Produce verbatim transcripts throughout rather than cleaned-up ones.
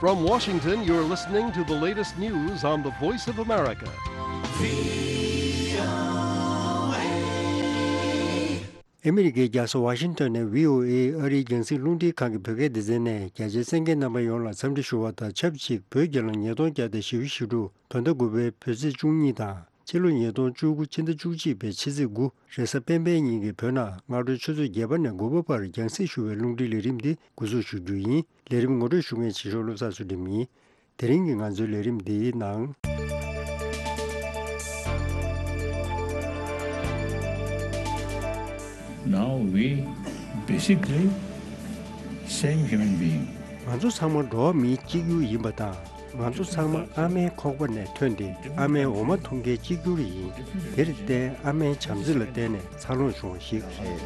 From Washington, you're listening to the latest news on the Voice of America. ཨ་མི་རི་ཀའི་རྒྱལ་ས་ཝ་ཤིང་ཏོན་ནས་བྷི་ཨོ་ཨེ་ཨ་རིའི་རྒྱང་སྲིང་རླུང་འཕྲིན་ཁང་གི་བོད་སྐད་སྡེ་ཚན་ནས་རྒྱ་ཆེའི་གསན་མཁན་རྣམ་པ་ཡོངས་ལ་འཚམས་འདྲི་ཞུ་བ་དང་ཆབས་ཅིག་བོད་རྒྱལ་ལོ་ཉིས་སྟོང་བརྒྱ་དང་བཞི་བཅུ་ཞེ་དྲུག་བོད་ཟླ་དགུ་པའི་བོད་ཚེས་བཅུ་གཉིས་དང་། ཕྱི་ལོ་ཉིས་སྟོང་བཅུ་དགུ་ཕྱི་ཟླ་བཅུ་གཅིག་པའི་ཕྱི་ཚེས་དགུ་རེས་གཟའ་སྤེན་པའི་ཉིན་གྱི་བོད་ནང་སྔ་དྲོའི་ཆུ་ཚོད་བརྒྱད་པ་ནས་དགུ་པ་བར་རྒྱང་སྲིང་ཞུ་བའི་རླུང་འཕྲིན་ལས་རིམ་འདི་འགོ་འཛུགས་ཞུ་རྒྱུ་ཡིན། ལས་རིམ་ངོ་སྤྲོད་ཞུ་མཁན་ཆེ་ཤོས་བློ་བཟང་ཚུལ་ཁྲིམས་ཡིན། དེ་རིང་གི་ང་ཚོའི་ལས་རིམ་འདིའི་ནང་། Now we basically same human being. ང་ཚོ་ཚང་མ་འགྲོ་བ་མིའི་གཅིག་གྱུར་ཡིན་པ་དང་། ང་ཚོ་ཚང་མ་ཨ་མའི་ཁོག་པ་ནས་ཐོན་ཏེ་ཨ་མའི་འོ་མ་འཐུང་མཁན་གཅིག་གྱུར་ཡིན། དེར་བརྟེན་ཨ་མའི་བྱམས་བརྩེ་ལ་བརྟེན་ནས་འཚར་ལོངས་བྱུང་བ་ཞིག་རེད།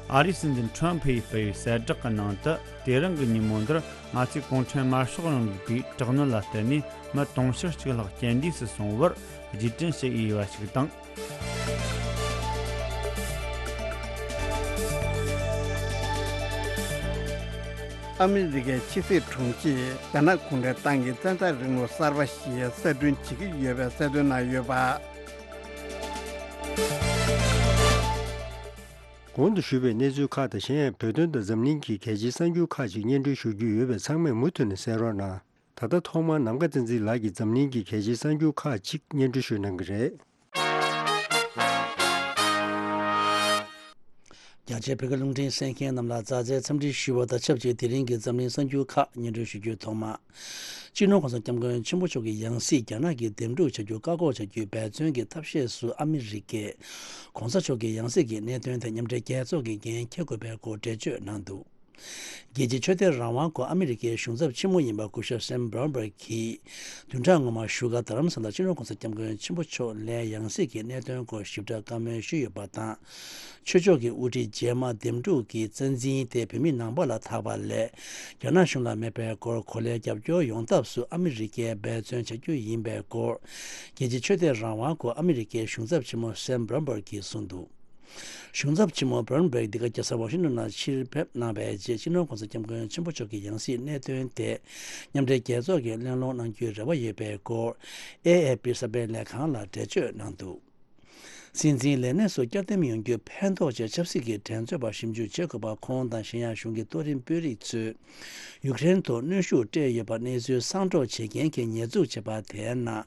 ཨ་རིའི་སྲིད་འཛིན་ཁྲོམ་ཕུ་ཡིས་སྤེལ་བའི་གསལ་བསྒྲགས་ཀྱི་ནང་དུ། དེ་རིང་གི་ཉིན་མོ་འདིར་ང་ཚོས་གུང་ཁྲན་དམར་ཤོག་རིང་ལུགས་པའི་དྲག་གནོན་ལ་བརྟེན་ནས་མི་དུང་ཕྱུར་གཅིག་ལྷག་རྐྱེན་འདས་སུ་སོང་བར་རྗེས་དྲན་ཞུ་ཡི་ཡོད་པ་ཞིག་དང་། ཨ་མི་རི་ཀའི་ཕྱི་སྲིད་དྲུང་ཆེས་རྒྱ་ནག་གུང་ཁྲན་ཏང་གིས་བཙན་འཛུལ་རིང་ལུགས་གསར་པ་ཞིག་གསར་སྐྲུན་བྱེད་ཀྱི་ཡོད་པའི་གསལ་སྟོན་གནང་ཡོད་པ། གོང་དུ་ཞུས་པའི་གནས་ཚུལ་ཁག་དང་གཞན་ཡང་བོད་དོན་དང་འཛམ་གླིང་གི་གལ་ཆེའི་གསར་འགྱུར་ཁག་ཅིག་སྙན་སྒྲོན་ཞུ་རྒྱུ་ཡོད་པས་ཚང་མས་མུ་མཐུད་ནས་གསན་རོགས་གནང་། ད་ལྟ་ཐོག་མར་ནམ་མཁའ་བསྟན་འཛིན་ལགས་ཀྱིས་འཛམ་གླིང་གི་གལ་ཆེའི་གསར་འགྱུར་ཁག་ཅིག་སྙན་སྒྲོན་ཞུ་གནང་གི་རེད། རྒྱ་ཆེའི་བོད་སྐད་རླུང་འཕྲིན་གསན་མཁན་རྣམས་ལ་མཛའ་བརྩེའི་འཚམས་འདྲི་ཞུ་བ་དང་ཆབས་ཅིག་དེ་རིང་གི་འཛམ་གླིང་གསར་འགྱུར་ཁག་སྙན་སྒྲོན་ཞུ་རྒྱུའི་ཐོག་མ། སྤྱི་ནོར་༸གོང་ས་༸སྐྱབས་མགོན་ཆེན་པོ་མཆོག་གི་ཡང་སྲིད་རྒྱ་ནག་གིས་འདེམས་སྒྲུག་བྱ་རྒྱུ་བཀག་འགོག་བྱ་རྒྱུའི་འབད་བརྩོན་གྱི་ཐབས་ཤེས་སུ་ཨ་མི་རི་ཀས་༸གོང་ས་མཆོག་གི་ཡང་སྲིད་ཀྱི་གནད་དོན་ཐད་མཉམ་འབྲེལ་རྒྱལ་ཚོགས་ཀྱིས་འགན་འཁྱེར་དགོས་པའི་སྐོར་འགྲེལ་བརྗོད་གནང་འདུག་རྒྱལ་སྤྱིའི་ཆོས་དད་རང་དབང་སྐོར་ཨ་མི་རི་ཀའི་གཞུང་ཚབ་ཆེན་མོ་ཡིན་པ་སྐུ་ཞབས་སེམ་བྷོན་བྷར་གྱིས་བདུན་ཕྲག་སྔོན་མ་བཞུགས་སྒར་རྡ་རམ་ས་ལར་སྤྱི་ནོར་༸གོང་ས་༸སྐྱབས་མགོན་ཆེན་པོ་མཆོག་ལའི་ཡང་སྲིད་ཀྱི་གནད་དོན་སྐོར་ཞིབ་ཕྲ་བཀའ་མོལ་ཞུས་ཡོད་པ་དང་། ཆོས་ཕྱོགས་ཀྱི་དབུ་ཁྲིད་རྗེས་མ་འདེམས་སྒྲུག་གི་རྩ་འཛིན་དེ་བོད་མི་ནང་པ་ལ་ཐར་པ་ལས། རྒྱ་ནག་གཞུང་ལ་མེད་པའི་སྐོར་གོ་ལའི་རྒྱབ་སྐྱོར་ཡོང་ཐབས་སུ་ཨ་མི་རི་ཀས་འབད་བརྩོན་བྱ་རྒྱུ་ཡིན་པའི་སྐོར། རྒྱལ་སྤྱིའི་ཆོས་དད་རང་དབང་སྐོར་ཨ་མི་རི་ཀའི་གཞུང་ཚབ་ཆེན་མོ་སེམ་བྷོན་བྷར་གྱིས་གསུངས་འདུག་གཞུང་ཚབ་ཆེན་མོ་བྷོན་བྷར་འདི་ག་རྒྱལ་ས་ཝ་ཤིང་ཏོན་ནང་ཕྱིར་ཕེབས་གནང་བའི་རྗེས་སྤྱི་ནོར་༸གོང་ས་༸སྐྱབས་མགོན་ཆེན་པོ་མཆོག་གི་ཡང་སྲིད་གནད་དོན་དེ་མཉམ་འབྲེལ་རྒྱལ་ཚོགས་ཀྱིས་གླེང་སློང་གནང་རྒྱུའི་རེ་བ་ཡོད་པའི་སྐོར་ཨེ་ཨེ་པི་གསར་སྤེལ་ལས་ཁང་ལ་འགྲེལ་བརྗོད་གནང་འདུག་སྲིད་འཛིན་ལས་གནས་སུ་བསྐྱར་འདེམས་ཡོང་རྒྱུ་ཕན་ཐོགས་ཆེད་ཆབ་སྲིད་ཀྱི་འགྲན་རྩོད་པ་ཞིབ་འཇུག་བྱེད་དགོས་པ་ཁོང་དང་གཞན་ཡང་གཞུང་གི་གཏོགས་རིམ་དཔོན་རིགས་ཚོས། ཡུཀ་རེན་ཐོག་གནོན་ཤུགས་སྤྲད་ཡོད་པ་གནས་ཚུལ་གསང་སྒྲོག་བྱེད་མཁན་གྱིས་ཉེས་འཛུགས་བྱས་པ་དེའི་ནང་།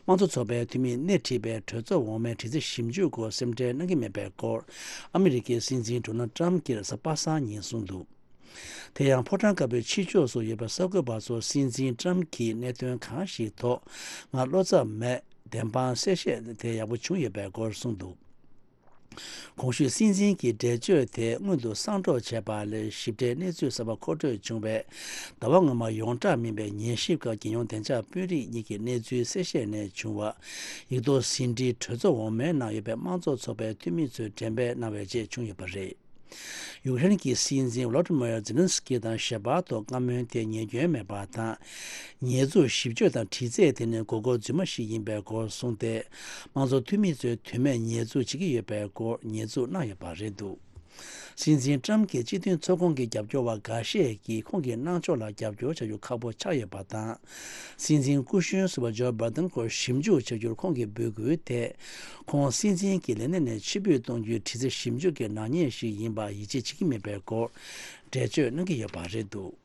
དམངས་གཙོ་ཚོགས་པའི་འཐུས་མིས་སྣེ་ཁྲིད་པའི་གྲོས་ཚོགས་འོག་མའི་དྲི་རྩད་ཞིབ་འཇུག་སྐོར་སེམས་ཁྲལ་གནང་གི་མེད་པའི་སྐོར། ཨ་མི་རི་ཀའི་སྲིད་འཛིན་ཌོ་ནལ་ཏྲམ་གྱིས་རེས་གཟའ་པ་སངས་ཉིན་གསུངས་འདུག་དེ་ཡང་ཕོ་བྲང་དཀར་པོའི་ཕྱི་ཕྱོགས་སུ་ཡོད་པའི་གསར་འགོད་པ་ཚོར་སྲིད་འཛིན་ཏྲམ་གྱིས་གནད་དོན་གང་ཞིག་ཐོག་ང་བློ་འཚབ་མེད། བདེན་དཔང་གསལ་བཤད་དེ་ཡག་པོ་བྱུང་ཡོད་པའི་སྐོར་གསུངས་འདུག་གོང་ཞུས་སྲིད་འཛིན་གྱི་འགྲེལ་བརྗོད་དེ་སྔོན་དུ་གསང་སྒྲོག་བྱས་པ་ལས་ཞིབ་ཕྲའི་གནས་ཚུལ་གསར་པ་མཁོ་སྤྲོད་བྱུང་བའི་ཟླ་བ་སྔོན་མ་ཡོངས་གྲགས་མིན་པའི་ཉན་ཞིབ་སྐབས་རྒྱལ་ཡོངས་བདེ་འཇགས་དཔོན་རིགས་གཉིས་ཀྱི་གནས་ཚུལ་གསལ་བཤད་ནས་བྱུང་བ། ཡིག་ཐོག་ཟིན་བྲིས་གྲོས་ཚོགས་འོག་མའི་ནང་ཡོད་པའི་དམངས་གཙོ་ཚོགས་པའི་འཐུས་མི་ཚོས་འགྲེམས་སྤེལ་གནང་བའི་རྗེས་བྱུང་ཡོད་པ་རེད། ཡུཀ་རེན་གྱི་སྲིད་འཛིན་ཝོ་ལོ་ཏི་མོ་ཛེ་ལན་སི་ཀི་དང་ཞལ་པར་ཐོག་བཀའ་མོལ་དེ་ཉེས་སྐྱོན་མེད་པ་དང་། ཉེས་འཛུགས་ཞིབ་དཔྱོད་དང་དྲི་རྩད་དེ་ནི་མགོ་སྐོར་རྫུན་མ་ཞིག་ཡིན་པའི་སྐོར་གསུངས་ཏེ། དམངས་གཙོ་འཐུས་མི་ཚོས་དོན་མེད་ཉེས་འཛུགས་བྱེད་ཀྱི་ཡོད་པའི་སྐོར་ཉེས་འཛུགས་གནང་ཡོད་པ་རེད་འདུག་སྲིད་འཛིན་ཏྲམ་གྱི་སྤྱི་མཐུན་ཚོགས་ཁོངས་ཀྱི་རྒྱབ་སྐྱོར་བ་འགའ་ཤས་ཀྱིས་ཁོང་གི་གནང་ཕྱོགས་ལ་རྒྱབ་སྐྱོར་བྱ་རྒྱུ་ཁག་པོ་ཆགས་ཡོད་པ་དང་། སྲིད་འཛིན་སྐུ་གཞོན་ཟུར་པ་ཇོ་བྷའི་ཏན་སྐོར་ཞིབ་འཇུག་བྱ་རྒྱུར་ཁོང་གིས་འབོད་སྐུལ་དེ། ཁོང་སྲིད་འཛིན་གྱི་ལས་གནས་ནས་ཕྱིར་འབུད་གཏོང་རྒྱུའི་དྲི་རྩད་ཞིབ་འཇུག་གི་ནག་ཉེས་ཤིག་ཡིན་པ་ཡིད་ཆེས་བྱེད་ཀྱི་མེད་པའི་སྐོར་འགྲེལ་བརྗོད་གནང་གི་ཡོད་པ་རེད་འདུག་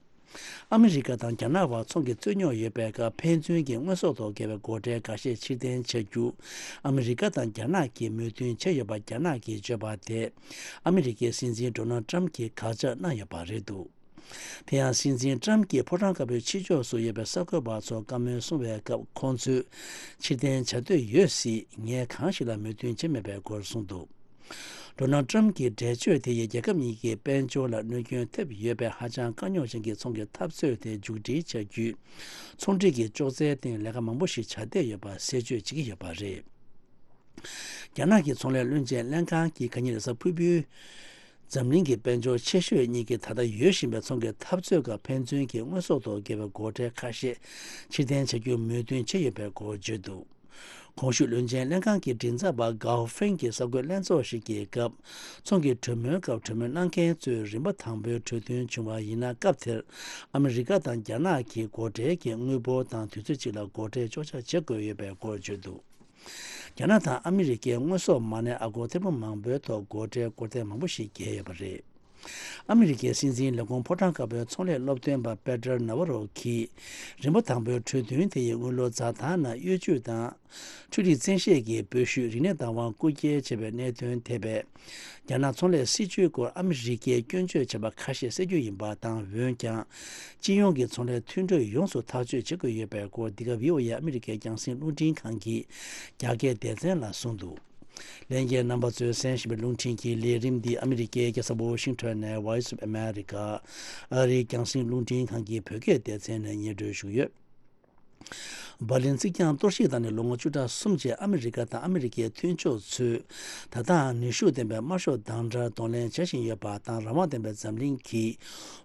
ཨ་མི་རི་ཀ་དང་རྒྱ་ནག་བར་ཚོང་གི་རྩོད་རྙོག་ཡོད་པའི་སྐབས་ཕན་ཚུན་གྱི་དངོས་ཟོག་ཐོག་བརྒལ་བའི་སྒོ་ཁྲལ་འགའ་ཤས་ཕྱིར་འཐེན་བྱ་རྒྱུ། ཨ་མི་རི་ཀ་དང་རྒྱ་ནག་གིས་མོས་མཐུན་བྱས་ཡོད་པ་རྒྱ་ནག་གིས་བརྗོད་པ་དེ། ཨ་མི་རི་ཀའི་སྲིད་འཛིན་ཌོ་ནལ་ཏྲམ་གྱིས་དགག་བྱ་གནང་ཡོད་པ་རེད་འདུག་དེ་ཡང་སྲིད་འཛིན་ཏྲམ་གྱིས་ཕོ་བྲང་དཀར་པོའི་ཕྱི་ཕྱོགས་སུ་ཡོད་པའི་གསར་འགོད་པ་ཚོར་བཀའ་མོལ་གསུང་བའི་སྐབས་ཁོང་ཚོས་ཕྱིར་འཐེན་བྱ་འདོད་ཡོད་སྲིད་ངས་གང་ཞིག་ལ་མོས་མཐུན་བྱས་མེད་པའི་སྐོར་གསུངས་འདུག་ཌོ་ནལ་ཏྲམ་གྱི་འགྲེལ་བརྗོད་དེ་ཡིས་རྒྱལ་ཁབ་གཉིས་ཀྱི་དཔལ་འབྱོར་ལ་གནོད་སྐྱོན་ཐེབས་ཡོད་པའི་ཧ་ཅང་དཀའ་རྙོག་ཅན་གྱི་ཚོང་གི་འཐབ་རྩོད་དེ་མཇུག་སྒྲིལ་བྱ་རྒྱུའི་ཚོང་འབྲེལ་གྱི་ཅོག་ཙེའི་སྟེང་ལས་ཀ་མང་པོ་ཞིག་བྱ་བསྡད་ཡོད་པ་གསལ་བརྗོད་བྱེད་ཀྱི་ཡོད་པ་རེད། རྒྱ་ནག་གི་ཚོང་ལས་བློན་ཆེན་ལན་ཁང་གིས་ག་ཉིན་རེས་གཟའ་ཕུར་བུའི། འཛམ་གླིང་གི་དཔལ་འབྱོར་ཆེ་ཤོས་གཉིས་ཀྱི་ད་ལྟ་ཡོད་བཞིན་པའི་ཚོང་གི་འཐབ་རྩོད་སྐབས་ཕན་ཚུན་གྱི་དངོས་ཟོག་ཐོག་བརྒལ་བའི་སྒོ་ཁྲལ་ཁ་ཤས་ཕྱིར་འཐེན་བྱ་རྒྱུར་མོས་མཐུན་བྱས་ཡོད་པའི་སྐོར་བརྗོད་འདུག་གོང་ཞུས་བློན་ཆེན་ལྷན་ཁང་གི་མགྲིན་ཚབ་པ་གའོ་ཧྥེང་གིས་གསར་འགོད་ལྷན་ཚོགས་ཤིག་གི་སྐབས། ཚོང་གི་གྲོས་མོལ་སྐབས་གྲོས་མོལ་གནང་མཁན་ཚོས་རིམ་པ་དང་པོའི་གྲོས་མཐུན་བྱུང་བ་ཡིན་ན། སྐབས་དེར་ཨ་མི་རི་ཀ་དང་རྒྱ་ནག་གིས་སྒོ་ཁྲལ་གྱི་དངུལ་འབོར་དང་དུས་ཚོད་གཅིག་ལ་སྒོ་ཁྲལ་གཅོག་ཆ་བྱེད་དགོས་ཡོད་པའི་སྐོར་བརྗོད་འདུག་རྒྱ་ནག་དང་ཨ་མི་རི་ཀའི་དངོས་ཟོག་མ་གནས་ཨ་སྒོར་ཐེར་འབུམ་མང་པོའི་ཐོག་སྒོ་ཁྲལ་སྐོར་ཐེངས་མང་པོ་ཞིག་བརྒལ་ཡོད་པ་རེད། ཨ་མི་རི་ཀའི་སྲིད་འཛིན་ལས་ཁུངས་ཕོ་བྲང་དཀར་པོའི་ཚོང་ལས་སློབ་སྟོན་པ་པེ་ཏར་ན་ཝ་རོ་གིས། རིམ་པ་དང་པོའི་གྲོས་མཐུན་དེ་ཡི་དངུལ་ལོར་འཛའ་ཐང་ནང་གཡོ་ཇུས་དང་། འཕྲུལ་རིག་བཙན་ཤེད་ཀྱི་སྤོས་ཤུད་རིག་གནས་བདག་དབང་རྐུ་འཁྱེར་བྱས་པའི་གནད་དོན་ཐད་པའི། རྒྱ་ནག་ཚོང་ལས་སྲིད་ཇུས་སྐོར་ཨ་མི་རི་ཀས་སྐྱོན་བརྗོད་བྱས་པ་ཁ་ཤས་སེལ་རྒྱུ་ཡིན་པ་དང་། འོན་ཀྱང་། སྤྱི་ཡོངས་ཀྱི་ཚོང་ལས་མཐུན་གྲོས་ཡོངས་སུ་ཐག་གཅོད་བྱེད་དགོས་ཡོད་པའི་སྐོར། འདི་ག་བྷི་ཨོ་ཨེ་ཨ་མི་རི་ཀའི་རྒྱང་སྲིང་རླུང་འཕྲིན་ཁང་གི་རྒྱ་སྐད་སྡེ་ཚན་ལ་གསུངས་འདུག་ལྷན་རྒྱས་རྣམ་པ་ཚོས་གསན་བཞིན་པའི་རླུང་འཕྲིན་གྱི་ལས་རིམ་འདི་ཨ་མི་རི་ཀའི་རྒྱལ་ས་ཝོ་ཤིང་ཊོན་ནས་Voice of America ཨ་རིའི་རྒྱང་སྲིང་རླུང་འཕྲིན་ཁང་གི་བོད་སྐད་སྡེ་ཚན་ནས་སྙན་སྒྲོན་ཞུ་གི་ཡོད། འབར་ལིན་རྩིག་གྱང་གཏོར་བཤིག་བཏང་ནས་ལོ་ངོ་བཅུ་ཕྲག་གསུམ་རྗེས་ཨ་མི་རི་ཀ་དང་ཨ་མི་རི་ཀའི་མཐུན་ཕྱོགས་ཚོས་ད་ལྟའང་ནུས་ཤུགས་ལྡན་པའི་དམར་ཤོག་དམ་དྲག་གདོང་ལེན་བྱ་བཞིན་ཡོད་པ་དང་། རང་དབང་ལྡན་པའི་འཛམ་གླིང་གིས་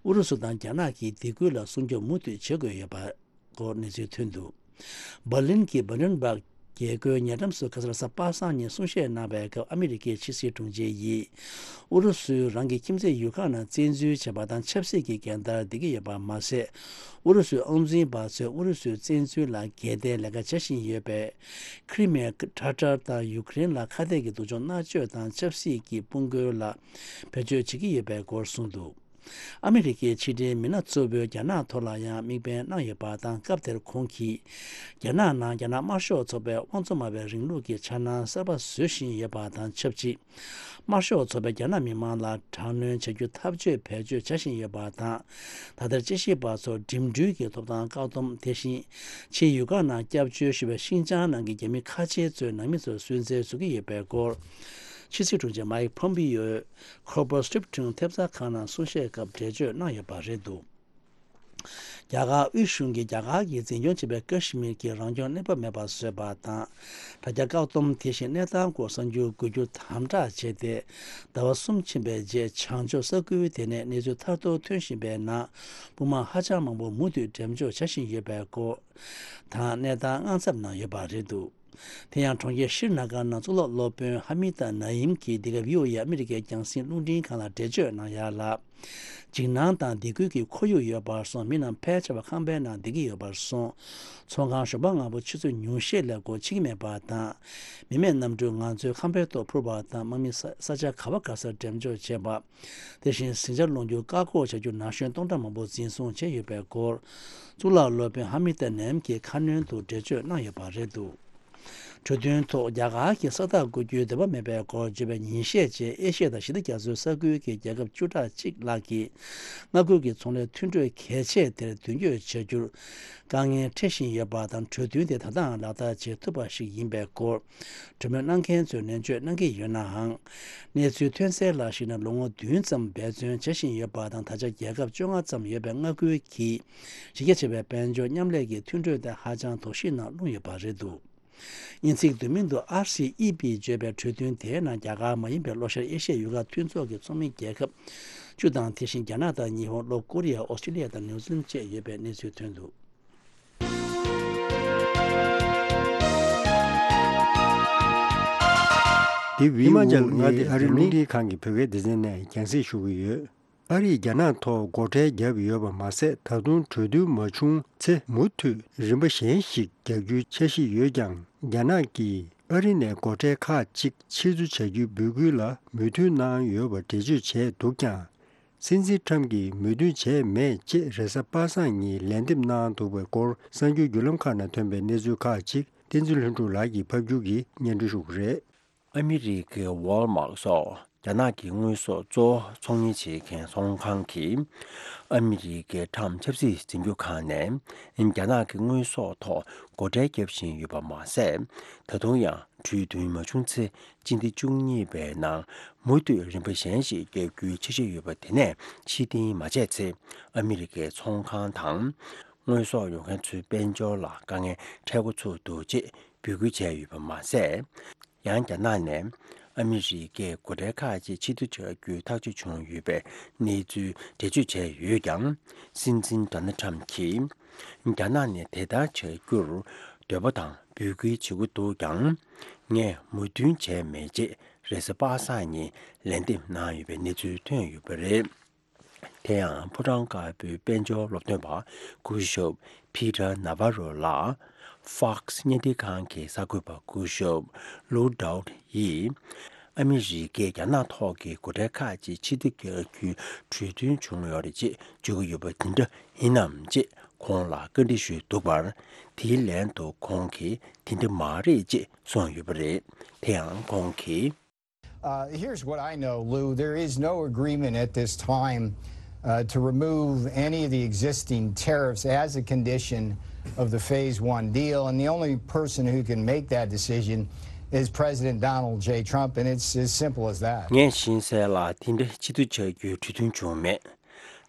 ཨུ་རུ་སུ་དང་རྒྱ་ནག་གི་སྡིགས་སྐུལ་ལ་སྲུང་སྐྱོབ་མུ་མཐུད་བྱེད་དགོས་ཡོད་པ། སྐོར་གནས་ཚུལ་ཐོན་འདུག་འབར་ལིན་གྱི་Brandenburg རྒྱལ་སྒོའི་ཉེ་འགྲམ་སུ་ཁ་སང་གཟའ་པ་སངས་ཉིན་གསུང་བཤད་གནང་བའི་སྐབས། ཨ་མི་རི་ཀའི་ཕྱི་སྲིད་དྲུང་ཆེ་ཡིས། ཨུ་རུ་སུས་རང་གི་ཁྱིམ་མཚེས་ཡུལ་ཁག་ནང་བཙན་འཛུལ་བྱས་པ་དང་ཆབ་སྲིད་ཀྱི་འགལ་ཟླར་བསྡད་ཀྱི་ཡོད་པ་མ་ཟད། ཨུ་རུ་སུའི་དབང་འཛིན་པ་ཚོས་ཨུ་རུ་སུའི་བཙན་འཛུལ་ལ་འགལ་ཟླའི་ལས་ཀ་བྱ་བཞིན་ཡོད་པའི། ཁི་རི་མེ་ཁྲ་ཊར་དང་ཡུ་ཀེ་རེན་ལ་ཁ་གཏད་ཀྱི་སྡུག་སྦྱོང་མནར་གཅོད་དང་ཆབ་སྲིད་ཀྱི་དཔུང་རྒོལ་ལ་བེད་སྤྱོད་བྱེད་ཀྱི་ཡོད་པའི་སྐོར་གསུངས་འདུག་ཨ་མི་རི་ཀའི་ཕྱི་འབྲེལ་མི་སྣ་གཙོ་བོས་རྒྱ་ནག་ཐོག་ལ་ཡང་དམིགས་འབེན་གནང་ཡོད་པ་དང་། སྐབས་དེར་ཁོང་གིས། རྒྱ་ནག་ནང་རྒྱ་ནག་དམར་ཤོག་ཚོགས་པའི་དབང་བཙོང་མ་བའི་རིང་ལུགས་ཀྱི་འཆར་སྣང་གསར་པ་བཟོ་བཞིན་ཡོད་པ་དང་ཆབས་ཅིག་དམར་ཤོག་ཚོགས་པས་རྒྱ་ནག་མི་མང་ལ་དྲག་གནོན་བྱ་རྒྱུ་འཐབ་ཇུས་བེད་སྤྱོད་བྱ་བཞིན་ཡོད་པ་དང་། ད་ལྟར་དཔྱད་ཞིབ་པ་ཚོར་འགྲིམ་འགྲུལ་གྱི་ཐོབ་ཐང་བཀག་སྡོམ། དེ་བཞིན། ཕྱིའི་ཡུལ་ཁག་ནང་སྐྱབས་བཅོལ་ཞུ་བའི་ཤིན་ཅང་ནང་གི་རྒྱ་མི་ཁ་ཆེ་ཚོའི་ནང་མི་ཚོར་སུན་གཙེར་བཟོ་གི་ཡོད་པའི་སྐོར། ཕྱི་སྲིད་དྲུང་ཆེ་མའིག་ཕོམ་པི་ཡོས་ཁོར་པར་སི་ཊིབ་ཁྲིན་ཐེབས་རྩ་ཁང་ནང་གསུང་བཤད་སྐབས་འགྲེལ་བརྗོད་གནང་ཡོད་པ་རེད་འདུག་རྒྱ་གར་དབུས་གཞུང་གིས་རྒྱ་གར་གྱིས་འཛིན་སྐྱོང་བྱེད་པའི་ཀ་ཤི་མིར་གྱི་རང་སྐྱོང་གནས་བབ་མེད་པ་བཟོས་པ་དང་། དྲ་རྒྱ་བཀག་སྡོམ། དེ་བཞིན་གནས་སྟངས་སྐོར་གསར་འགྱུར་འགོད་རྒྱུ་དམ་དྲག་བྱས་ཏེ། ཟླ་བ་གསུམ་ཕྱིན་པའི་རྗེས་བྱང་ཕྱོགས་ས་ཁུལ་དེ་ནས་གནས་ཚུལ་ཐར་ཐོར་ཐོན་བཞིན་པའི་ནང་། དཔུང་དམག་ཧ་ཅང་མང་པོ་མུ་མཐུད་འགྲེམས་འཇོག་བྱ་བཞིན་ཡོད་པའི་སྐོར་དང་། གནས་སྟངས་དངངས་འཚབ་གནང་ཡོད་པ་རེད་འདུག་དེ་ཡང་གྲོང་ཁྱེར་ཤྲི་ན་གར་ནང་གཙུག་ལག་སློབ་དཔོན་ཧ་མི་ཏ་ན་ཡིམ་གྱིས་འདི་ག་བྷི་ཨོ་ཨེ་ཨ་མི་རི་ཀའི་རྒྱང་སྲིང་རླུང་འཕྲིན་ཁང་ལ་འགྲེལ་བརྗོད་གནང་ཡག་ལ། འཇིགས་སྣང་དང་སྡིགས་སྐུལ་གྱི་ཁོར་ཡུག་ཡོད་པར་སོང་། མི་རྣམས་ཕལ་ཆེ་བ་ཁང་པའི་ནང་བསྡད་ཀྱི་ཡོད་པར་སོང་། ཚོང་ཁང་ཞོགས་པ་སྔ་པོ་ཆུ་ཚོད་ཉུང་ཤས་ལས་སྒོ་ཕྱེ་གི་མེད་པ་དང་། མི་མེད་གནམ་གྲུས་ང་ཚོའི་ཁང་པའི་ཐོག་འཕུར་བ་དང་། དམག་མི་ས་ས་ཆ་ག་བ་ག་སར་འགྲེམས་འཇོག་བྱས་པ། དེ་བཞིན་ཟིང་ཆ་སློང་རྒྱུར་བཀག་འགོག་བྱ་རྒྱུ་ན་གཞོན་སྟོང་ཕྲག་མང་པོ་འཛིན་བཟུང་བྱས་ཡོད་པའི་སྐོར། གཙུག་ལག་སློབ་དཔོན་ཧ་མི་ཏ་ནེམ་གྱིས་ཁ་སྣོན་དུ་འགྲེལ་བརྗོད་གནང་ཡོད་པ་རེད་འདུག་གྲོས་མཐུན་ཐོག་རྒྱ་གར་གྱིས་ས་རྟགས་བཀོད་རྒྱུའི་འདོད་པ་མེད་པའི་སྐོར་བརྗོད་པའི་ཉིན་ཤས་རྗེས། ཨེ་ཤི་ཡ་དང་ཞི་བདེ་རྒྱ་མཚོའི་ས་ཁུལ་གྱི་རྒྱལ་ཁབ་བཅུ་ཕྲག་གཅིག་ལྷག་གིས་མངའ་ཁུལ་གྱི་ཚོང་ལས་མཐུན་གྲོས་གལ་ཆེ་དེར་མདུན་སྐྱོད་བྱ་རྒྱུར་དཀའ་ངལ་འཕྲད་བཞིན་ཡོད་པ་དང་། གྲོས་མཐུན་དེ་ད་ལྟའང་ལག་བསྟར་བྱེད་ཐུབ་པ་ཞིག་ཡིན་པའི་སྐོར། གྲོས་མོལ་གནང་མཁན་ཚོས་ནན་བརྗོད་གནང་གི་ཡོད་ནའང་། གནས་ཚུལ་ཐོན་གསལ་ལ་གཞིགས་ན། ལོ་ངོ་བདུན་ཙམ་འབད་བརྩོན་བྱ་བཞིན་ཡོད་པ་དང་། ད་ཆ་རྒྱལ་ཁབ་བཅོ་ལྔ་ཙམ་ཡོད་པའི་མངའ་ཁུལ་གྱིས་གཞི་རྒྱ་ཆེ་བའི་དཔལ་འབྱོར་མཉམ་ལས་ཀྱི་མཐུན་གྲོས་དེ་ཧ་ཅང་དོགས་གཞི་ནང་ལྷུང་ཡོད་པ་རེད་འདུག་དབྱིན་ཚིག་བསྡུས་མིང་དུ་ཨར་སི་ཨི་པི་བརྗོད་པའི་གྲོས་མཐུན་དེའི་ནང་རྒྱ་གར་མ་ཡིན་པའི་ལྷོ་ཤར་ཨེ་ཤི་ཡའི་ཡུལ་ཁག་མཐུན་ཚོགས་ཀྱི་ཚོགས་མི་རྒྱལ་ཁབ་བཅུ་དང་། དེ་བཞིན་རྒྱ་ནག་དང་ཉི་ཧོང་། ལྷོ་ཀོ་རི་ཡ། ཨོ་སི་ཀྲི་ལི་ཡ་དང་ནིའུ་ཛི་ལན་བཅས་ཡོད་པའི་གནས་ཚུལ་ཐོན་འདུག་འདི་བྷི་ཨོ་ཨེ་ཨ་རིའི་རླུང་འཕྲིན་ཁང་གི་བོད་སྐད་སྡེ་ཚན་ནས་རྒྱང་སྲིང་ཞུ་གི་ཡོད། ཨ་རིས་རྒྱ་ནག་ཐོག་སྒོ་ཁྲལ་བརྒྱབ་ཡོད་པ་མ་ཟད། ད་དུང་གྲོས་མཐུན་མ་བྱུང་ཚེ་མུ་མཐུད་རིམ་པ་གཞན་ཞིག་རྒྱག་རྒྱུའི་འཆར་གཞི་ཡོད་ཀྱང་། རྒྱ་ནག་གིས་ཨ་རི་ནས་སྒོ་ཁྲལ་ཁག་ཅིག་ཕྱིར་བསྡུ་བྱ་རྒྱུའི་འབོད་སྐུལ་ལ་མོས་མཐུན་གནང་ཡོད་པ་འགྲེལ་བརྗོད་བྱས་འདུག་ཀྱང་། སྲིད་འཛིན་ཁྲམ་གྱིས་མོས་མཐུན་བྱས་མེད་ཅེས་རེས་གཟའ་པ་སངས་ཉིན་ལན་འདེབས་གནང་འདུག་པའི་སྐོར། གསར་འགྱུར་བརྒྱུད་ལམ་ཁག་ནང་ཐོན་པའི་གནས་ཚུལ་ཁག་ཅིག་བསྟན་འཛིན་ལྷུན་གྲུབ་ལགས་ཀྱིས་ཕབ་སྒྱུར་གྱིས་སྙན་སྒྲོན་ཞུ་གི་རེད། ཨ་མི་རི་ཀའི་ཝོལ་མཱར་སོགས་རྒྱ་ནག་གི་དངོས་ཟོག་གཙོ་བོ་ཚོང་གཉེར་བྱེད་མཁན་ཚོང་ཁང་གིས། ཨ་མི་རི་ཀའི་ཁྲམ་ཆབ་སྲིད་འཛིན་སྐྱོང་ཁང་ནས་རྒྱ་ནག་གི་དངོས་ཟོག་ཐོག་སྒོ་ཁྲལ་བརྒྱབ་བཞིན་ཡོད་པ་མ་ཟད། ད་དུང་ཡང་གྲོས་མཐུན་མ་བྱུང་ཚེ། སྤྱི་ཟླ་བཅུ་གཉིས་པའི་ནང་མུ་མཐུད་རིམ་པ་གཞན་ཞིག་བརྒྱབ་རྒྱུའི་འཆར་གཞི་ཡོད་པ་དེ་ནས་ཕྱིར་འཐེན་མ་བྱས་ཚེ། ཨ་མི་རི་ཀའི་ཚོང་ཁང་དང་། དངོས་ཟོག་ཡོང་མཁན་ཚོའི་དཔལ་འབྱོར་ལ་དཀའ་ངལ་འཕྲད་འགོ་ཚུགས་འདུག་ཅེས་འབོད་སྐུལ་བྱས་ཡོད་པ་མ་ཟད། ཡང་རྒྱ་ནག་ནས་ཨ་མི་རི་ཀས་སྒོ་ཁྲལ་ཁག་ཅིག་ཕྱིར་བསྡུ་བྱ་རྒྱུའི་ཐག་གཅོད་བྱུང་ཡོད་པའི་གནས་ཚུལ་འགྲེལ་བརྗོད་བྱས་ཡོད་ཀྱང་། སྲིད་འཛིན་ཌོ་ནལ་ཁྲམ་གྱིས། རྒྱ་ནག་ནས་དེ་ལྟར་བྱ་རྒྱུར་ འདོད་པ་དང་འབོད་སྐུལ་བྱེད་ཀྱི་འདུག་ཀྱང་། ངས་མོས་མཐུན་བྱས་མེད་ཅེས་རེས་གཟའ་པ་སངས་ཉིན་ལན་འདེབས་གནང་ཡོད་པའི་གནས་ཚུལ་ཐོན་ཡོད་པ་རེད། དེ་ཡང་ཕོ་བྲང་དཀར་པོའི་དཔལ་འབྱོར་སློབ་སྟོན་པ་སྐུ་ཞབས་Peter Navarro ལགས་Fox་བརྙན་འཕྲིན་ཁང་གི་གསར་འགོད་པ་སྐུ་ཞབས་Lou Dowd་ཡིས། ཨ་མི་རི་ཀས་རྒྱ་ནག་ཐོག་གི་སྒོ་ཁྲལ་ཁག་ཅིག་ཕྱིར་འཐེན་རྒྱག་རྒྱུའི་གྲོས་མཐུན་བྱུང་ཡོད་རེད་ཅེས་བརྗོད་ཀྱི་ཡོད་པ་དེ་འདྲ་ཡིན་ནམ་ཅེས་ཁོང་ལ་བཀའ་འདྲི་ཞུས་འདུག་པར། དེའི་ལན་དུ་ཁོང་གིས་དེ་འདྲ་མ་རེད་ཅེས་གསུངས་ཡོད་པ་རེད། དེ་ཡང་ཁོང་གིས། Uh, here's what I know, Lou. There is no agreement at this time, uh, to remove any of the existing tariffs as a condition of the phase one deal. And the only person who can make that decision is President Donald J. Trump. And it's as simple as that. ངས་ཤེས་གསལ་ལ་དེ་འདྲ་ཕྱིར་བསྡུ་བྱ་རྒྱུའི་གྲོས་མཐུན་བྱུང་མེད།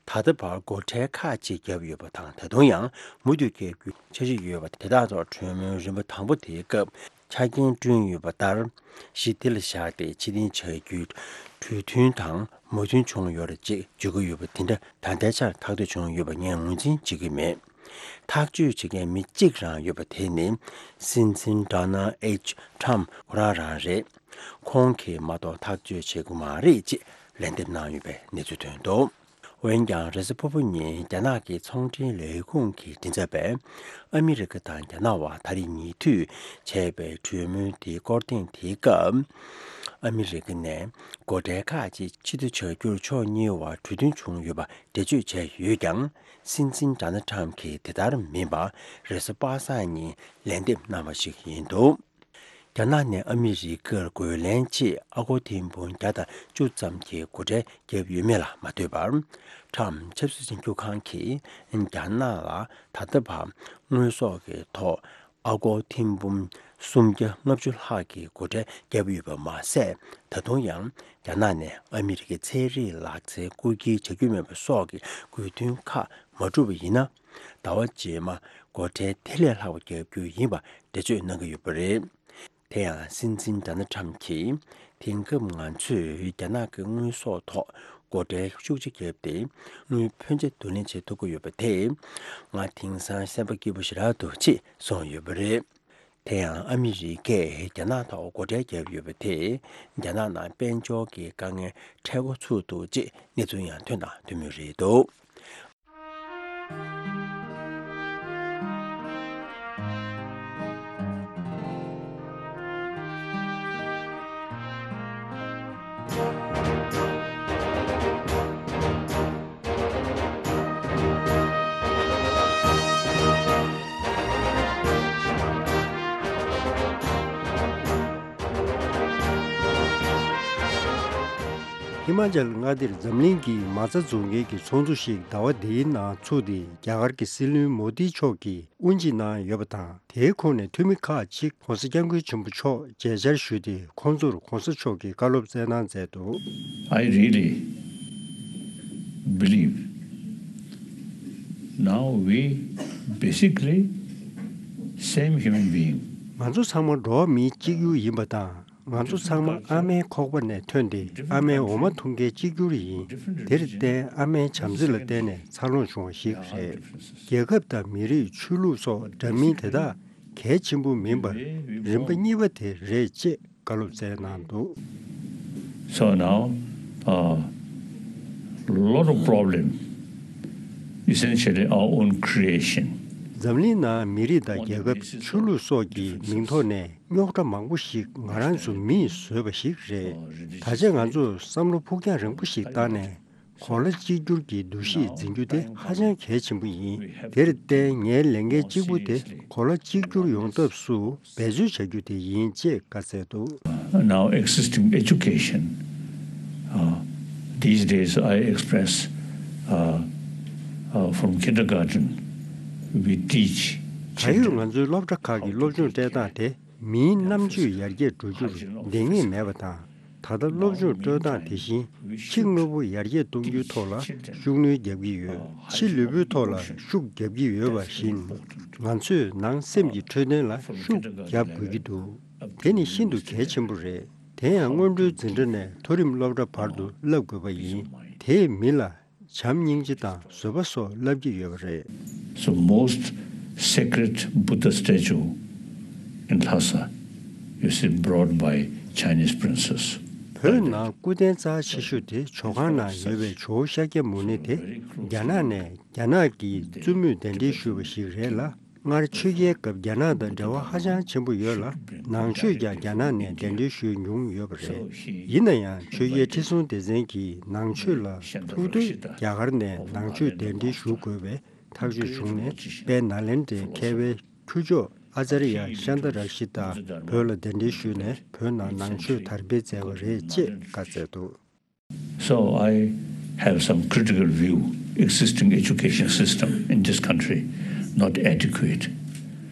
ད་ལྟ་བར་སྒོ་ཁྲལ་ཁག་ཅིག་བརྒྱབ་ཡོད་པ་དང་། ད་དུང་ཡང་མུ་མཐུད་བརྒྱབ་རྒྱུའི་འཆར་གཞི་ཡོད་པ་དེ་དག་ཐོག་གྲོས་མོལ་རིམ་པ་དང་པོ་དེའི་སྐབས་ཆ་རྐྱེན་བསྐྲུན་ཡོད་པ་ལྟར། གཞི་དེ་ལ་བཞག་སྟེ་ཕྱིར་འཐེན་བྱ་རྒྱུའི་གྲོས་མཐུན་དང་མོས་མཐུན་བྱུང་ཡོད་རེད་ཅེས་བརྗོད་ཀྱི་ཡོད་པ་དེ་འདྲ་ད་ལྟའི་ཆར་ཐག་གཅོད་བྱུང་ཡོད་པ་ངས་ངོས་འཛིན་བྱེད་ཀྱི་མེད། ཐག་གཅོད་བྱེད་མཁན་མི་གཅིག་རང་ཡོད་པ་དེ་ནི་སྲིད་འཛིན་Donald H Trump་ཁོ་རང་རང་རེད། ཁོང་གིས་མ་གཏོགས་ཐག་གཅོད་བྱེད་དགོས་མ་རེད་ཅེས་ལན་འདེབས་གནང་ཡོད་པའི་གནས་ཚུལ་ཐོན་འདུག་འོན་ཀྱང་རེས་གཟའ་ཕུར་བུ་ཉིན་རྒྱ་ནག་གི་ཚོང་འབྲེལ་ལས་ཁུངས་ཀྱི་མགྲིན་ཚབ་པས། ཨ་མི་རི་ཀ་དང་རྒྱ་ནག་དབར་ད་རེས་ཉེ་དུས་བྱས་པའི་གྲོས་མོལ་དེའི་སྐོར་ཐེངས་དེའི་སྐབས། ཨ་མི་རི་ཀ་ནས་སྒོ་ཁྲལ་ཁག་ཅིག་ཕྱིར་བསྡུ་བྱ་རྒྱུར་ཕྱོགས་གཉིས་བར་གྲོས་མཐུན་བྱུང་ཡོད་པ་འགྲེལ་བརྗོད་བྱས་ཡོད་ཀྱང་། སྲིད་འཛིན་Donald Trump་གིས་དེ་ལྟར་མིན་པར་རེས་གཟའ་པ་སངས་ཉིན་ལན་འདེབས་གནང་བ་ཞིག་ཡིན་འདུག་རྒྱ་ནག་ནས་ཨ་མི་རི་ཀར་རྒོལ་ལན་ཆེད་ཨ་སྒོར་ཐེར་འབུམ་བརྒྱ་དང་བཅུ་ཙམ་གྱི་སྒོ་ཁྲལ་བརྒྱབ་ཡོད་མེད་ལ་མ་ལྟོས་པར། Trump་ཆབ་སྲིད་ཞིབ་འཇུག་ཁང་གིས་རྒྱ་ནག་ལ་ད་ལྟ་བར་དངོས་ཟོག་གི་ཐོག་ཨ་སྒོར་ཐེར་འབུམ་སུམ་བརྒྱ་ལྔ་བཅུ་ལྷག་གི་སྒོ་ཁྲལ་བརྒྱབ་ཡོད་པ་མ་ཟད། ད་དུང་ཡང་རྒྱ་ནག་ནས་ཨ་མི་རི་ཀའི་ཚན་རིག་ལག་རྩལ་རྐུ་འཁྱེར་བྱ་རྒྱུ་མེད་པ་སོགས་ཀྱི་དགོས་འདུན་ཁག་མ་བསྒྲུབས་པ་ཡིན་ན། ཟླ་བ་རྗེས་མ་སྒོ་ཁྲལ་དེ་ལས་ལྷག་པ་བརྒྱབ་རྒྱུ་ཡིན་པ་འགྲེལ་བརྗོད་གནང་གི་ཡོད་པ་རེད། དེ་ཡང་སྲིད་འཛིན་Donald Trump་གྱིས་དེང་སྐབས་ང་ཚོས་རྒྱ་ནག་གི་དངོས་ཟོག་ཐོག་སྒོ་ཁྲལ་ཤུགས་ཆེ་བརྒྱབ་སྟེ། དངུལ་ཕོན་ཆེ་བསྡུ་ལེན་བྱེད་ཐུབ་ཀྱི་ཡོད་པ་དེས་ང་དེང་སང་སེམས་པ་སྐྱིད་པོ་ཞེ་དྲག་འདུག་ཅེས་གསུངས་ཡོད་པ་རེད། དེ་ཡང་ཨ་མི་རི་ཀས་རྒྱ་ནག་ཐོག་སྒོ་ཁྲལ་བརྒྱབ་ཡོད་པ་དེས་རྒྱ་ནག་ནང་དཔལ་འབྱོར་གྱི་དཀའ་ངལ་འཕྲད་འགོ་ཚུགས་འདུག་ཅེས་གནས་ཚུལ་ཡང་ཐོན་དང་ཐོན་མུས་རེད་འདུག་ཧི་མ་ཅལ་མངའ་སྡེར་འཛམ་གླིང་གི་མ་རྩ་བཙོང་མཁན་གྱི་ཚོགས་འདུ་ཞིག་ཟླ་བ་འདིའི་ནང་ཚུགས་ཏེ། རྒྱ་གར་གྱི་སྲིད་བློན་མོ་དི་མཆོག་གིས་དབུ་འབྱེད་གནང་ཡོད་པ་དང་། དེའི་ཁོངས་ནས་འཐུས་མི་ཁག་ཅིག་༸གོང་ས་༸སྐྱབས་མགོན་ཆེན་པོ་མཆོག་མཇལ་བཅར་ཞུས་ཏེ། ཁོང་ཚོར་༸གོང་ས་མཆོག་གིས་བཀའ་སློབ་སྩལ་གནང་མཛད་འདུག I really believe now we basically same human being. ང་ཚོ་ཚང་མ་འགྲོ་བ་མི་གཅིག་གྱུར་ཡིན་པ་དང་། ང་ཚོ་ཚང་མ་ཨ་མའི་ཁོག་པ་ནས་ཐོན་ཏེ། ཨ་མའི་འོ་མ་འཐུང་མཁན་གཅིག་གྱུར་ཡིན། དེར་བརྟེན་ཨ་མའི་བྱམས་བརྩེ་ལ་བརྟེན་ནས་འཚར་ལོངས་བྱུང་བ་ཞིག་རེད། རྒྱལ་ཁབ་དང་མི་རིགས། ཆོས་ལུགས་སོགས་འདྲ་མིན་དེ་དག་གལ་ཆེན་པོ་མིན་པར། རིམ་པ་གཉིས་པ་དེ་རེད་ཅེས་བཀའ་སློབ་སྩལ་གནང་འདུག So now, a lot of problem, essentially our own creation. འཛམ་གླིང་ནང་མི་རིགས་དང་རྒྱལ་ཁབ། ཆོས་ལུགས་སོགས་ཀྱི་མིང་ཐོག་ནས་རྙོག་དྲ་མང་པོ་ཞིག་ང་རང་ཚོ་མིས་བཟོས་པ་ཞིག་རེད། ད་ཆ་ང་ཚོས་བསམ་བློ་ཕུགས་རྒྱང་རིང་པོ་ཞིག་བཏང་ནས། གོ་ལ་གཅིག་གྱུར་གྱི་འདུ་ཤེས་འཛིན་རྒྱུ་དེ་ཧ་ཅང་གལ་ཆེན་པོ་ཡིན། དེར་བརྟེན་ངའི་ལས་འགན་གཅིག་པུ་དེ་གོ་ལ་གཅིག་གྱུར་ཡོང་ཐབས་སུ་འབད་རྩོལ་བྱ་རྒྱུ་དེ་ཡིན་ཅེས་བཀའ་སྩལ་འདུག Now existing education, uh, these days I express, uh, uh, from kindergarten we teach ད་ཡོད་children ང་ཚོའི་སློབ་གྲྭ་ཁག་གི་སློབ་སྦྱོང་སྤྲད་སྟངས་དེ། མིའི་རྣམ་དཔྱོད་ཡར་རྒྱས་འགྲོ་རྒྱུར་འདང་ངེས་མེད་པ་དང་། ད་ལྟ་སློབ་སྦྱོང་སྤྲོད་སྟངས་དེ་བཞིན་ཕྱི་དངོས་པོ་ཡར་རྒྱས་གཏོང་རྒྱུའི་ཐོག་ལ་ཤུགས་སྣོན་རྒྱག་གི་ཡོད། ཕྱི་ལུས་པོའི་ཐོག་ལ་ཤུགས་རྒྱག་གི་ཡོད་པ་བཞིན། ང་ཚོས་ནང་སེམས་ཀྱི་འཕྲོད་བསྟེན་ལ་ཤུགས་རྒྱག་དགོས་ཀྱི་འདུག་དེ་ནི་ཤིན་ཏུ་གལ་ཆེན་པོ་རེད། དེ་ཡང་སྔོན་འགྲོའི་འཛིན་གྲྭ་ནས་མཐོ་རིམ་སློབ་གྲྭ་བར་དུ་བསླབ་དགོས་པ་ཡིན། དེས་མི་ལ་བྱམས་སྙིང་རྗེ་དང་བཟོད་པ་སོགས་བསླབ་ཀྱི་ཡོད་པ་རེད། So most sacred Buddha statue in Lhasa, you see, brought by Chinese princes. བོད་ནང་སྐུ་རྟེན་རྩ་ཆེ་ཤོས་དེ་ཇོ་ཁང་ནང་ཡོད་པའི་ཇོ་བོ་ཤཱཀྱ་མུ་ནེ་དེ། རྒྱ་ནག་ནས་རྒྱ་ནག་གི་བཙུན་མོས་གདན་འདྲེན་ཞུས་པ་ཞིག་རེད་ལ། སྔར་ཆོས་རྒྱལ་སྐབས་རྒྱ་ནག་དང་འབྲེལ་བ་ཧ་ཅང་ཆེན་པོ་ཡོད་ལ། ནང་ཆོས་ཀྱང་རྒྱ་ནག་ནས་གདན་འདྲེན་ཞུས་མྱོང་ཡོད་པ་རེད། ཡིན་ན་ཡང་ཆོས་རྒྱལ་ཁྲི་སྲོང་ལྡེ་བཙན་གྱིས་ནང་ཆོས་ལ་ཐུགས་འདོད་རྒྱ་གར་ནས་ནང་ཆོས་གདན་འདྲེན་ཞུ་དགོས་པའི་ཐག་གཅོད་བྱུང་ནས། དཔལ་ནཱ་ལེནྡྲའི་མཁས་པའི་ཁྱུ་མཆོག་ཨ་ཙརྱ་ཤཱནྟ་ར་ཤི་ཏ་བོད་ལ་གདན་འདྲེན་ཞུས་ནས། བོད་ནང་ནང་ཆོས་དར་སྤེལ་མཛད་པ་རེད་ཅེས་བཀའ་སྩལ་འདུག། So I have some critical view existing education system in this country, not adequate.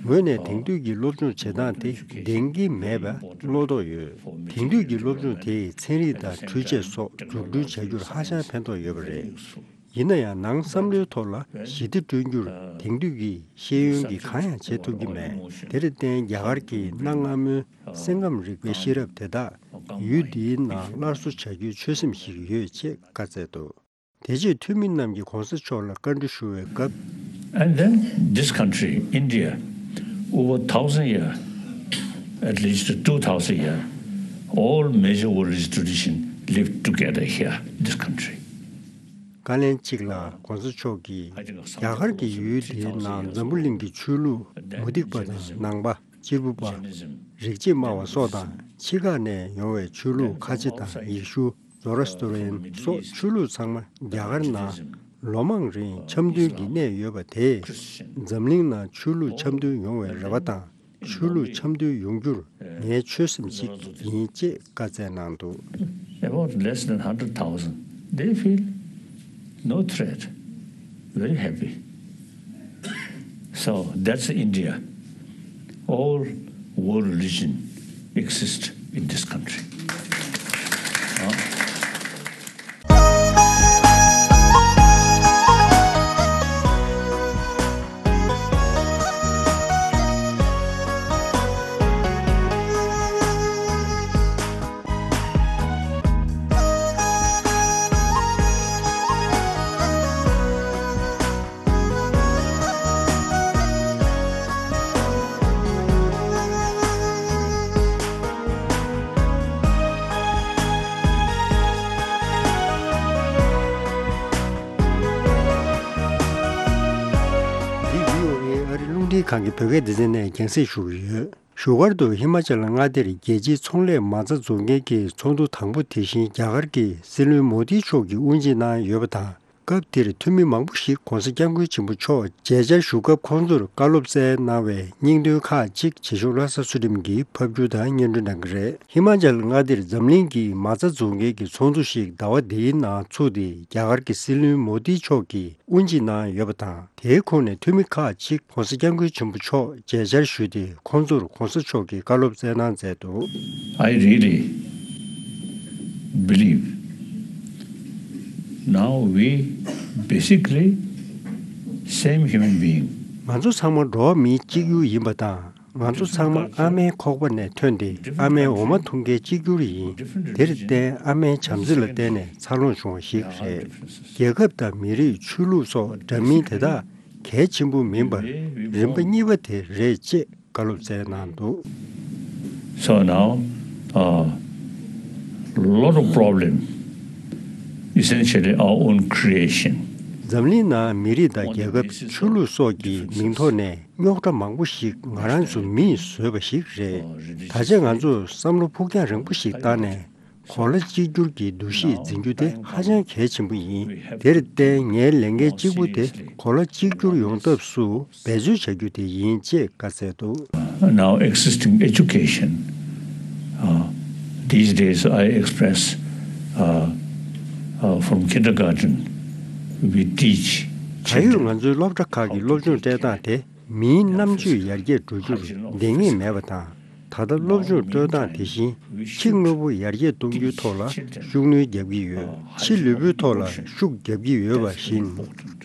ངོས་ནས་དེང་དུས་ཀྱི་སློབ་སྦྱོང་བྱེད་སྟངས་དེ་ལྡན་གྱི་མེད་པ་བློ་དོགས་ཡོད། དེང་དུས་ཀྱི་སློབ་སྦྱོང་དེས་ཚན་རིག་དང་འཕྲུལ་ཆས་སོགས་འཛུགས་སྐྲུན་བྱ་རྒྱུར་ཧ་ཅང་ཕན་ཐོགས་ཡོད་པ་རེད། ཡིན་ན་ཡང་ནང་བསམ་བློའི་ཐོག་ལ་ཞི་བདེ་བསྐྲུན་རྒྱུར་དེང་དུས་ཀྱི་ཤེས་ཡོན་གྱིས་གང་ཡང་བྱེད་ཐུབ་ཀྱི་མེད། དེར་བརྟེན་རྒྱ་གར་གྱི་གནའ་སྔ་མོའི་སེང་སྐམ་རིག་པའི་ཤེས་རབ་དེ་དག་ཡུལ་འདིའི་ནང་སླར་གསོ་བྱ་རྒྱུའི་ཆོད་སེམས་ཤིག་ཡོད་ཅེས་བཀའ་སྩལ་འདུག། དེ་རྗེས་འཐུས་མི་རྣམས་ཀྱིས་གོང་ས་མཆོག་ལ་བཀའ་འདྲི་ཞུ་བའི་སྐབས། And then this country, India, over thousand year, at least two thousand year, all major world religious tradition lived together here, this country. བཀའ་ལན་གཅིག་ལ་གོང་ས་མཆོག་གིས་རྒྱ་གར་གྱི་ཡུལ་དེའི་ནང་འཛམ་བུ་གླིང་གི་ཆོས་ལུགས་མུ་སྟེགས་པ་དང་ནང་པ། གཅེར་བུ་པ། རིག་བྱེད་སྨྲ་བ་སོགས་དང་ཕྱི་ཁ་ནས་ཡོང་བའི་ཆོས་ལུགས་ཁ་ཆེ་དང་ཡེ་ཤུ། ཛོ་རོ་སི་ཏོ་རི་ཡན་སོགས་ཆོས་ལུགས་ཚང་མ་རྒྱ་གར་ནང་ལོ་མང་རིང་འཆམ་མཐུན་གྱི་གནས་ཡོད་པ་དེས། འཛམ་གླིང་ནང་ཆོས་ལུགས་འཆམ་མཐུན་ཡོང་བའི་རེ་བ་དང་། ཆོས་ལུགས་འཆམ་མཐུན་ཡོང་རྒྱུར་ངའི་ཆོད་སེམས་གཅིག་ཡིན་ཅེས་བཀའ་སྩལ་གནང་འདུག། About less than hundred thousand, they feel no threat, very happy. So that's India. All world religion exists in this country. འདི་བྷི་ཨོ་ཨེ་ཨ་རི་རླུང་འཕྲིན་ཁང་གི་བོད་སྐད་སྡེ་ཚན་ནས་རྒྱང་སྲིང་ཞུ་གི་ཡོད། བཞུགས་སྒར་དུ་ཧི་མ་ཅལ་མངའ་སྡེར་རྒྱལ་སྤྱིའི་ཚོང་ལས་མ་རྩ་འཛུགས་མཁན་གྱི་ཚོགས་འདུ་དང་པོ་དེ་བཞིན་རྒྱ་གར་གྱི་སྲིད་བློན་མོ་དི་མཆོག་གིས་དབུ་འབྱེད་གནང་ཡོད་པ་དང་། སྐབས་དེར་འཐུས་མི་མང་པོ་ཞིག་གོང་ས་སྐྱབས་མགོན་ཆེན་པོ་མཆོག་མཇལ་བཅར་ཞུ་སྐབས་ཁོང་ཚོར་བཀའ་སློབ་སྩལ་གནང་བའི་སྙིང་དོན་ཁག་ཅིག་བྱེད་ཤོག་བློ་བཟང་ཚུལ་ཁྲིམས་ཀྱིས་ཕབ་སྒྱུར་དང་སྙན་སྒྲོན་གནང་གི་རེད། ཧི་མ་ཅལ་མངའ་སྡེར་འཛམ་གླིང་གི་མ་རྩ་འཛུགས་མཁན་གྱི་ཚོགས་འདུ་ཞིག་ཟླ་བ་འདིའི་ནང་ཚུགས་ཏེ། རྒྱ་གར་གྱི་སྲིད་བློན་མོ་དི་མཆོག་གིས་དབུ་འབྱེད་གནང་ཡོད་པ་དང་། དེའི་ཁོངས་ནས་འཐུས་མི་ཁག་ཅིག་གོང་ས་སྐྱབས་མགོན་ཆེན་པོ་མཆོག་མཇལ་བཅར་ཞུས་ཏེ། ཁོང་ཚོར་གོང་ས་མཆོག་གིས་བཀའ་སློབ་སྩལ་གནང་མཛད་འདུག། I really believe now we basically same human being. ང་ཚོ་ཚང་མ་འགྲོ་བ་མི་གཅིག་གྱུར་ཡིན་པ་དང་། ང་ཚོ་ཚང་མ་ཨ་མའི་ཁོག་པ་ནས་ཐོན་ཏེ། ཨ་མའི་འོ་མ་འཐུང་མཁན་གཅིག་གྱུར་ཡིན། དེར་བརྟེན་ཨ་མའི་བྱམས་བརྩེ་ལ་བརྟེན་ནས་འཚར་ལོངས་བྱུང་བ་ཞིག་རེད། རྒྱལ་ཁབ་དང་མི་རིགས། ཆོས་ལུགས་སོགས་འདྲ་མིན་དེ་དག་གལ་ཆེན་པོ་མིན་པར། རིམ་པ་གཉིས་པ་དེ་རེད་ཅེས་བཀའ་སློབ་སྩལ་གནང་འདུག། So now, a lot of problem, essentially our own creation. འཛམ་གླིང་ནང་མི་རིགས་དང་རྒྱལ་ཁབ། ཆོས་ལུགས་སོགས་ཀྱི་མིང་ཐོག་ནས་རྙོག་དྲ་མང་པོ་ཞིག་ང་རང་ཚོ་མིས་བཟོས་པ་ཞིག་རེད། ད་ཆ་ང་ཚོས་བསམ་བློ་ཕུགས་རྒྱང་རིང་པོ་ཞིག་བཏང་ནས། གོ་ལ་གཅིག་གྱུར་གྱི་འདུ་ཤེས་འཛིན་རྒྱུ་དེ་ཧ་ཅང་གལ་ཆེན་པོ་ཡིན། དེར་བརྟེན་ངའི་ལས་འགན་གཅིག་པུ་དེ་གོ་ལ་གཅིག་གྱུར་ཡོང་ཐབས་སུ་འབད་རྩོལ་བྱ་རྒྱུ་དེ་ཡིན་ཅེས་བཀའ་སྩལ་འདུག། Now existing education, uh, these days I express, uh, uh, from kindergarten we teach ད་ཡོད་children ང་ཚོའི་སློབ་གྲྭ་ཁག་གི་སློབ་སྦྱོང་སྤྲད་སྟངས་དེ། མིའི་རྣམ་དཔྱོད་ཡར་རྒྱས་འགྲོ་རྒྱུར་ལྡེ་གཉིས་མེད་པ་དང་། ད་ལྟ་སློབ་སྦྱོང་སྤྲོད་སྟངས་དེ་བཞིན་ཕྱི་དངོས་པོ་ཡར་རྒྱས་གཏོང་རྒྱུའི་ཐོག་ལ་ཤུགས་སྣོན་རྒྱག་གི་ཡོད། ཕྱི་ལུས་པོའི་ཐོག་ལ་ཤུགས་རྒྱག་གི་ཡོད་པ་བཞིན།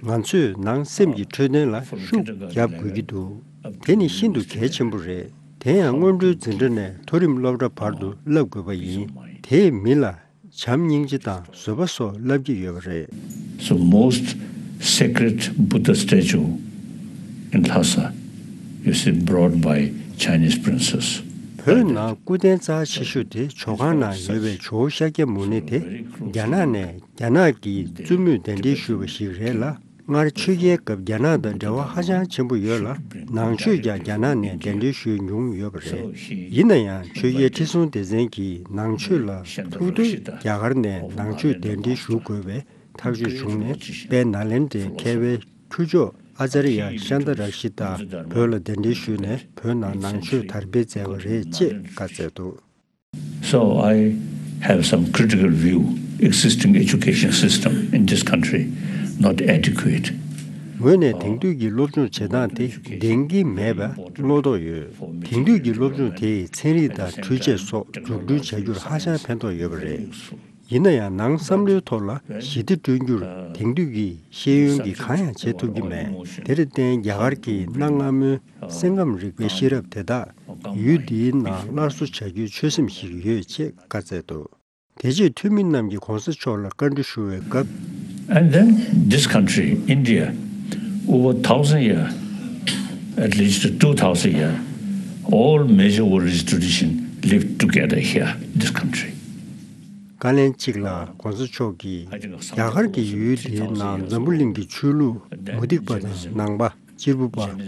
ང་ཚོས་ནང་སེམས་ཀྱི་འཕྲོད་བསྟེན་ལ་ཤུགས་རྒྱབ་དགོས་ཀྱི་འདུག། དེ་ནི་ཤིན་ཏུ་གལ་ཆེན་པོ་རེད། དེ་ཡང་སྔོན་འགྲོའི་འཛིན་གྲྭ་ནས་མཐོ་རིམ་སློབ་གྲྭ་བར་དུ་བསླབ་དགོས་པ་ཡིན། དེས་མི་ལ་བྱམས་སྙིང་རྗེ་དང་བཟོད་པ་སོགས་བསླབ་ཀྱི་ཡོད་པ་རེད། So most sacred Buddha statue in Lhasa, you see, brought by Chinese princess. བོད་ནང་སྐུ་རྟེན་རྩ་ཆེ་ཤོས་དེ་ཇོ་ཁང་ནང་ཡོད་པའི་ཇོ་བོ་ཤཱཀྱ་མུ་ནེ་དེ་རྒྱ་ནག་ནས་རྒྱ་ནག་གི་བཙུན་མོས་གདན་འདྲེན་ཞུས་པ་ཞིག་རེད་ལ། སྔར་ཆོས་རྒྱལ་སྐབས་རྒྱ་ནག་དང་འབྲེལ་བ་ཧ་ཅང་ཆེན་པོ་ཡོད་ལ། ནང་ཆོས་ཀྱང་རྒྱ་ནག་ནས་གདན་འདྲེན་ཞུས་མྱོང་ཡོད་པ་རེད། ཡིན་ན་ཡང་ཆོས་རྒྱལ་ཁྲི་སྲོང་ལྡེ་བཙན་གྱིས་ནང་ཆོས་ལ་ཐུགས་འདོད་རྒྱ་གར་ནས་ནང་ཆོས་གདན་འདྲེན་ཞུ་དགོས་པའི་ཐག་གཅོད་བྱུང་ནས། དཔལ་ནཱ་ལེནྡྲའི་མཁས་པའི་ཁྱུ་མཆོག་ཨ་ཙརྱ་ཤཱནྟ་རཀྵི་ཏ་བོད་ལ་གདན་འདྲེན་ཞུས་ནས། བོད་ནང་ནང་ཆོས་དར་སྤེལ་མཛད་པ་རེད་ཅེས་བཀའ་སྩལ་འདུག། So I have some critical view. Existing education system in this country not adequate. ངོས་ནས་དེང་དུས་ཀྱི་སློབ་སྦྱོང་བྱེད་སྟངས་དེ་ལྡན་གྱི་མེད་པ་བློ་དོགས་ཡོད། དེང་དུས་ཀྱི་སློབ་སྦྱོང་དེས་ཚན་རིག་དང་འཕྲུལ་ཆས་སོགས་འཛུགས་སྐྲུན་བྱ་རྒྱུར་ཧ་ཅང་ཕན་ཐོགས་ཡོད་པ་རེད། ཡིན་ན་ཡང་ནང་བསམ་བློའི་ཐོག་ལ་ཞི་བདེ་བསྐྲུན་རྒྱུར་དེང་དུས་ཀྱི་ཤེས་ཡོན་གྱིས་གང་ཡང་བྱེད་ཐུབ་ཀྱི་མེད། དེར་བརྟེན་རྒྱ་གར་གྱི་གནའ་སྔ་མོའི་སེམས་ཁམས་རིག་པའི་ཤེས་རབ་དེ་དག་ཡུལ་འདིའི་ནང་སླར་གསོ་བྱ་རྒྱུའི་ཆོད་སེམས་ཤིག་ཡོད་ཅེས་བཀའ་སྩལ་འདུག། དེ་རྗེས་འཐུས་མི་རྣམས་ཀྱིས་གོང་ས་མཆོག་ལ་བཀའ་འདྲི་ཞུ་བའི་སྐབས། And then this country, India, over thousand year, at least two thousand year, all major world religious tradition lived together here, this country. བཀའ་ལན་གཅིག་ལ་གོང་ས་མཆོག་གིས་རྒྱ་གར་གྱི་ཡུལ་དེའི་ནང་འཛམ་བུ་གླིང་གི་ཆོས་ལུགས་མུ་སྟེགས་པ་དང་ནང་པ། གཅེར་བུ་པ།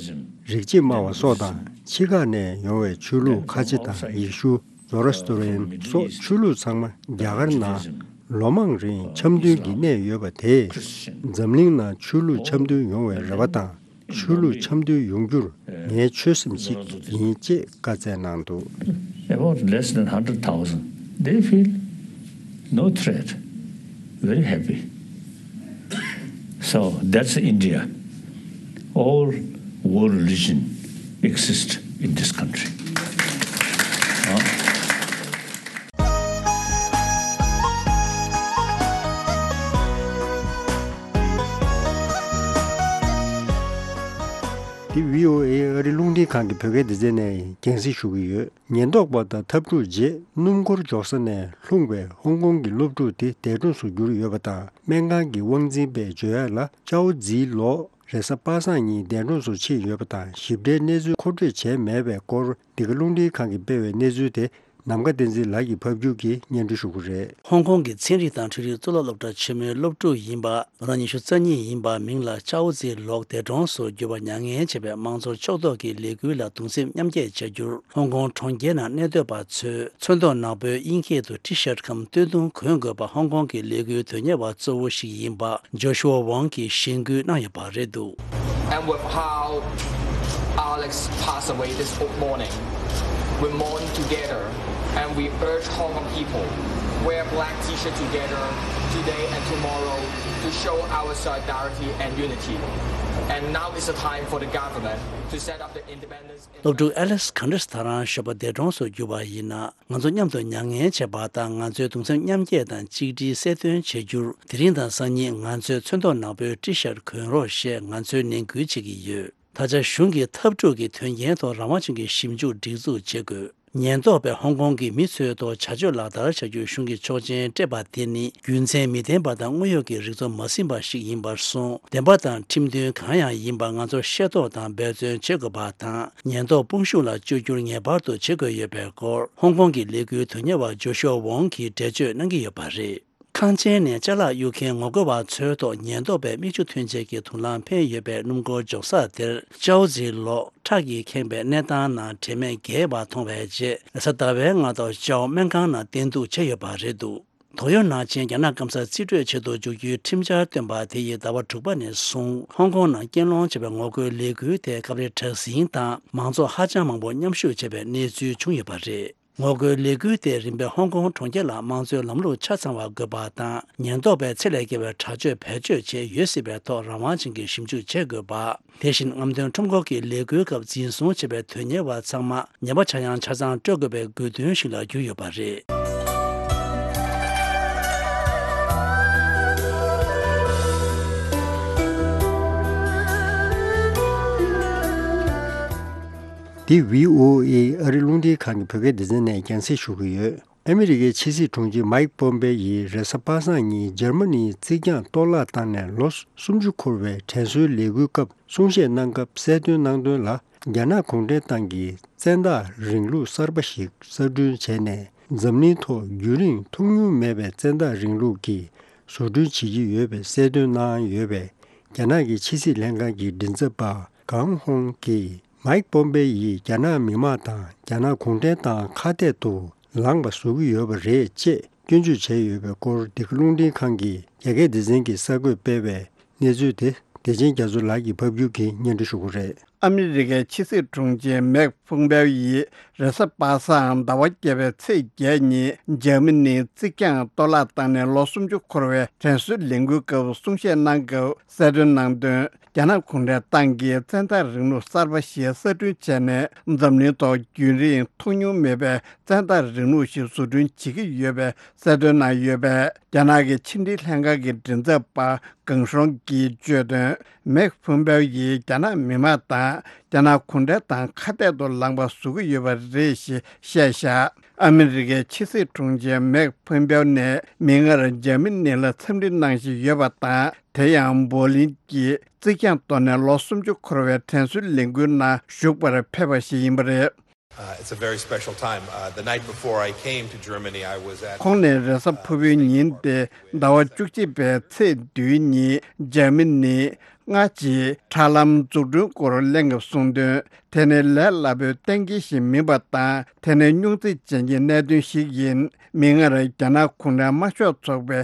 རིག་བྱེད་སྨྲ་བ་སོགས་དང་ཕྱི་ཁ་ནས་ཡོང་བའི་ཆོས་ལུགས་ཁ་ཆེ་དང་ཡེ་ཤུ། ཛོ་རོ་སི་ཏོ་རན་སོགས་ཆོས་ལུགས་ཚང་མ་རྒྱ་གར་ནང་ལོ་མང་རིང་འཆམ་མཐུན་གྱིས་གནས་ཡོད་པ་དེས། འཛམ་གླིང་ནང་ཆོས་ལུགས་འཆམ་མཐུན་ཡོང་བའི་རེ་བ་དང་། ཆོས་ལུགས་འཆམ་མཐུན་ཡོང་རྒྱུར་ངའི་ཆོད་སེམས་ཤིག་ཡིན་ཅེས་བཀའ་སྩལ་གནང་འདུག། About less than hundred thousand, they feel no threat, very happy. So that's India. All world religion exist in this country. འདི་བྷི་ཨོ་ཨེ་ཨ་རི་རླུང་འཕྲིན་ཁང་གི་བོད་སྐད་སྡེ་ཚན་ནས་རྒྱང་སྲིང་ཞུ་གི་ཡོད། ཉེན་རྟོག་པ་དང་འཐབ་འཁྲུག་རྗེས་སྣུམ་འཁོར་འཇོག་ས་ནས་ལྷུང་བའི་ཧོང་ཀོང་གི་སློབ་ཕྲུག་དེ་འདས་གྲོངས་སུ་གྱུར་ཡོད་པ་དང་། སྨན་ཁང་གི་དབང་འཛིན་པས་བརྗོད་ཡག་ལ། ཅའོ་ཛི་ལོག་རེས་གཟའ་པ་སངས་ཉིན་འདས་གྲོངས་སུ་ཕྱིན་ཡོད་པ་དང་། ཞིབ་ཕྲའི་གནས་ཚུལ་མཁོ་སྤྲོད་བྱས་མེད་པའི་སྐོར། འདི་ག་རླུང་འཕྲིན་ཁང་གིས་སྤེལ་བའི་གནས་ཚུལ་དེ་ནམ་མཁའ་བསྟན་འཛིན་ལགས་ཀྱིས་ཕབ་སྒྱུར་གྱིས་སྙན་སྒྲོན་ཞུ་གི་རེད། ཧོང་ཀོང་གི་ཚན་རིག་དང་འཕྲུལ་རིག་གཙུག་ལག་སློབ་གྲྭ་ཆེན་མོའི་སློབ་ཕྲུག་ཡིན་པ། ལོ་ན་ཉི་ཤུ་རྩ་གཉིས་ཡིན་པ་མིང་ལ་ཅའོ་ཛི་ལོག་འདས་གྲོངས་སུ་གྱུར་བ་མྱ་ངན་བྱས་པའི་དམངས་གཙོ་ཕྱོགས་གཏོགས་ཀྱི་ལས་འགུལ་ལ་གདུང་སེམས་མཉམ་སྐྱེད་བྱ་རྒྱུར། ཧོང་ཀོང་གྲོང་ཁྱེར་ནང་གནས་སྡོད་པ་ཚོས་ཚོན་མདོག་ནག་པོའི་དབྱིན་སྐད་དུ་T-shirt གམ་སྟོད་ཐུང་གོན་དགོས་པ་ཧོང་ཀོང་གི་ལས་འགུལ་དོན་གཉེར་བ་གཙོ་བོ་ཞིག་ཡིན་པ་ཇོ་ཤུའ་ཝང་གིས་གཞེན་སྐུལ་གནང་ཡོད་པ་རེད་འདུག། And with how Alex passed away this morning, we mourn together and we urge Hong Kong people wear black T-shirt together today and tomorrow to show our solidarity and unity. And now is the time for the government to set up the independence. སློབ་ཕྲུག་Alex ག་འདྲ་ད་རང་ཞོགས་པ་འདས་གྲོངས་སུ་གྱུར་པ་ཡིན་ན། ང་ཚོ་མཉམ་དུ་མྱ་ངན་བྱེད་པ་དང་། ང་ཚོའི་གདུང་སེམས་མཉམ་སྐྱེད་དང་གཅིག་སྒྲིལ་གསལ་སྟོན་བྱ་རྒྱུར། དེ་རིང་དང་སང་ཉིན་ང་ཚོས་ཚོན་མདོག་ནག་པོའི་T-shirt གོན་རོགས་ཞེས་ང་ཚོས་ནན་སྐུལ་བྱེད་ཀྱི་ཡོད། ད་ཆ་གཞུང་གིས་འཐབ་འཁྲུག་གི་དོན་རྐྱེན་ཐོག་རང་དབང་ཅན་གྱི་ཞིབ་འཇུག་སྒྲིག་འཛུགས་བྱེད་དགོས། ཉེན་རྟོག་པས་ཧོང་ཀོང་གི་མི་ཚོའི་ཐོག་བྱ་སྤྱོད་ལག་བསྟར་བྱ་རྒྱུའི་གཞུང་གི་ཆོག་མཆན་སྤྲད་པ་དེ་ནི་རྒྱུ་མཚན་མི་ལྡན་པ་དང་དངོས་ཡོད་ཀྱི་རིག་ཚོགས་མ་ཟིན་པ་ཞིག་ཡིན་པར་སོང་། བདེན་པ་དང་ཁྲིམས་མཐུན་གང་ཡང་ཡིན་པ་ང་ཚོ་ཤེས་རྟོགས་དང་འབད་བརྩོན་བྱེད་དགོས་པ་དང་། ཉེན་རྟོག་དཔུང་ཤུགས་ལ་བཅོས་བསྒྱུར་ངེས་པར་དུ་བྱེད་དགོས་ཡོད་པའི་སྐོར། ཧོང་ཀོང་གི་ལས་འགུལ་དོན་གཉེར་བ་ཇོ་ཤུའ་ཝོང་གིས་འགྲེལ་བརྗོད་གནང་གི་ཡོད་པ་རེད། ཁང་ཆེན་ནས་ཅ་ལག་གཡུག་མཁན་ངོ་རྒོལ་བ་ཚོའི་ཐོག་ཉེན་རྟོག་པས་མིག་ཆུ་ཐོན་ཆེད་ཀྱི་དུག་རླངས་འཕེན་ཡོད་པའི་སྣུམ་འཁོར་འཇོག་ས་དེར། ཅའོ་ཛི་ལོག་ཁྲག་གིས་ཁེངས་པའི་གནས་སྟངས་ནང་དྲན་མེད་བརྒྱལ་བ་མཐོང་བའི་རྗེས། རེས་གཟའ་ཟླ་བའི་སྔ་དྲོ་ཅའོ་སྨན་ཁང་ནང་བསྟེན་གཏུགས་བྱས་ཡོད་པ་རེད་འདུག། དོགས་ཡོད་ནང་བཞིན་རྒྱ་ནག་སྐམ་སར་རྩིས་སྤྲོད་བྱེད་དུ་འཇུག་རྒྱུའི་ཁྲིམས་འཆར་བཏོན་པ་དེ་ཡིས་ཟླ་བ་དྲུག་པ་ནས་བཟུང་ཧོང་ཀོང་ནང་རྐྱེན་སློང་བྱས་པའི་ངོ་རྒོལ་ལས་འགུལ་དེ་སྐབས་རེ་དྲག་ཟིང་དང་མང་ཚོགས་ཧ་ཅང་མང་པོ་མཉམ་ཞུགས་བྱས་པའི་གནས་ཚུལ་བྱུང་ཡོད་པ་རེད། ངོ་རྒོལ་ལས་འགུལ་དེ་རིམ་པས་ཧོང་ཀོང་གྲོང་ཁྱེར་ལ་དམངས་གཙོའི་ལམ་ལུགས་ཆ་ཚང་བ་དགོས་པ་དང་། ཉེན་རྟོག་པས་ཚད་ལས་བརྒལ་བའི་དྲག་སྤྱོད་བེད་སྤྱོད་བྱས་ཡོད་སྲིད་པའི་ཐོག་རང་དབང་ཅན་གྱི་ཞིབ་འཇུག་བྱེད་དགོས་པ། དེ་བཞིན་རྔམ་སྟོན་ཁྲོམ་སྐོར་གྱི་ལས་འགུལ་སྐབས་འཛིན་བཟུང་བྱས་པའི་དོན་གཉེར་བ་ཚང་མ་ཉེས་པ་ཆག་ཡང་ཆ་ཚང་སྤྲོད་དགོས་པའི་དགོས་འདུན་ཞིག་ལ་གྱུར་ཡོད་པ་རེད། འདི་བྷི་ཨོ་ཨེ་ཨ་རི་རླུང་འཕྲིན་ཁང་གི་བོད་སྐད་སྡེ་ཚན་ནས་རྒྱང་སྲིང་ཞུ་གི་ཡོད། ཨ་མི་རི་ཀའི་ཕྱི་སྲིད་དྲུང་ཆེ་མཱིག་པོམ་པེ་ཡིས་རེས་གཟའ་པ་སངས་ཉིན་འཇར་མ་ནིའི་རྩིག་གྱང་གཏོར་བརླག་བཏང་ནས་ལོ་སུམ་ཅུ་འཁོར་བའི་དྲན་གསོའི་ལས་འགུལ་སྐབས་གསུང་བཤད་གནང་སྐབས་གསལ་སྟོན་གནང་དོན་ལ། རྒྱ་ནག་གུང་ཁྲན་ཏང་གིས་བཙན་བདག་རིང་ལུགས་གསར་པ་ཞིག་གསར་སྐྲུན་བྱས་ནས། འཛམ་གླིང་ཐོག་རྒྱུན་རིང་མཐོང་མྱོང་མེད་པའི་བཙན་བདག་རིང་ལུགས་ཀྱི་བཟོ་སྐྲུན་བྱེད་ཀྱི་ཡོད་པའི་གསལ་སྟོན་གནང་ཡོད་པས། རྒྱ་ནག་གི་ཕྱི་སྲིད་ལྷན་ཁང་གི་མགྲིན་ཚབ་པ་ཀང་ཧོང་གིས། མའིག་པོམ་པེ་ཡིས་རྒྱ་ནག་མི་དམངས་དང་རྒྱ་ནག་གུང་ཁྲན་ཏང་ཁ་གཏད་དུ་ལངས་པ་བཟོ་གི་ཡོད་པ་རེད་ཅེས་སྐྱོན་བརྗོད་བྱས་ཡོད་པའི་སྐོར། འདི་ག་རླུང་འཕྲིན་ཁང་གིས་རྒྱ་སྐད་སྡེ་ཚན་གྱི་གསར་འགོད་སྤེལ་བའི་གནས་ཚུལ་དེ། བདེ་ཆེན་རྒྱ་མཚོ་ལགས་ཀྱིས་ཕབ་སྒྱུར་གྱིས་སྙན་སྒྲོན་ཞུ་གི་རེད། ཨ་མི་རི་ཀའི་ཕྱི་སྲིད་དྲུང་ཆེ་མེག་ཕུང་པེའོ་ཡིས་རེས་གཟའ་པ་སངས་ཟླ་བ་བརྒྱད་པའི་ཚེས་བརྒྱད་ཉིན་འཇར་མ་ནིའི་རྩིག་གྱང་གཏོར་བརླག་བཏང་ནས་ལོ་སུམ་ཅུ་འཁོར་བའི་དྲན་གསོའི་ལས་འགུལ་སྐབས་གསུང་བཤད་གནང་སྐབས་གསལ་སྟོན་གནང་དོན། རྒྱ་ནག་གུང་ཁྲན་ཏང་གིས་བཙན་བདག་རིང་ལུགས་གསར་པ་ཞིག་གསར་སྐྲུན་བྱས་ནས། འཛམ་གླིང་ཐོག་རྒྱུན་རིང་མཐོང་མྱོང་མེད་པའི་བཙན་བདག་རིང་ལུགས་ཤིག་བཟོ་སྐྲུན་བྱེད་ཀྱི་ཡོད་པའི་གསལ་སྟོན་གནང་ཡོད་པས། རྒྱ་ནག་གི་ཕྱི་འབྲེལ་ལྷན་ཁང་གི་མགྲིན་ཚབ་པ་ཀང་ཧྲོང་གིས་བརྗོད་དོན། མེག་ཕུང་པའོ་ཡིས་རྒྱ་ནག་མི་དམངས་དང་རྒྱ་ནག་གུང་ཁྲན་ཏང་ཁ་གཏད་དུ་ལངས་པ་བཟོ་གི་ཡོད་པ་རེད་ཞེས་བཤད་བཞག་ཨ་མི་རི་ཀའི་ཕྱི་སྲིད་དྲུང་ཆེ་མེག་ཕུང་པའོ་ནས་མིག་སྔར་འཇར་མ་ནི་ལ་འཚམས་འདྲི་གནང་བཞིན་ཡོད་པ་དང་། དེ་ཡང་འབོ་ལིན་གྱི་རྩིག་གྱང་གཏོར་ནས་ལོ་སུམ་ཅུ་འཁོར་བའི་དྲན་གསོའི་ལས་འགུལ་ནང་ཞུགས་པར་ཕེབས་པ་ཞིག་ཡིན་པ་རེད། Uh, it's a very special time. Uh, the night before I came to Germany, I was at, ཁོང་ནས་རེས་གཟའ་ཕུར་བུའི་ཉིན་ཏེ་ཟླ་བ་བཅུ་གཅིག་པའི་ཚེས་བདུན་ཉིན་འཇར་མ་ནི་སྔ་ཕྱིའི་ཁྲ་ལམ་འཛུགས་སྐྲུན་སྐོར་གླེང་སྐབས་གསུངས་དོན། དེ་ནི་ལས་སླ་པོའི་གཏན་འཁེལ་ཞིག་མིན་པ་དང་། དེ་ནི་རྙོག་འཛིང་ཅན་གྱི་གནད་དོན་ཞིག་ཡིན། མིག་སྔར་རྒྱ་ནག་གུང་ཁྲན་དམར་ཤོག་ཚོགས་པའི་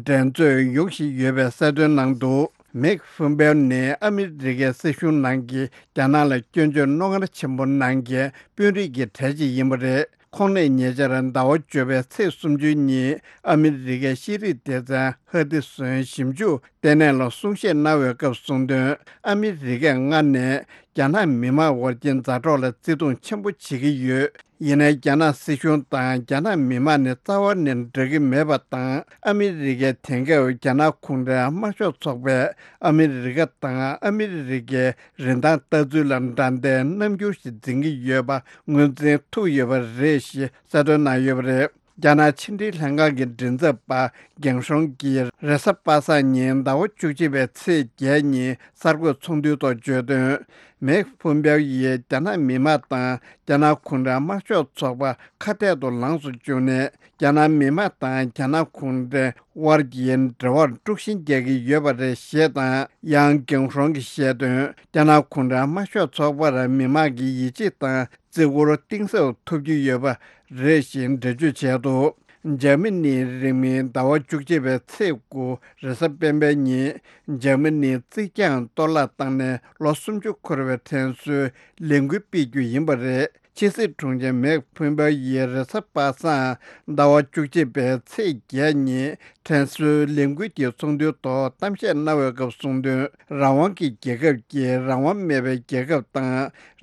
འགྲན་རྩོད་ཡོང་བཞིན་ཡོད་པའི་གསལ་སྟོན་གནང་འདུག་མེག་ཕུང་པའོ་ནི་ཨ་མི་རི་ཀའི་སྲིད་གཞུང་ནང་གི་རྒྱ་ནག་ལ་སྐྱོན་བརྗོད་རྣོ་ངར་ཆེན་པོ་གནང་མཁན་དཔོན་རིགས་ཀྱི་གྲས་ཅིག་ཡིན་པ་རེད། ཁོང་ནས་ཉེ་ཆར་ཟླ་བ་བཅུ་པའི་ཚེས་སུམ་ཅུ་ཉིན་ཨ་མི་རི་ཀའི་ཤེས་རིག་སྡེ་ཚན་ཧ་ཏི་སོན་ཞིབ་འཇུག་ལྟེ་གནས་ལ་གསུང་བཤད་གནང་བའི་སྐབས་གསུངས་དོན། ཨ་མི་རི་ཀས་སྔར་ནས་རྒྱ་ནག་མི་དམངས་དབར་གྱི་མཛའ་གྲོགས་ལ་བརྩི་མཐོང་ཆེན་པོ་བྱེད་ཀྱི་ཡོད། ཡིན་ནའི་རྒྱ་ནག་སྲིད་གཞུང་དང་རྒྱ་ནག་མི་དམངས་ནི་རྩ་བ་ནས་འདྲ་གི་མེད་པ་དང་། ཨ་མི་རི་ཀའི་དེང་སྐབས་རྒྱ་ནག་གུང་ཁྲན་དམར་ཤོག་ཚོགས་པས་ཨ་མི་རི་ཀ་དང་ཨ་མི་རི་ཀའི་རིན་ཐང་ལྟ་ཚུལ་ལ་འགྲན་ཟླའི་རྣམ་འགྱུར་ཞིག་འཛིན་གྱི་ཡོད་པ་ངོས་འཛིན་ཐུབ་ཡོད་པ་རེད་ཞེས་གསལ་སྟོན་གནང་ཡོད་པ་རེད། རྒྱ་ནག་ཕྱི་འབྲེལ་ལྷན་ཁང་གི་མགྲིན་ཚབ་པ་གེང་ཧྲོང་གིས་རེས་གཟའ་པ་སངས་ཉིན་ཟླ་བ་བཅུ་གཅིག་པའི་ཚེས་བརྒྱད་ཉིན་གསར་འགོད་ཚོགས་འདུའི་ཐོག་བརྗོད་དོན། མེག་ཕུང་པའོ་ཡིས་རྒྱ་ནག་མི་དམངས་དང་རྒྱ་ནག་གུང་ཁྲན་དམར་ཤོག་ཚོགས་པ་ཁ་གཏད་དུ་ལངས་སུ་བཅུག་ནས། རྒྱ་ནག་མི་དམངས་དང་རྒྱ་ནག་གུང་ཁྲན་དབར་གྱི་འབྲེལ་བར་དཀྲུག་ཤིང་རྒྱག་གི་ཡོད་པ་རེད་ཞེས་དང་། ཡང་གེང་ཧྲོང་གིས་བཤད་དོན། རྒྱ་ནག་གུང་ཁྲན་དམར་ཤོག་ཚོགས་པར་མི་དམངས་ཀྱི་ཡིད་ཆེས་དང་བརྩི་བཀུར་གཏིང་ཟབ་ཐོབ་ཀྱི་ཡོད་པ་རེད་ཞེས་འགྲེལ་བརྗོད་བྱས་འདུག་འཇར་མ་ནིའི་རིང་མིན་ཟླ་བ་བཅུ་གཅིག་པའི་ཚེས་དགུ་རེས་གཟའ་སྤེན་པའི་ཉིན། འཇར་མ་ནིའི་རྩིག་གྱང་གཏོར་བརླག་བཏང་ནས་ལོ་སུམ་ཅུ་འཁོར་བའི་དྲན་གསོའི་ལས་འགུལ་སྤེལ་རྒྱུ་ཡིན་པ་རེད། ཕྱི་སྲིད་དྲུང་ཆེ་མེག་ཕུན་པའོ་ཡིས་རེས་གཟའ་པ་སངས་ཟླ་བ་བཅུ་གཅིག་པའི་ཚེས་བརྒྱད་ཉིན་དྲན་གསོའི་ལས་འགུལ་གྱི་ཚོགས་འདུའི་ཐོག་གཏམ་བཤད་གནང་བའི་སྐབས་གསུངས་དོན། རང་དབང་གི་རྒྱལ་ཁབ་ཀྱིས་རང་དབང་མེད་པའི་རྒྱལ་ཁབ་དང་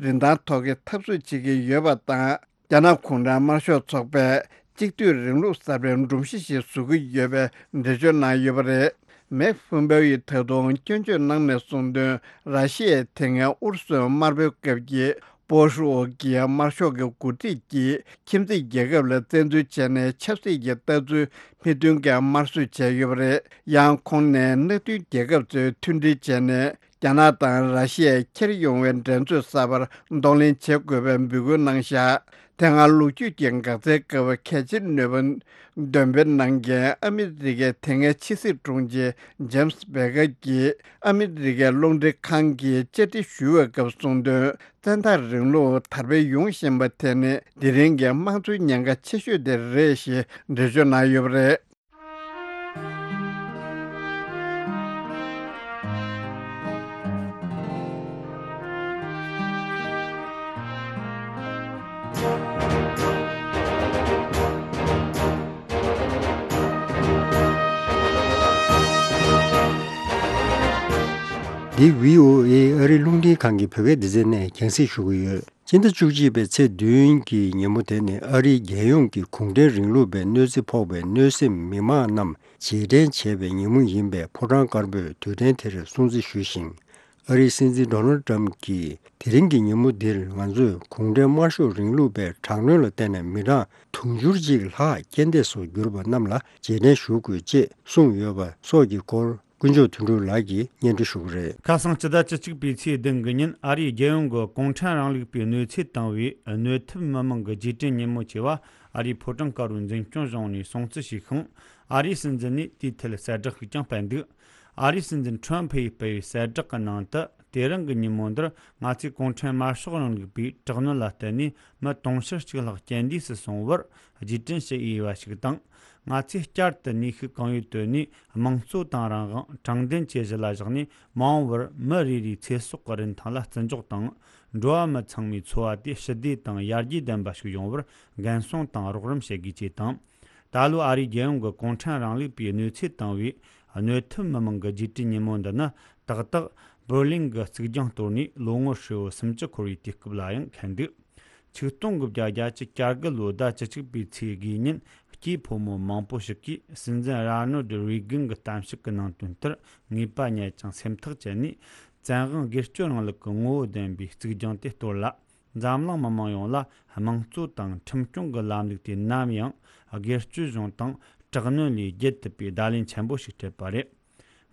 རིན་ཐང་ཐོག་གི་འཐབ་རྩོད་བྱེད་ཀྱི་ཡོད་པ་དང་། རྒྱ་ནག་གུང་ཁྲན་དམར་ཤོག་ཚོགས་པས་གཅིག་སྡུད་རིང་ལུགས་གསར་པའི་སྒྲོམ་གཞི་ཞིག་བཟོ་གི་ཡོད་པའི་འགྲེལ་བརྗོད་གནང་ཡོད་པ་རེད། མེག་ཕུན་པའོ་ཡིས་ད་དུང་སྐྱོན་བརྗོད་གནང་ནས་གསུངས་དོན། ར་ཤི་ཡའི་དེ་སྔའི་ཨུ་རུ་སུའི་དམར་པོའི་སྐབས་ཀྱི་པོ་ཧྲུའུ་ཀི་དམར་ཤོག་གི་འགོ་ཁྲིད་ཀྱིས་ཁྱིམ་མཚེས་རྒྱལ་ཁབ་ལ་བཙན་འཛུལ་བྱས་ནས་ཆབ་སྲིད་ཀྱི་ལྟ་ཚུལ་མི་མཐུན་མཁན་དམར་གསོད་བྱས་ཡོད་པ་རེད། ཡང་ཁོང་ནས་མནའ་མཐུན་རྒྱལ་ཁབ་ཚོས་མཐུན་སྒྲིལ་བྱས་ནས། རྒྱ་ནག་དང་ར་ཤི་ཡས་འཁྱེར་ཡོང་བའི་འགྲན་རྩོད་གསར་པར་གདོང་ལེན་བྱེད་དགོས་པའི་འབོད་སྐུལ་གནང་བཞག་དེ་སྔ་ལོ་རྒྱུས་ཀྱི་འགག་རྩའི་སྐབས་གལ་ཆེའི་ནུས་པ་འདོན་སྤེལ་གནང་མཁན་ཨ་མི་རི་ཀའི་དེ་སྔའི་ཕྱི་སྲིད་དྲུང་ཆེ་ཇེམ་སི་བེ་ཀར་གྱིས་ཨ་མི་རི་ཀའི་རླུང་འཕྲིན་ཁང་གིས་བཅར་འདྲི་ཞུ་བའི་སྐབས་གསུངས་དོན། བཙན་བདག་རིང་ལུགས་དར་སྤེལ་ཡོང་བཞིན་པ་དེ་ནི་དེ་རིང་གི་དམངས་གཙོའི་ཉེན་ཁ་ཆེ་ཤོས་དེ་རེད་ཞེས་འགྲེལ་བརྗོད་གནང་ཡོད་པ་རེད། འདི་བྷི་ཨོ་ཨེ་ཨ་རིའི་རླུང་འཕྲིན་ཁང་གི་བོད་སྐད་སྡེ་ཚན་ནས་རྒྱང་སྲིང་ཞུ་གི་ཡོད། སྤྱི་ཟླ་བཅུ་གཅིག་པའི་ཚེས་བདུན་གྱི་ཉིན་མོ་དེ་ནི་ཨ་རིའི་རྒྱལ་ཡོངས་ཀྱི་གུང་ཁྲན་རིང་ལུགས་པའི་གནོད་འཚེ་ཕོག་པའི་གནོད་སེམས་མི་མང་རྣམས་རྗེས་དྲན་བྱེད་པའི་ཉིན་མོ་ཡིན་པས་ཕོ་བྲང་དཀར་པོས་དུས་དྲན་དེར་སྲུང་བརྩི་ཞུས་ཤིང་། ཨ་རིའི་སྲིད་འཛིན་ཌོ་ནལ་ཏྲམ་གྱིས་དེ་རིང་གི་ཉིན་མོ་འདིར་ང་ཚོས་གུང་ཁྲན་དམར་ཤོག་རིང་ལུགས་པའི་དྲག་གནོན་ལ་བརྟེན་ནས་མི་གྲངས་དུང་ཕྱུར་གཅིག་ལྷག་རྐྱེན་འདས་སུ་གྱུར་པ་རྣམས་ལ་རྗེས་དྲན་ཞུ་དགོས་ཅེས་གསུངས་ཡོད་པ་སོགས་ཀྱི་སྐོར། ཀུན་མཆོག་དོན་གྲུབ་ལགས་ཀྱིས་སྙན་སྒྲོན་ཞུ་གི་རེད། ཁ་སང་སྤྱི་ཟླ་བཅུ་གཅིག་པའི་ཚེས་བདུན་གྱི་ཉིན། ཨ་རིའི་རྒྱལ་ཡོངས་ཀྱི་གུང་ཁྲན་རིང་ལུགས་པའི་གནོད་འཚེ་བཏང་བའི་གནོད་ཐེབས་མི་མང་གི་རྗེས་དྲན་ཉིན་མོ་ཆེ་བ་ཨ་རིའི་ཕོ་བྲང་དཀར་པོའི་འཛིན་སྐྱོང་གཞུང་ནས་སྲུང་བརྩི་ཞུས་ཤིང་། ཨ་རིའི་སྲིད་འཛིན་ནས་དེའི་ཐད་གསལ་བསྒྲགས་ཤིག་ཀྱང་སྤེལ་འདུག་ཨ་རིའི་སྲིད་འཛིན་ཁྲོམ་ཕུ་ཡིས་སྤེལ་བའི་གསལ་བསྒྲགས་ཀྱི་ནང་དུ། དེ་རིང་གི་ཉིན་མོ་འདིར་ང་ཚོས་གུང་ཁྲན་དམར་ཤོག་རིང་ལུགས་པའི་དྲག་གནོན་ལ་བརྟེན་ནས་མི་དུང་ཕྱུར་གཅིག་ལྷག་རྐྱེན་འདས་སུ་སོང་བར་རྗེས་དྲན་ཞུ་འོས་པ་ཞིག་དང་། ང་ཚོས་བསྐྱར་དུ་ནུས་ཤུགས་གང་ཡོད་བཏོན་ནས་དམངས་གཙོ་དང་རང་དབང་དྲང་བདེན་བཅས་གཞི་ལ་བཞག་ནས། མ་འོངས་པར་མི་རེ་རེའི་ཚེ་སྲོག་གི་རིན་ཐང་ལ་བརྩི་འཇོག་དང་། འགྲོ་བ་མི་ཚང་མའི་འཚོ་བ་དེ་ཞི་བདེ་དང་ཡར་རྒྱས་ལྡན་པ་ཞིག་ཡོང་བར་འགན་སྲུང་དང་རོགས་རམ་བྱེད་དགོས་ཅེས་དང་། ད་ལོ་ཨ་རིའི་རྒྱལ་ཡོངས་ཀྱི་གུང་ཁྲན་རིང་ལུགས་པའི་གནོད་འཚེ་བཏང་བའི་གནོད་ཐེབས་མི་མང་གི་རྗེས་དྲན་ཉིན་མོ་འདི་ནི། ཏག་ཏག་བྷར་ལིན་གྱི་གཙིགས་རྒྱང་གཏོར་ནས་ལོ་ངོ་ཧྲིལ་པོ་སུམ་ཅུ་འཁོར་བའི་དུས་སྐབས་ལ་ཡང་འཁེལ་འདུག་ཆིག་སྟོང་དགུ་བརྒྱ་བརྒྱད་ཅུ་གྱ་དགུ་ལོའི་ཟླ་བཅུ་གཅིག་པའི་ཚེས་དགུའི་ཉིན། སྐྱེས་ཕོ་མོ་མང་པོ་ཞིག་གིས་སྲིད་འཛིན་རོ་ནལ་ཌི་རེ་གན་གྱི་གཏམ་བཤད་ཀྱི་ནང་དོན་ལྟར་ངེས་པ་རྙེད་ཅིང་སེམས་ཐག་བཅད་ནས། བཙན་དབང་སྒེར་གཅོད་རིང་ལུགས་ཀྱི་ངོ་བོ་ལྡན་པའི་གཙིགས་རྒྱང་དེ་གཏོར་ལ། འཛམ་གླིང་མི་མང་ཡོངས་ལ་དམངས་གཙོ་དང་ཁྲིམས་སྐྱོང་གི་ལམ་ལུགས་དེ་ནམ་ཡང་སྒེར་གཅོད་གཞུང་དང་དྲག་གནོན་ལས་རྒྱལ་ཐུབ་པའི་བརྡ་ལན་ཆེན་པོ་ཞིག་སྤྲད་པ་རེད།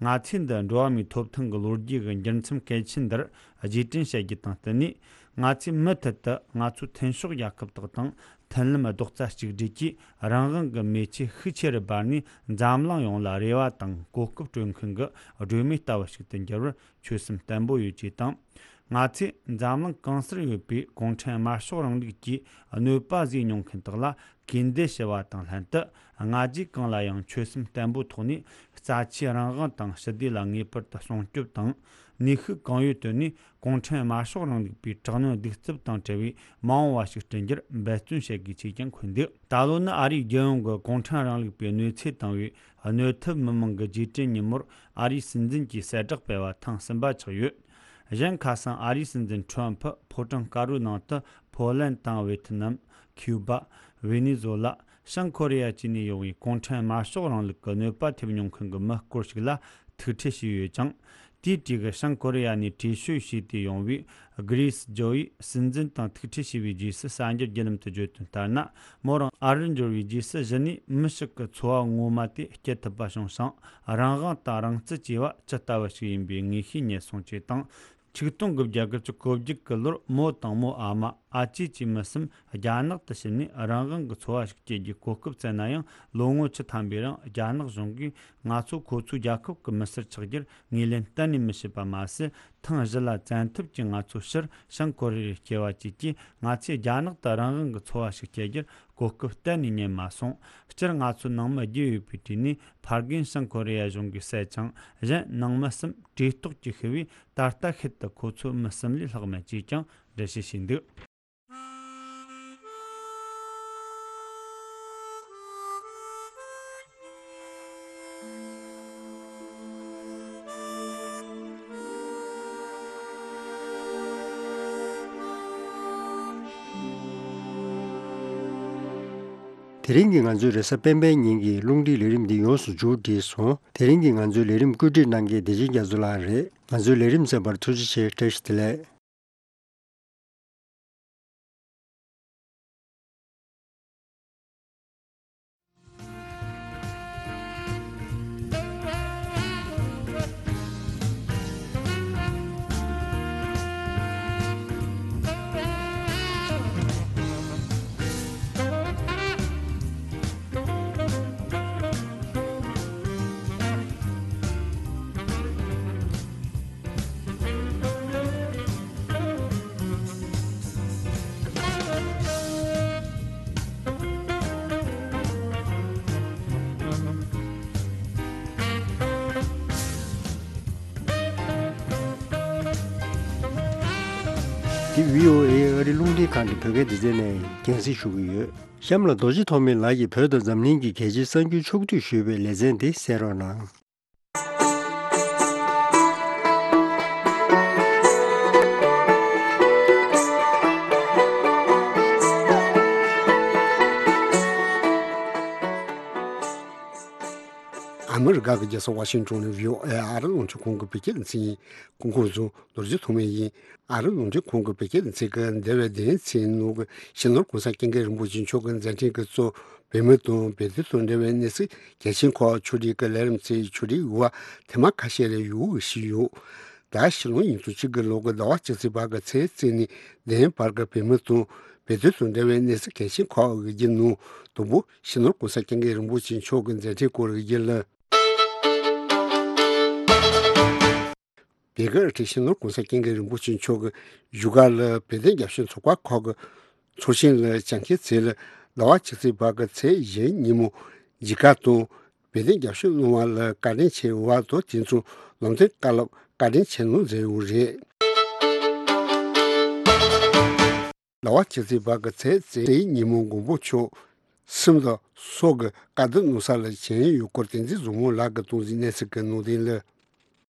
ང་ཚོས་འདི་འགྲོ་བ་མིའི་ཐོབ་ཐང་གི་ལོ་རྒྱུས་ཀྱི་འགྱུར་མཚམས་གལ་ཆེན་འདིར་རྗེས་དྲན་བྱེད་རྒྱུ་དང་བསྟུན་ནས། ང་ཚོས་མུ་མཐུད་དུ་ང་ཚོའི་མཐུན་ཕྱོགས་རྒྱལ་ཁབ་དག་དང་མཐུན་ལམ་རྡོག་རྩ་གཅིག་སྒྲིལ་གྱིས། རང་དབང་གི་མེ་ལྕེ་ཤུགས་ཆེ་རུ་འབར་ནས། འཛམ་གླིང་ཡོངས་ལ་རེ་བ་དང་གོ་སྐབས་སྤྲོད་མཁན་གྱི་སྒྲོན་མེ་ལྟ་བུ་ཞིག་ཏུ་འགྱུར་བར་ཆོད་སེམས་བརྟན་པོ་ཡོད་ཅེས་དང་། ང་ཚོས་འཛམ་གླིང་གང་སར་ཡོད་པའི་གུང་ཁྲན་དམར་ཤོག་རིང་ལུགས་ཀྱི་གནོད་པ་བཟོས་མྱོང་མཁན་དག་ལ་གུས་འདུད་ཞུ་བ་དང་ལྷན་དུ། སྔ་རྗེས་གང་ལ་ཡང་ཆོད་སེམས་བརྟན་པོའི་ཐོག་ནས་རྩ་ཆེའི་རང་དབང་དང་ཞི་བདེ་ལ་ངེས་པར་དུ་སྲུང་སྐྱོབ་དང་། ནུས་ཤུགས་གང་ཡོད་བཏོན་ནས་གུང་ཁྲན་དམར་ཤོག་རིང་ལུགས་པའི་དྲག་གནོན་གདུག་རྩུབ་དང་བྲལ་བའི་མ་འོངས་པ་ཞིག་བསྐྲུན་རྒྱུར་འབད་བརྩོན་བྱེད་དགོས་ཅེས་ཀྱང་འཁོད་འདུག་ད་ལོ་ནི་ཨ་རིའི་རྒྱལ་ཡོངས་ཀྱི་གུང་ཁྲན་རིང་ལུགས་པའི་གནོད་འཚེ་བཏང་བའི་གནོད་ཐེབས་མི་མང་གི་རྗེས་དྲན་ཉིན་མོར་ཨ་རིའི་སྲིད་འཛིན་གྱིས་གསལ་བསྒྲགས་སྤེལ་བ་ཐེངས་གསུམ་པ་ཆགས་ཡོད། གཞན་ཁ་སང་ཨ་རིའི་སྲིད་འཛིན་ཁྲོམ་ཕུ་ཕོ་བྲང་དཀར་པོའི་ནང་དུ་ཕོ་ལན་དང་ཝེ་ཐི་ནམ། ཁིའུ་བ། ཝེ་ནེ་ཛོ་ལ། བྱང་ཀོ་རི་ཡ་བཅས་ནས་ཡོང་བའི་གུང་ཁྲན་དམར་ཤོག་རིང་ལུགས་ཀྱི་གནོད་པ་ཐེབས་མྱོང་མཁན་གྱི་མི་སྐོར་ཞིག་ལ་ཐུག་འཕྲད་བྱས་ཡོད་ཅིང་། དེའི་གྲས་ཀྱི་བྱང་ཀོ་རི་ཡ་ནས་བྲོས་བྱོལ་བྱས་ཏེ་ཡོང་བའི་གྷི་རི་སི་ཇོ་ཡིས་སྲིད་འཛིན་དང་ཐུག་འཕྲད་བྱས་པའི་རྗེས་སུ་གསར་འགྱུར་བརྒྱུད་ལམ་དུ་བརྗོད་དོན་ལྟར་ན། མོ་རང་ཨ་རིར་འབྱོར་བའི་རྗེས་སུ་གཞི་ནས་མི་ཞིག་གི་འཚོ་བ་ངོ་མ་དེ་སྐྱིད་ཐུབ་པ་བྱུང་ཞིང་། རང་དབང་དང་རང་བརྩི་བཅས་པ་ཇི་ལྟ་བུ་ཞིག་ཡིན་པའི་ངེས་ཤེས་རྙེད་སོང་ཅེས་དང་། ཆིག་སྟོང་དགུ་བརྒྱ་དགུ་བཅུ་གོ་བརྒྱད་ཀྱི་ལོར་མོ་དང་མོའི་ཨ་མ། ཨ་ཅེ་བཅས་མི་གསུམ་རྒྱ་ནག་ཏུ་ཕྱིན་ནས་རང་དབང་གི་འཚོ་བ་ཞིག་སྐྱེལ་རྒྱུའི་གོ་སྐབས་བསྩལ་ན་ཡང་། ལོ་ངོ་བཅུ་ཐམ་པའི་རིང་རྒྱ་ནག་གཞུང་གིས་ང་ཚོ་ཁོ་ཚོའི་རྒྱལ་ཁབ་ཀྱི་མི་སེར་ཆགས་རྒྱུར་ངོས་ལེན་གཏན་ནས་མི་བྱེད་པ་མ་ཟད། ཐེངས་བཞི་ལ་བཙན་ཐབས་ཀྱིས་ང་ཚོ་ཕྱིར་བྱང་ཀོ་རི་ཡར་སྐྱེལ་བ་བཅས་ཀྱིས། ང་ཚོས་རྒྱ་ནག་ཏུ་རང་དབང་གི་འཚོ་བ་ཞིག་སྐྱེལ་རྒྱུར་གོ་སྐབས་གཏན་ནས་རྙེད་མ་སོང་། སྤྱིར་ང་ཚོ་ནང་མི་བརྒྱད་ཡོད་པའི་གྲས་ནས་ཕ་རྒན་བྱང་ཀོ་རི་ཡ་གཞུང་གིས་བསད་ཅིང་། གཞན་ནང་མི་གསུམ་བྲོས་ལྟོགས་ཀྱིས་ཤི་བས། ད་ལྟ་ཤུལ་དུ་ཁོ་ཚོ་མི་གསུམ་ལས་ལྷག་མེད་ཅེས་ཀྱང་འགྲེལ་བཤད་བྱས་འདུག་དེ་རིང་གི་ང་ཚོའི་རེས་གཟའ་སྤེན་པའི་ཉིན་གྱི་རླུང་འཕྲིན་ལས་རིམ་འདི་ཡོངས་སུ་མཇུག་བསྒྲིལ་སོང་། དེ་རིང་གི་ང་ཚོའི་ལས་རིམ་བཀོད་སྒྲིག་གནང་མཁན་བདེ་ཆེན་རྒྱ་མཚོ་ལགས་རེད། ང་ཚོའི་ལས་རིམ་གསན་པར་ཐུགས་རྗེ་ཆེ། བཀྲ་ཤིས་བདེ་ལེགས། འདི་བྷི་ཨོ་ཨེ་ཨ་རིའི་རླུང་འཕྲིན་ཁང་གི་བོད་སྐད་སྡེ་ཚན་ནས་རྒྱང་སྲིང་ཞུ་གི་ཡོད། གཤམ་ལ་རྡོ་རྗེ་ཐོགས་མེད་ལགས་ཀྱིས་བོད་དང་འཛམ་གླིང་གི་གལ་ཆེའི་གསར་འགྱུར་ཕྱོགས་བསྡུས་ཞུས་པའི་ལེ་ཚན་དེ་གསན་རོགས་གནང་། མི་རིགས་ཁག་གི་རྒྱལ་ས་ཝ་ཤིང་ཏོན་ནས་ཝི་ཨོ་ཨེ་ཨ་རི་རླུང་འཕྲིན་ཁང་གི་བོད་སྐད་སྡེ་ཚན་ཡིན། སྐུ་ཁམས་བཟང་། རྡོ་རྗེ་ཐོགས་མེད་ཡིན། ཨ་རི་རླུང་འཕྲིན་ཁང་གི་བོད་སྐད་སྡེ་ཚན་གྱིས་འདས་པའི་བདུན་ཕྲག་ནང་གི་ཕྱི་ནང་གོང་ས་སྐྱབས་མགོན་རིན་པོ་ཆེ་མཆོག་གི་མཛད་འཕྲིན་གྱིས་གཙོས་བོད་མི་དང་བོད་དོན་དང་འབྲེལ་བའི་གནས་ཚུལ་གལ་ཆེན་ཁག་ཕྱོགས་སྒྲིག་གི་ལས་རིམ་ཚོའི་ཕྱོགས་སྒྲིག་ཡོད་པ་ཐེངས་མ་ཁ་ཤས་རེ་ཡོད་ཞུས་ཡོད། ད་ཕྱི་ལོ་ཉིས་སྟོང་གཅིག་གི་ལོ་གི་ཟླ་བ་བཅུ་གཅིག་པ་གི་ཚེས་གཅིག་ནས་བདུན་བར་གྱི་བོད་མི་དང་བོད་དོན་དང་འབྲེལ་བའི་གནས་ཚུལ་གལ་ཆེན་ཁག་གི་རྒྱུན་ནང་དང་པོ་ཕྱི་ནང་གོང་ས་སྐྱབས་མགོན་རིན་པོ་ཆེ་མཆོག་གི་མཛད་འཕྲིན་སྐོར་གྱི་རྒྱུན་ལ། བོད་ཀྱི་ཨ་ཁྲིད་ཕྱི་ནང་གོང་ས་སྐྱབས་མགོན་རིན་པོ་ཆེ་མཆོག་གིས་བཞུགས་སྒར་ལ་བོད་དོན་རྒྱབ་སྐྱོར་ཚོགས་པ་ཁག་གི་ཚོགས་ཆེན་ལ་བཅར་མཁན་ཚོ་ལ་ཟླ་བ་བཅུ་གཅིག་པ་གི་ཚེས་བཞི་ཉིན་མོ་མཇལ་ཁ་དང་བོད་དོན་རྒྱབ་སྐྱོར་གནང་བ་ལ་བཀའ་དྲིན་ཆེ་བ་དང་དེ་མཚུངས་ལམ་སྟོན་བཀའ་སློབ་བཀའ་དྲིན་ཆེ་གནང་མཛད་ཡོད་རེད། ཟླ་བ་བཅུ་གཅིག་པ་གི་ཚེས་གཅིག་ཉིན་མོ་མགོན་པོ་མཆོག་སེམས་དང་སྲོག་གི་དཀའ་སྡུག་གནང་ས་ལ་བྱོན་ཡོད་སྐོར་བསྟན་འཛིན་བཟང་མོ་ལགས་ཀྱིས་གཏོང་ཟིན་གནས་ཚུལ་གྱི་ནང་དོན་ལ།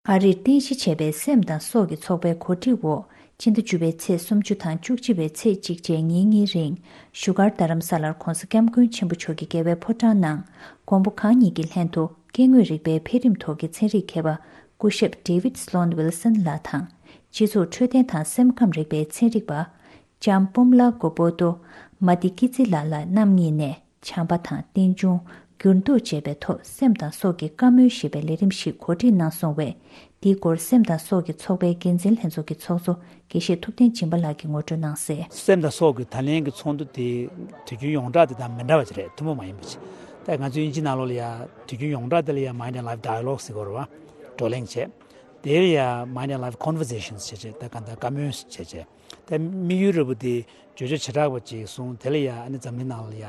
ཨ་རིར་རྟེན་གཞི་བྱས་པའི་སེམས་དང་སྲོག་གི་ཚོགས་པའི་གོ་སྒྲིག་འོག་སྤྱི་ཟླ་བཅུ་པའི་ཚེས་སུམ་ཅུ་དང་བཅུ་གཅིག་པའི་ཚེས་གཅིག་བཅས་ཉིན་གཉིས་རིང་བཞུགས་སྒར་རྡ་རམ་ས་ལར་༧གོང་ས་༧སྐྱབས་མགོན་ཆེན་པོ་མཆོག་གི་རྒྱལ་བའི་ཕོ་བྲང་ནང་མགོན་པོ་གང་ཉིད་ཀྱི་ལྷན་དུ་སྐྱེ་དངོས་རིག་པའི་འཕེལ་རིམ་ཐོག་གི་ཚན་རིག་མཁས་པ་སྐུ་ཞབས་David Sloan Wilson ལགས་དང་། སྤྱི་ཚོགས་འཕྲོད་བསྟེན་དང་སེམས་ཁམས་རིག་པའི་ཚན་རིག་པ་ལྕམ་པུམ་ལ་གོ་པོ་ཏོ་མ་ཏི་ཀི་ཙི་ལ་ལགས་རྣམ་གཉིས་ནས་བྱམས་པ་དང་རྟེན་འབྱུང་འགྱུར་ལྡོག་བཅས་པའི་ཐོག་སེམས་དང་སྲོག་གི་བཀའ་མོལ་ཞེས་པའི་ལས་རིམ་ཞིག་གོ་སྒྲིག་གནང་སོང་བས། འདིའི་སྐོར་སེམས་དང་སྲོག་གི་ཚོགས་པའི་འགན་འཛིན་ལྷན་ཚོགས་ཀྱི་ཚོགས་གཙོ་དགེ་བཤེས་ཐུབ་བསྟན་སྦྱིན་པ་ལགས་ཀྱིས་ངོ་སྤྲོད་གནང་གསལ། སེམས་དང་སྲོག་གི་ད་ལན་གྱི་ཚོགས་འདུ་དེ་དུས་རྒྱུན་ཡོངས་གྲགས་དེ་དང་མི་འདྲ་བ་ཅིག་རེད། ཐུན་མོང་མ་ཡིན་པ་ཅིག་ད་ང་ཚོའི་དབྱིན་ཇི་ནང་ལོགས་ལ་ཡ་དུས་རྒྱུན་ཡོངས་གྲགས་དེ་ལ་ཡ་Mind and Life Dialogue ཟེར་གོ་རེད་བ། བགྲོ་གླེང་བྱས། དེ་ལ་ཡ་Mind and Life Conversations བྱས་བྱས་ད་གང་ལྟར་བཀའ་མོལ་བྱས་བྱས། ད་དམིགས་ཡུལ་རེ་བ་དེ་བརྗོད་བྱ་བྱེ་བྲག་པ་ཅིག་གསུངས། དེ་ལ་ཡ་ཨ་ནི་འཛམ་གླིང་ནང་ལ་ཡ་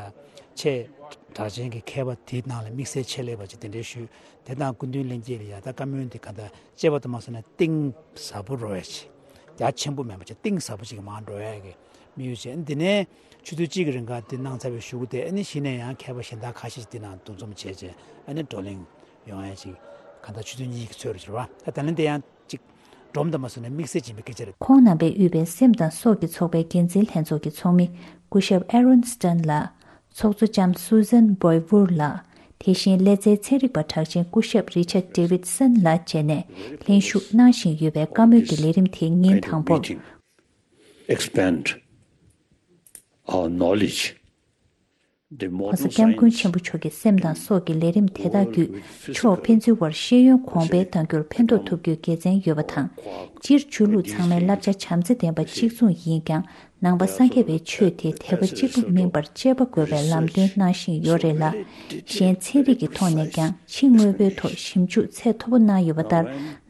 ཆེས་གྲགས་ཅན་གྱི་མཁས་པ་དེའི་ནང་ལ་དམིགས་བསལ་ཆེད་ལས་པ་ཅིག་དེ་འདྲའི་ཞུས། དེ་དང་སྐུ་མདུན་ལྷན་རྒྱས་ལ་ཡ་ད་བཀའ་མོལ་འདི་ག་འདྲ་བཅས་པ་དུ་མ་སོང་ན་གཏིང་ཟབ་པོ་རོ་ཡ་ཆེ། རྒྱ་ཆེན་པོ་མེད་པ་ཆེ་གཏིང་ཟབ་པོ་ཅིག་མར་འགྲོ་ཡ་གི་དམིགས་ཡུལ་བྱས། འདི་ནས་ཆུ་ཚོད་གཅིག་གི་རིང་ག་འདི་གནང་ཚར་བའི་གཞུག་གུ་དེ་ཨ་ནི་གཞི་ནས་ཡང་མཁས་པ་གཞན་དག་ཁ་ཤས་ཤིག་འདི་ནང་འདུ་འཛོམས་བྱས་རྗེས་ཨ་ནི་བགྲོ་གླེང་ཡོང་ཡ་ཅིག་ག་འདྲ་ཆུ་ཚོད་གཉིས་ཀྱི་ཚོད་རེ་བྱེད་པ་ད་ད་ལན་དེ་ཡང་ཅིག་སྒྲོམ་དུ་མ་སོང་ནས་དམིགས་བསལ་སྦྱིན་པའི་སྐད་ཆ་རེད། ཁོང་རྣམ་པས་དབུས་པའི་སེམས་དང་སྲོག་གི་ཚོགས་པའི་འགན་འཛིན་ལྷན་ཚོགས་ཀྱི་ཚོགས་མི་སྐུ་ཞབས་Aaron Stern ལགས། ཚོགས་གཙོ་ལྕམ་Susan Boywood ལགས། དེ་བཞིན་ཀླད་རྩའི་ཚན་རིག་པ་གྲགས་ཅན་སྐུ་ཞབས་Richard Davidson ལགས་བཅས་ནས་ལྷན་ཞུགས་གནང་བཞིན་ཡོད་པའི་བཀའ་མོལ་གྱི་ལས་རིམ་དེ་ཉིན་དང་པོར། Expand our knowledge. ༸གོང་ས་༸སྐྱབས་མགོན་ཆེན་པོ་མཆོག་གི་སེམས་དང་སྲོག་གི་ལས་རིམ་དེ་དག་བརྒྱུད་ཕྱོགས་ཕན་ཚུན་བར་ཤེས་ཡོན་གོང་འཕེལ་གཏང་རྒྱུར་ཕན་ཐོགས་ཐུབ་རྒྱུའི་དགེ་མཚན་ཡོད་པ་དང་། སྤྱིར་ཆོས་ལུགས་ཚང་མའི་བསླབ་བྱ་བྱམས་བརྩེ་ལྡན་པ་གཅིག་མཚུངས་ཡིན་ཀྱང་། ནང་པ་སངས་རྒྱས་པའི་ཆོས་དེ་དད་པ་གཅིག་པུ་མིན་པར་སྤྱད་པ་དགོས་པའི་ལམ་སྟོན་གནང་བཞིན་ཡོད་རེད་ལ། གཞན་ཚན་རིག་གི་ཐོག་ནས་ཀྱང་ཕྱི་དངོས་པོའི་ཐོག་ཞིབ་འཇུག་ཚད་མཐོ་པོ་གནང་ཡོད་པ་ལྟར།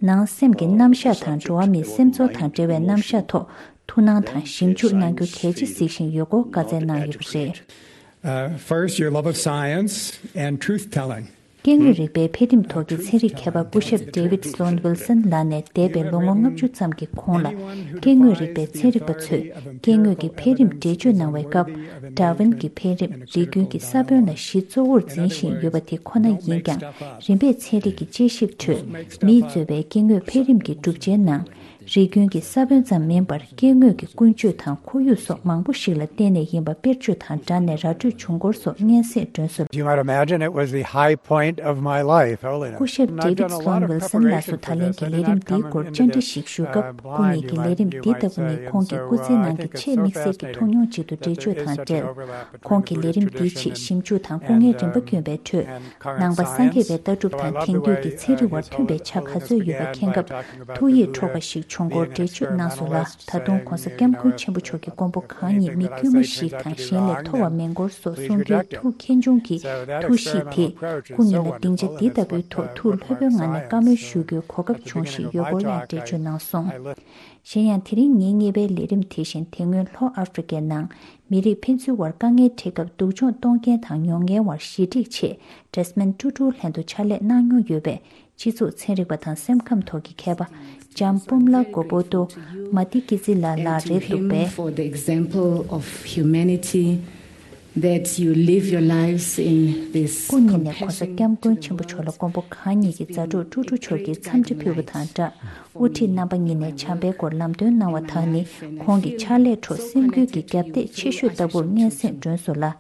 ནང་སེམས་ཀྱི་རྣམ་གཞག་དང་འགྲོ་བ་མིའི་སེམས་ཚོར་དང་འབྲེལ་བའི་རྣམ་གཞག་ཐོག་ཐུགས་སྣང་དང་ཞིབ་འཇུག་གནང་རྒྱུ་གལ་ཆེ་གཟིགས་བཞིན་ཡོད་སྐོར་བཀའ་སྩལ་གནང་ཡོད་པ་རེད། Uh, first, your love of science and truth telling. སྐྱེ་དངོས་རིག་པའི་འཕེལ་རིམ་ཐོག་གི་ཚན་རིག་མཁས་པ་སྐུ་ཞབས་David Sloan Wilson ལགས་ནས་འདས་པའི་ལོ་ངོ་ལྔ་བཅུ་ཙམ་གྱི་གོང་ལ། སྐྱེ་དངོས་རིག་པའི་ཚན་རིག་པ་ཚོས་སྐྱེ་དངོས་ཀྱི་འཕེལ་རིམ་འགྲེལ་བརྗོད་གནང་བའི་སྐབས། ཌར་ཝིན་གྱི་འཕེལ་རིམ་རིགས་རྒྱུན་གྱི་ས་བོན་ལ་གཞི་གཙོ་བོར་འཛིན་བཞིན་ཡོད་པ་དེ་ཁོ་ན་ཡིན་ཀྱང་། རིམ་པས་ཚན་རིག་གི་དཔྱད་ཞིབ་ཁྲོད་མིས་གཙོས་པའི་སྐྱེ་དངོས་འཕེལ་རིམ་གྱི་གྲུབ་ཆའི་ནང་། རིགས་རྒྱུན་གྱི་ས་བོན་ཙམ་མིན་པར་སྐྱེ་དངོས་ཀྱི་ཀུན་སྤྱོད་དང་ཁོར་ཡུག་སོགས་མང་པོ་ཞིག་ལ་བརྟེན་ནས་ཡིན་པ་དཔེར་བརྗོད་དང་སྦྲགས་ནས་ར་སྤྲོད་བྱུང་སྐོར་སོགས་སྙན་སེང་སྒྲོན་གསོལ། You might imagine it was the high point of my life, oh, Lena. སྐུ་ཞབས་David Sloan Wilson ལགས་སུ་ད་ལན་གྱི་ལས་རིམ་འདིའི་སྐོར་བཅར་འདྲི་ཞིག་ཞུ་སྐབས། སྐུ་ཉིད་ཀྱི་ལས་རིམ་འདི་ལྟ་བུ་ནི་ཁོང་གི་སྐུ་ཚེའི་ནང་གི་ཆེས་དམིགས་བསལ་གྱི་ཐུགས་མྱོང་ཅིག་ཏུ་འགྲེལ་བརྗོད་དང་འབྲེལ། ཁོང་གིས་ལས་རིམ་འདིའི་ཆེད་ཞིབ་འཇུག་དང་སྐུ་ངལ་རིམ་པ་བསྐྱོན་པའི་ཁྲོད། ནང་པ་སངས་རྒྱས་པའི་ལྟ་གྲུབ་དང་དེང་དུས་ཀྱི་ཚན་རིག་དབར་མཐུན་པའི་ཆ་ག་ཚོད་ཡོད་པ་མཁྱེན་སྐབས། ཐུགས་ཡིད་འཕྲོག་པ་ཞིག་བྱུང་སྐོར་འགྲེལ་བརྗོད་གནང་སོང་ལ། ད་དུང་༸གོང་ས་༸སྐྱབས་མགོན་ཆེན་པོ་མཆོག་གི་མགོན་པོ་གང་ཉིད་མི་དཀྱུས་མ་ཞིག་དང་གཞན་ལས་མཐོ་བ་མིན་སྐོར་སོགས་གསུང་རྒྱུའི་ཐུགས་མཁྱེན་ཆུང་གིས། ཐུགས་གཤིས་དེས་སྐུ་ཉིད་ལ་སྡིངས་ཆ་འདི་ལྟ་བུའི་ཐོག་ཐུགས་ལྷོད་པོའི་ངང་ནས་བཀའ་མོལ་ཞུ་རྒྱུའི་གོ་སྐབས་བྱུང་བཞིན་ཡོད་སྐོར་ཡང་འགྲེལ་བརྗོད་གནང་སོང་། གཞན་ཡང་། དེ་རིང་ཉིན་གཉིས་པའི་ལས་རིམ་དེ་བཞིན་དེ་སྔོན་ལྷོ་ཨ་ཧྥེ་རི་ཀའི་ནང་མི་རིགས་ཕན་ཚུན་དབར་དཀའ་ངལ་འཕྲད་སྐབས་སྡུག་སྦྱོང་གཏོང་མཁན་དང་མྱོང་མཁན་དབར་ཞི་འགྲིག་ཆེད་ཌེ་སི་མོན་ཊུ་ཊུ་ལྷན་དུ་ཕྱག་ལས་གནང་མྱོང་ཡོད་པའི་སྤྱི་ཚོགས་ཚན་རིག་པ་དང་སེམས་ཁམས་ཐོག་གི་མཁས་པ་ལྕམ་པུམ་ལ་གོ་པོ་ཏོ་མ་ཏི་ཀི་ཙི་ལ་ལགས་རེད་འདུག་པས། For the example of humanity that you live your lives in this སྐུ་ཉིད་ནས་༸གོང་ས་༸སྐྱབས་མགོན་ཆེན་པོ་མཆོག་ལ་མགོན་པོ་གང་ཉིད་ཀྱི་མཛའ་གྲོགས་ཀྲུ་ཀྲུ་མཆོག་གིས་འཚམས་འདྲི་ཕུལ་བ་དང་སྦྲགས། དབུ་ཁྲིད་རྣམ་པ་གཉིས་ནས་བྱམས་པའི་སྐོར་ལམ་སྟོན་གནང་བ་དག་ནི་ཁོང་གི་ཕྱག་ལས་ཁྲོད་སེམས་འགུལ་གྱི་རྒྱབ་གཏད་ཆེ་ཤོས་ལྟ་བུར་སྙན་སེང་སྒྲོན་སོང་ལ།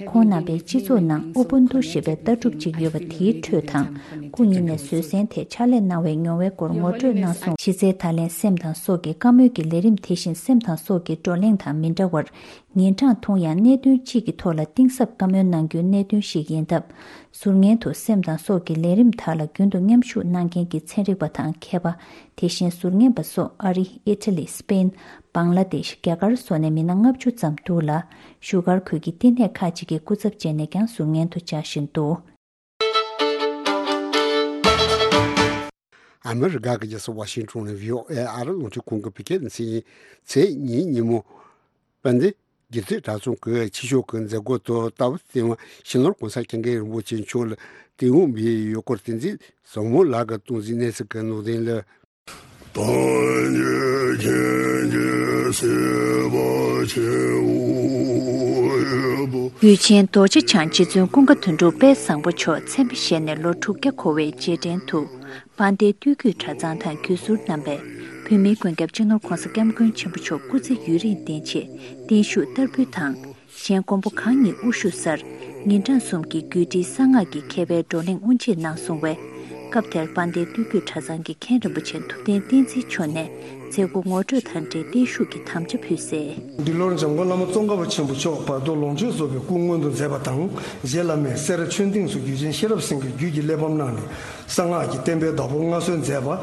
ཁོང་རྣམ་པའི་སྤྱི་ཚོགས་ནང་ཨུ་བུན་ཏུ་ཞེས་པའི་ལྟ་གྲུབ་ཅིག་ཡོད་པ་དེའི་ཁྲོད་དང་། སྐུ་ཉིད་ནས་བཟོད་བསྲན་ཐད་ཕྱག་ལས་གནང་བའི་མྱོང་བའི་སྐོར་ངོ་སྤྲོད་གནང་སོང་། གཞི་རྩའི་ད་ལན་སེམས་དང་སྲོག་གི་བཀའ་མོལ་གྱི་ལས་རིམ་དེ་བཞིན་སེམས་དང་སྲོག་གི་བགྲོ་གླེང་དང་མི་འདྲ་བར། ཉིན་གྲངས་ཐུང་ཡང་གནད་དོན་གཅིག་གི་ཐོག་ལ་གཏིང་ཟབ་བཀའ་མོལ་གནང་རྒྱུའི་གནད་དོན་ཞིག་ཡིན་སྟབས། ཟུར་ངན་དུ་སེམས་དང་སྲོག་གི་ལས་རིམ་དག་ལ་རྒྱུན་དུ་མཉམ་ཞུགས་གནང་མཁན་གྱི་ཚན་རིག་པ་དང་མཁས་པ། དེ་བཞིན་ཟུར་ངན་པ་སོགས་ཨ་རི། ཨི་ཊ་ལི། སི་པེན། བང་ལ་དེཤ། རྒྱ་གར་སོགས་ནས་མི་སྣ་ལྔ་བཅུ་ཙམ་འདུག་ལ། བཞུགས་སྒར་ཁུལ་གྱི་བསྟི་གནས་ཁག་ཅིག་གི་སྐུ་ཚབ་བྱས་ནས་ཀྱང་ཟུར་ངན་དུ་བཅར་བཞིན་འདུག། ཨ་མི་རི་ཀ་གི་རྒྱལ་ས་ཝ་ཤིང་ཊོན་ནས་བྷི་ཨོ་ཨེ་ཨ་རི་རླུང་འཕྲིན་ཁང་གི་བོད་སྐད་སྡེ་ཚན་ཡིན། ཚེས་གཉིས་ཉིན་མོ། དཔལ་ལྡན་རྒྱུད་སྟོད་གྲྭ་ཚང་གི་ཆོས་ཕྱོགས་ཀྱི་མཛད་སྒོ་དུ་རྟ་བབས་སྟེང་བ་སྤྱི་ནོར་༸གོང་ས་༸སྐྱབས་མགོན་རིན་པོ་ཆེ་མཆོག་ལ་དད་གུས་འབུལ་ཡས་ཡོད་སྐོར། བསྟན་འཛིན་བཟང་མོ་ལགས་ཀྱིས་གཏོང་གཟིགས་གནང་ཟིན་པའི་གནད་དོན་ལ། ད་ཉེ་ཁྱེད་ཀྱི་སྲིད་པ་ཆེན་པོ་ཡོད་པོ། གུས་ཆེན་རྡོ་རྗེ་འཆང་རྗེ་བཙུན་ཀུན་དགའ་དོན་གྲུབ་དཔལ་བཟང་པོ་མཆོག་མཚན་མོ་བཞེས་ནས་ལོ་དྲུག་བརྒྱ་འཁོར་བའི་རྗེས་དྲན་དུ། དཔལ་ལྡན་སྟོད་རྒྱུད་གྲྭ་ཚང་དང་བརྒྱུད་ཟུར་རྣམ་པས་བོད་མིའི་མགོན་སྐྱབས་སྤྱི་ནོར་༸གོང་ས་༸སྐྱབས་མགོན་ཆེན་པོ་མཆོག་སྐུ་ཚེ་ཡུན་རིང་བརྟན་ཆེད་བརྟན་བཞུགས་བསྟར་འབུལ་དང་། གཞན་མགོན་པོ་གང་ཉིད་དབུ་བཞུགས་སར་ཉིན་གྲངས་གསུམ་གྱི་རྒྱུད་སྒྲིལ་གསང་སྔགས་ཀྱི་མཁས་པའི་བགྲོ་གླེང་དབུ་འབྱེད་གནང་སོང་བས། སྐབས་དེར་དཔལ་ལྡན་སྟོད་རྒྱུད་གྲྭ་ཚང་གི་མཁན་རིན་པོ་ཆེ་ཐུབ་བསྟན་བསྟན་འཛིན་མཆོག་ནས་མཛད་སྒོ་ངོ་སྤྲོད་དང་འབྲེལ་བརྟན་བཞུགས་ཀྱི་དམ་བཅའ་ཕུལ་གསལ། འདི་ལོར་འཇམ་མགོན་བླ་མ་ཙོང་ཁ་པ་ཆེན་པོ་མཆོག་བར་དོ་ལོངས་སྤྱོད་རྫོགས་པའི་སྐུ་མངོན་དུ་མཛད་པ་དང་། རྗེ་བླ་མས་སེ་ར་ཆོས་སྡིངས་སུ་རྒྱུད་ཆེན་ཤེས་རབ་སེང་གེ་རྒྱུད་ཀྱི་གླེགས་བམ་གནང་ནས་གསང་སྔགས་ཀྱི་བསྟན་པའི་བདག་པོ་མངའ་གསོལ་མཛད་པ།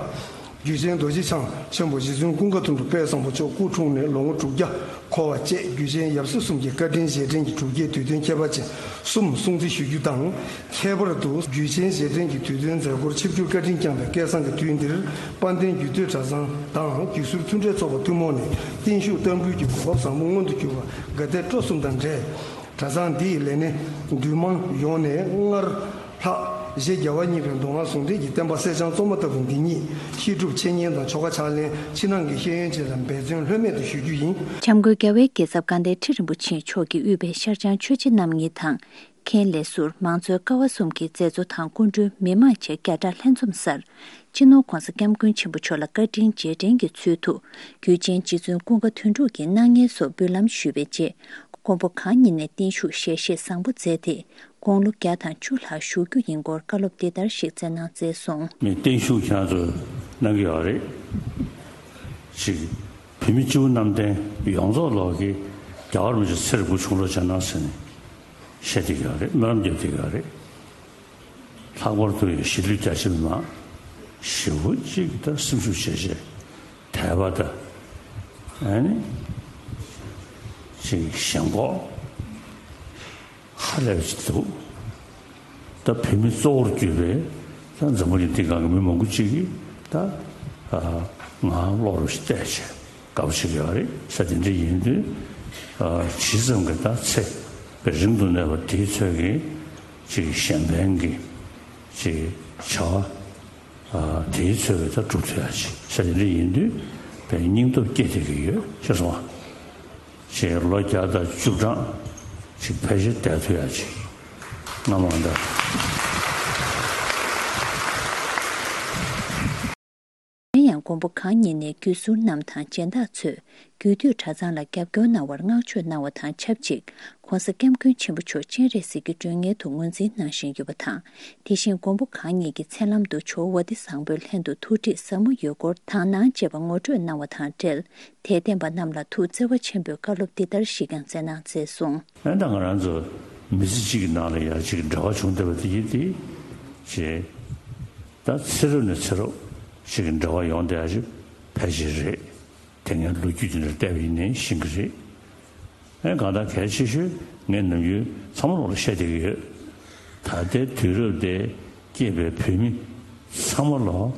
རྒྱུད་ཆེན་རྡོ་རྗེ་འཆང་ཆེན་པོ་རྗེ་བཙུན་ཀུན་དགའ་དོན་གྲུབ་དཔལ་བཟང་པོ་མཆོག་སྐུ་འཁྲུངས་ནས་ལོ་ངོ་དྲུག་བརྒྱ་འཁོར་བ་བཅས་རྒྱུད་ཆེན་ཡབ་སྲས་གསུམ་གྱི་བཀའ་དྲིན་རྗེས་དྲན་གྱི་གྲུབ་རྒྱལ་དུས་སྟོན་ཁྱད་པར་ཅན་གསུམ་སྲུང་བརྩི་ཞུ་རྒྱུ་དང་། ཁྱད་པར་དུ་རྒྱུད་ཆེན་རྗེས་དྲན་གྱི་དུས་སྟོན་མཛད་སྒོར་ཆིབས་བསྒྱུར་བཀའ་དྲིན་བསྐྱངས་པའི་སྐལ་བཟང་གི་དུས་འདིར། དཔལ་ལྡན་རྒྱུད་སྟོད་གྲྭ་ཚང་དང་བརྒྱུད་ཟུར་མཐུན་འབྲེལ་ཚོགས་པ་ཐུན་མོང་ནས་བརྟན་བཞུགས་བསྟར་འབུལ་གྱི་གོ་སྐབས་བཟང་པོ་མངོན་དུ་གྱུར་པར་དགའ་དད་སྤྲོ་གསུམ་དང་འབྲེལ། གྲྭ་ཚང་འདིའི་ལས་སྣེ་འདུས་མང་ཡོངས་ནས་སྔར་ལྷག་གཞི་རྒྱལ་བ་གཉིས་པའི་མདོ་སྔགས་ཟུང་འབྲེལ་གྱི་བསྟན་པ་གསེར་སྦྱངས་བཙོ་མ་ལྟ་བུ་འདི་ཉིད་ཤེས་སྒྲུབ་འཆད་ཉན་དང་ཆོ་ག་ཕྱག་ལེན་ཕྱི་ནང་གི་ཤེས་ཡོན་བཅས་ལ་འབད་བརྩོན་ལྷོད་མེད་དུ་ཞུ་རྒྱུ་ཡིན། འཆམ་མགོན་རྒྱལ་བའི་རྒྱལ་ཚབ་དགའ་ལྡན་ཁྲི་རིན་པོ་ཆེ་མཆོག་གིས་དབུས་པའི་ཤར་བྱང་ཆོས་རྗེ་རྣམ་གཉིས་དང་། མཁན་ལས་ཟུར་མང་གཙོའི་ཀ་བ་གསུམ་གྱི་མཛད་གཙོ་དང་སྐུ་མགྲོན་མི་མང་བཅས་བརྒྱ་ཕྲག་ལྷན་འཛོམས་སར། སྤྱི་ནོར་༸གོང་ས་༸སྐྱབས་མགོན་ཆེན་པོ་མཆོག་ལ་བཀའ་དྲིན་རྗེས་དྲན་གྱི་ཚུལ་དུ། རྒྱུད་ཆེན་རྗེ་བཙུན་ཀུན་དགའ་དོན་གྲུབ་ཀྱི་སྣང་བརྙན་སོགས་འབུལ་ལམ་ཞུས་པའི་རྗེས། མགོན་པོ་གང་ཉིད་ནས་བརྟན་བཞུགས་ཞལ་བཞེས་བཟང་པོ་མཛད་དེ། དགུང་ལོ་བརྒྱ་དང་བཅུ་ལྷག་བཞུགས་རྒྱུ་ཡིན་སྐོར་བཀའ་སློབ་འདི་ལྟར་ཞིག་སྩལ་གནང་མཛད་སོང་། ངས་བརྟན་བཞུགས་ཁྱེད་རང་ཚོ་གནང་གི་ཡོད་རེད། ཅིག་བོད་མི་སྤྱི་བོ་གནམ་བསྟན་ཡོངས་རྫོགས་ལོག་གི་རྒྱལ་བ་རིན་པོ་ཆེ་ཚེ་རིང་པོ་བྱུང་རོགས་བྱས་གནང་ཟེར་ནས་བཤད་བསྡད་ཀྱི་ཡོད་རེད། སྨོན་ལམ་རྒྱབ་བསྡད་ཀྱི་ཡོད་རེད། ལྷག་པར་དུ་ཡང་གཞིས་ལུས་རྒྱ་ཆེ་མི་མང་ཞེ་པོ་ཅིག་ད་སེམས་ཤུགས་ཆེ་ཆེ་དད་པ་དང་ཨ་ནི་ཅིག་ཞེན་ཁོག་ཧ་ལས་པ་ཅིག་འདུག་ད་བོད་མི་གཙོ་བོར་གྱུར་པའི་ད་འཛམ་བུ་གླིང་འདི་སྒང་གི་མི་མང་པོ་ཅིག་གིས་ད་ང་བློ་རུ་བལྟས་བྱས་དགའ་པོ་བྱེད་ཀྱི་ཡོད་རེད་ཟེར། དེ་འདྲ་ཡིན་དུས་ཇི་ཙམ་གྱི་ད་ཚེ་དཔེ་རིང་དུ་གནས་པ་དེའི་ཚོད་ཀྱིས། ཅིག་གཞན་ཕན་གྱི་ཅིག་བྱ་བ་ཨ་དེའི་ཚོད་ཀྱིས་ད་སྒྲུབ་ཐུབ་ཡ་ཅིག་ཟེར་དེ་འདྲ་ཡིན་དུས་དཔེ་སྙིང་སྟོབས་སྐྱེ་བསྡད་ཀྱི་ཡོད་ཤེས་སོང་བ། ཅིག་ལོ་བརྒྱ་དང་བཅུ་གྲངས་ཅིག་ཕལ་ཆེར་བསྡད་ཐུབ་ཡ་ཅིག་སྔ་མ་འདྲ། གཞན་ཡང་མགོན་པོ་གང་ཉིད་ནས་བརྒྱུད་ཟུར་རྣམས་དང་སྦྱིན་བདག་ཚོས་རྒྱུད་སྟོད་གྲྭ་ཚང་ལ་རྒྱབ་སྐྱོར་གནང་བར་བསྔགས་བརྗོད་གནང་བ་དང་ཆབས་ཅིག ༸གོང་ས་༸སྐྱབས་མགོན་ཆེན་པོ་མཆོག་སྤྱན་རས་གཟིགས་ཀྱི་མགྲོན་གཉེར་དུ་ངོས་འཛིན་གནང་བཞིན་ཡོད་པ་དང་། དེ་བཞིན་མགོན་པོ་གང་ཉིད་ཀྱི་མཚན་ལམ་དུ་ཇོ་བོ་ཝ་ཏི་བཟང་པོའི་ལྷན་དུ་ཐུགས་ཁྲིད་ཟབ་མོ་ཡོད་སྐོར་དག་སྣང་བཅས་པ་ངོ་སྤྲོད་གནང་བ་དང་འབྲེལ། དད་ལྡན་པ་རྣམས་ལ་ཐུགས་བརྩེ་བ་ཆེན་པོས་བཀའ་སློབ་འདི་ལྟར་ཞིག་ཀྱང་སྩལ་གནང་མཛད་སོང་། ཨ་ནི་ད་ང་རང་ཚོ་མི་ཚེ་གཅིག་གི་ནང་ལ་ཡར་གཅིག་གི་འབྲེལ་བ་བྱུང་བསྡད་པ་དེ་ཡིན་ཏེ། ཅེས། ད་ཚེ་རབས་ནས་ཚེ་རབས་ཅིག་གི་འབྲེལ་བ་ཡོང་བསྡད་ཡ་ཅིག་ཕལ་ཆེར་རེད། དེ་སྔའི་ལོ་རྒྱུས་དེ་འདྲ་བལྟས་པ་ཡིན་ནའི་ཤེས་ཀྱི་རེད། ཨེ་གང་ལྟར་གལ་ཆེ་ཤོས་ངས་ནམ་རྒྱུན་ཚང་མ་ལོག་ལ་བཤད་བསྡད་ཀྱི་ཡོད། ད་ལྟའི་དུས་རབས་འདིར་སྐྱེས་པའི་བོད་མི་ཚང་མ་ལོག་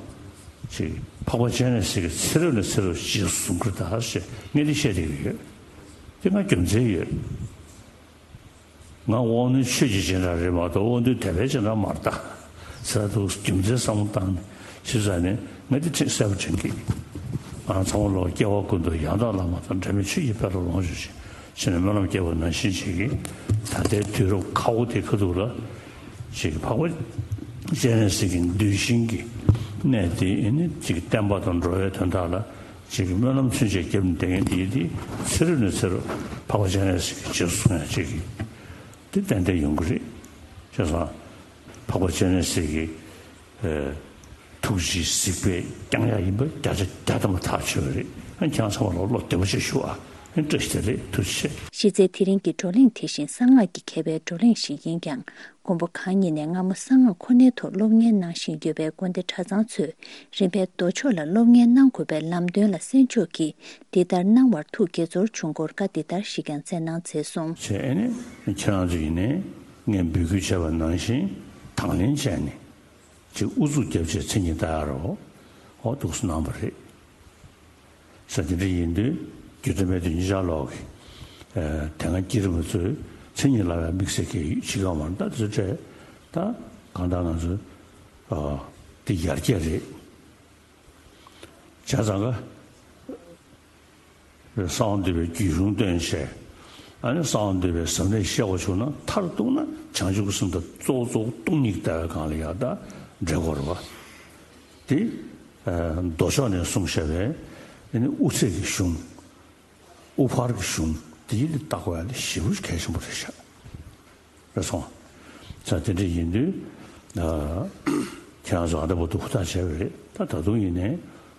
ཅིག་འཕགས་པ་སྤྱན་རས་གཟིགས་ཀྱི་ཚེ་རབས་ནས་ཚེ་རབས་རྗེས་སུ་བཟུང་གི་རེད་ད་ཞེས་ངས་འདི་བཤད་བསྡད་ཀྱི་ཡོད། དེ་ང་རྒྱུ་མཚན་ཡོད། ང་དབང་རྣོན་ཆོས་ཀྱི་སྦྱིན་བདག་རེད་མ་གཏོགས་དབང་རྣོན་དད་པའི་སྦྱིན་བདག་མ་རེད་ད། ཟེར་འདུག་རྒྱུ་མཚན་བསམ་བློ་བཏང་ནས་ཞིབ་ཚགས་ནས་ངས་འདི་ཁྲིད་གསལ་པོ་དྲན་གི། ང་ཚང་མ་ལོག་སྐྱེ་བ་ཀུན་ཏུ་ཡང་དག་བླ་མ་དང་། འབྲལ་མེད་ཆོས་ཀྱི་དཔལ་ལ་ལོངས་སྤྱོད་ཅིང་། ཞེས་ནས་སྨོན་ལམ་བརྒྱབ་པ་ནང་བཞིན་ཅིག་གིས་ད་ལྟའི་དུས་རབས་ཁག་པོ་དེ་ཁ་ཐུག་ལ་ཅིག་འཕགས་པ་སྤྱན་རས་གཟིགས་ཀྱི་གདུལ་ཞིང་གི་གནས་དེ་ཨེ་ནི་ཅིག་བསྟན་པ་དང་འགྲོ་བའི་དོན་དག་ལ། ཅིག་གི་སྨོན་ལམ་ཚུན་ཆད་བརྒྱབ་ནས་བསྡད་མཁན་དེ་ཡིན་ཏེ། ཚེ་རབས་ནས་ཚེ་རབས་འཕགས་པ་སྤྱན་རས་གཟིགས་ཀྱི་རྗེས་སུ་བཟུང་ཡ་ཅིག་གི་ དེ་ཏན་ཏན་ཡོང་གི་རེད། བྱས་ཙང་འཕགས་པ་སྤྱན་རས་གཟིགས་ཀྱི་ཨ་ཐུགས་རྗེའི་གཟིགས་པས་བསྐྱངས་ཡག་ཡིན་པ་བརྒྱ་ཆ་བརྒྱ་ཐམ་པ་ཐག་ཆོད་པ་རེད། ཨ་ཁྱེད་རང་ཚང་མ་ལ་བློ་བདེ་པོ་ཞིག་ཞུ་ཨ། ཨ་བཀྲ་ཤིས་བདེ་ལེགས། ཐུགས་རྗེ་ཆེ། གཞི་རྩའི་དེ་རིང་གི་བགྲོ་གླེང་དེ་བཞིན་གསང་སྔགས་ཀྱི་མཁས་པའི་བགྲོ་གླེང་ཞིག་ཡིན་ཀྱང་། མགོན་པོ་གང་ཉིད་ནས་སྔ་མོ་གསང་སྔགས་ཁོ་ནའི་ཐོག་སློབ་གཉེར་གནང་བཞིན་ཡོད་པའི་དགོན་སྡེ་གྲྭ་ཚང་ཚོས་རིམ་པས་མདོ་ཕྱོགས་ལ་སློབ་གཉེར་གནང་དགོས་པའི་ལམ་སྟོན་ལ་གསན་ཕྱོགས་ཀྱིས་འདི་ལྟར་གནང་བར་ཐུགས་དགྱེས་ཚོར་བྱུང་སྐོར་བཀའ་འདི་ལྟར་ཞིག་ཀྱང་སྩལ་གནང་མཛད་སོང་། བྱས་ཨ་ནི་ཁྱེད་རང་ཚོ་ཡིན་ནའི་ངས་འབོད་སྐུལ་བྱས་པ་ནང་བཞིན་དང་ལེན་བྱས་ནས་ཅིག་ཨུ་ཚུགས་བརྒྱབ་བྱས་མཚན་ཉིད་ལྟ་ཡ་རོགས་འོ་འདུག་སེ་གནང་བ་རེད། ས་དེ་འདྲ་ཡིན་དུས་རྒྱུ་འབྲས་མེད་དུས་གཉིས་ཆར་ལོག་གི་དེ་སྔ་བསྐྱེད་རིམ་པ་ཚོས་མཚན་ཉིད་ལབ་ཡ་དམིགས་བསལ་གྱི་ཡོད་ཅི་གང་མ་རེད། ད་དེ་ཚོ་སྤྲད་ད་གང་ལྟར་ང་ཚོ་དེ་ཡར་རྒྱས་རེད། བྱས་ཙང་ག་གསང་བ་འདུས་པའི་རྒྱུད་གཞུང་སྟོན་བྱས། ཨ་ནི་གསང་བ་འདུས་པའི་ཟབ་གནད་བཤད་དགོས་བྱུང་ན་མཐར་གཏུགས་ན་བྱང་ཆུབ་ཀྱི་སེམས་དང་གཙོ་བོ་གཙོ་བོ་སྟོང་ཉིད་ཀྱི་ལྟ་བའི་སྒང་ལ་ཡག་ད་འགྲེལ་དགོས་རེད་བ། དེ་མདོ་ཕྱོགས་ནས་གསུངས་བཞག་པའི་ཨ་ནི་དབུ་ཚད་ཀྱི་གཞུང་། དབུ་ཕར་གྱི་གཞུང་དེ་ཡིན་དུས་བལྟ་དགོས་ཡ་དེ་ཞེ་པོ་གལ་ཆེན་པོ་རེད་ཤག་རེད་སོང་། ས་དེ་འདྲ་ཡིན་དུས་ཨ་ཁྱེད་རང་ཚོ་ཨ་ད་བར་དུ་ཧུར་ཐག་བྱས་པ་རེད། ད་ད་དུང་ཡིན་ནའི་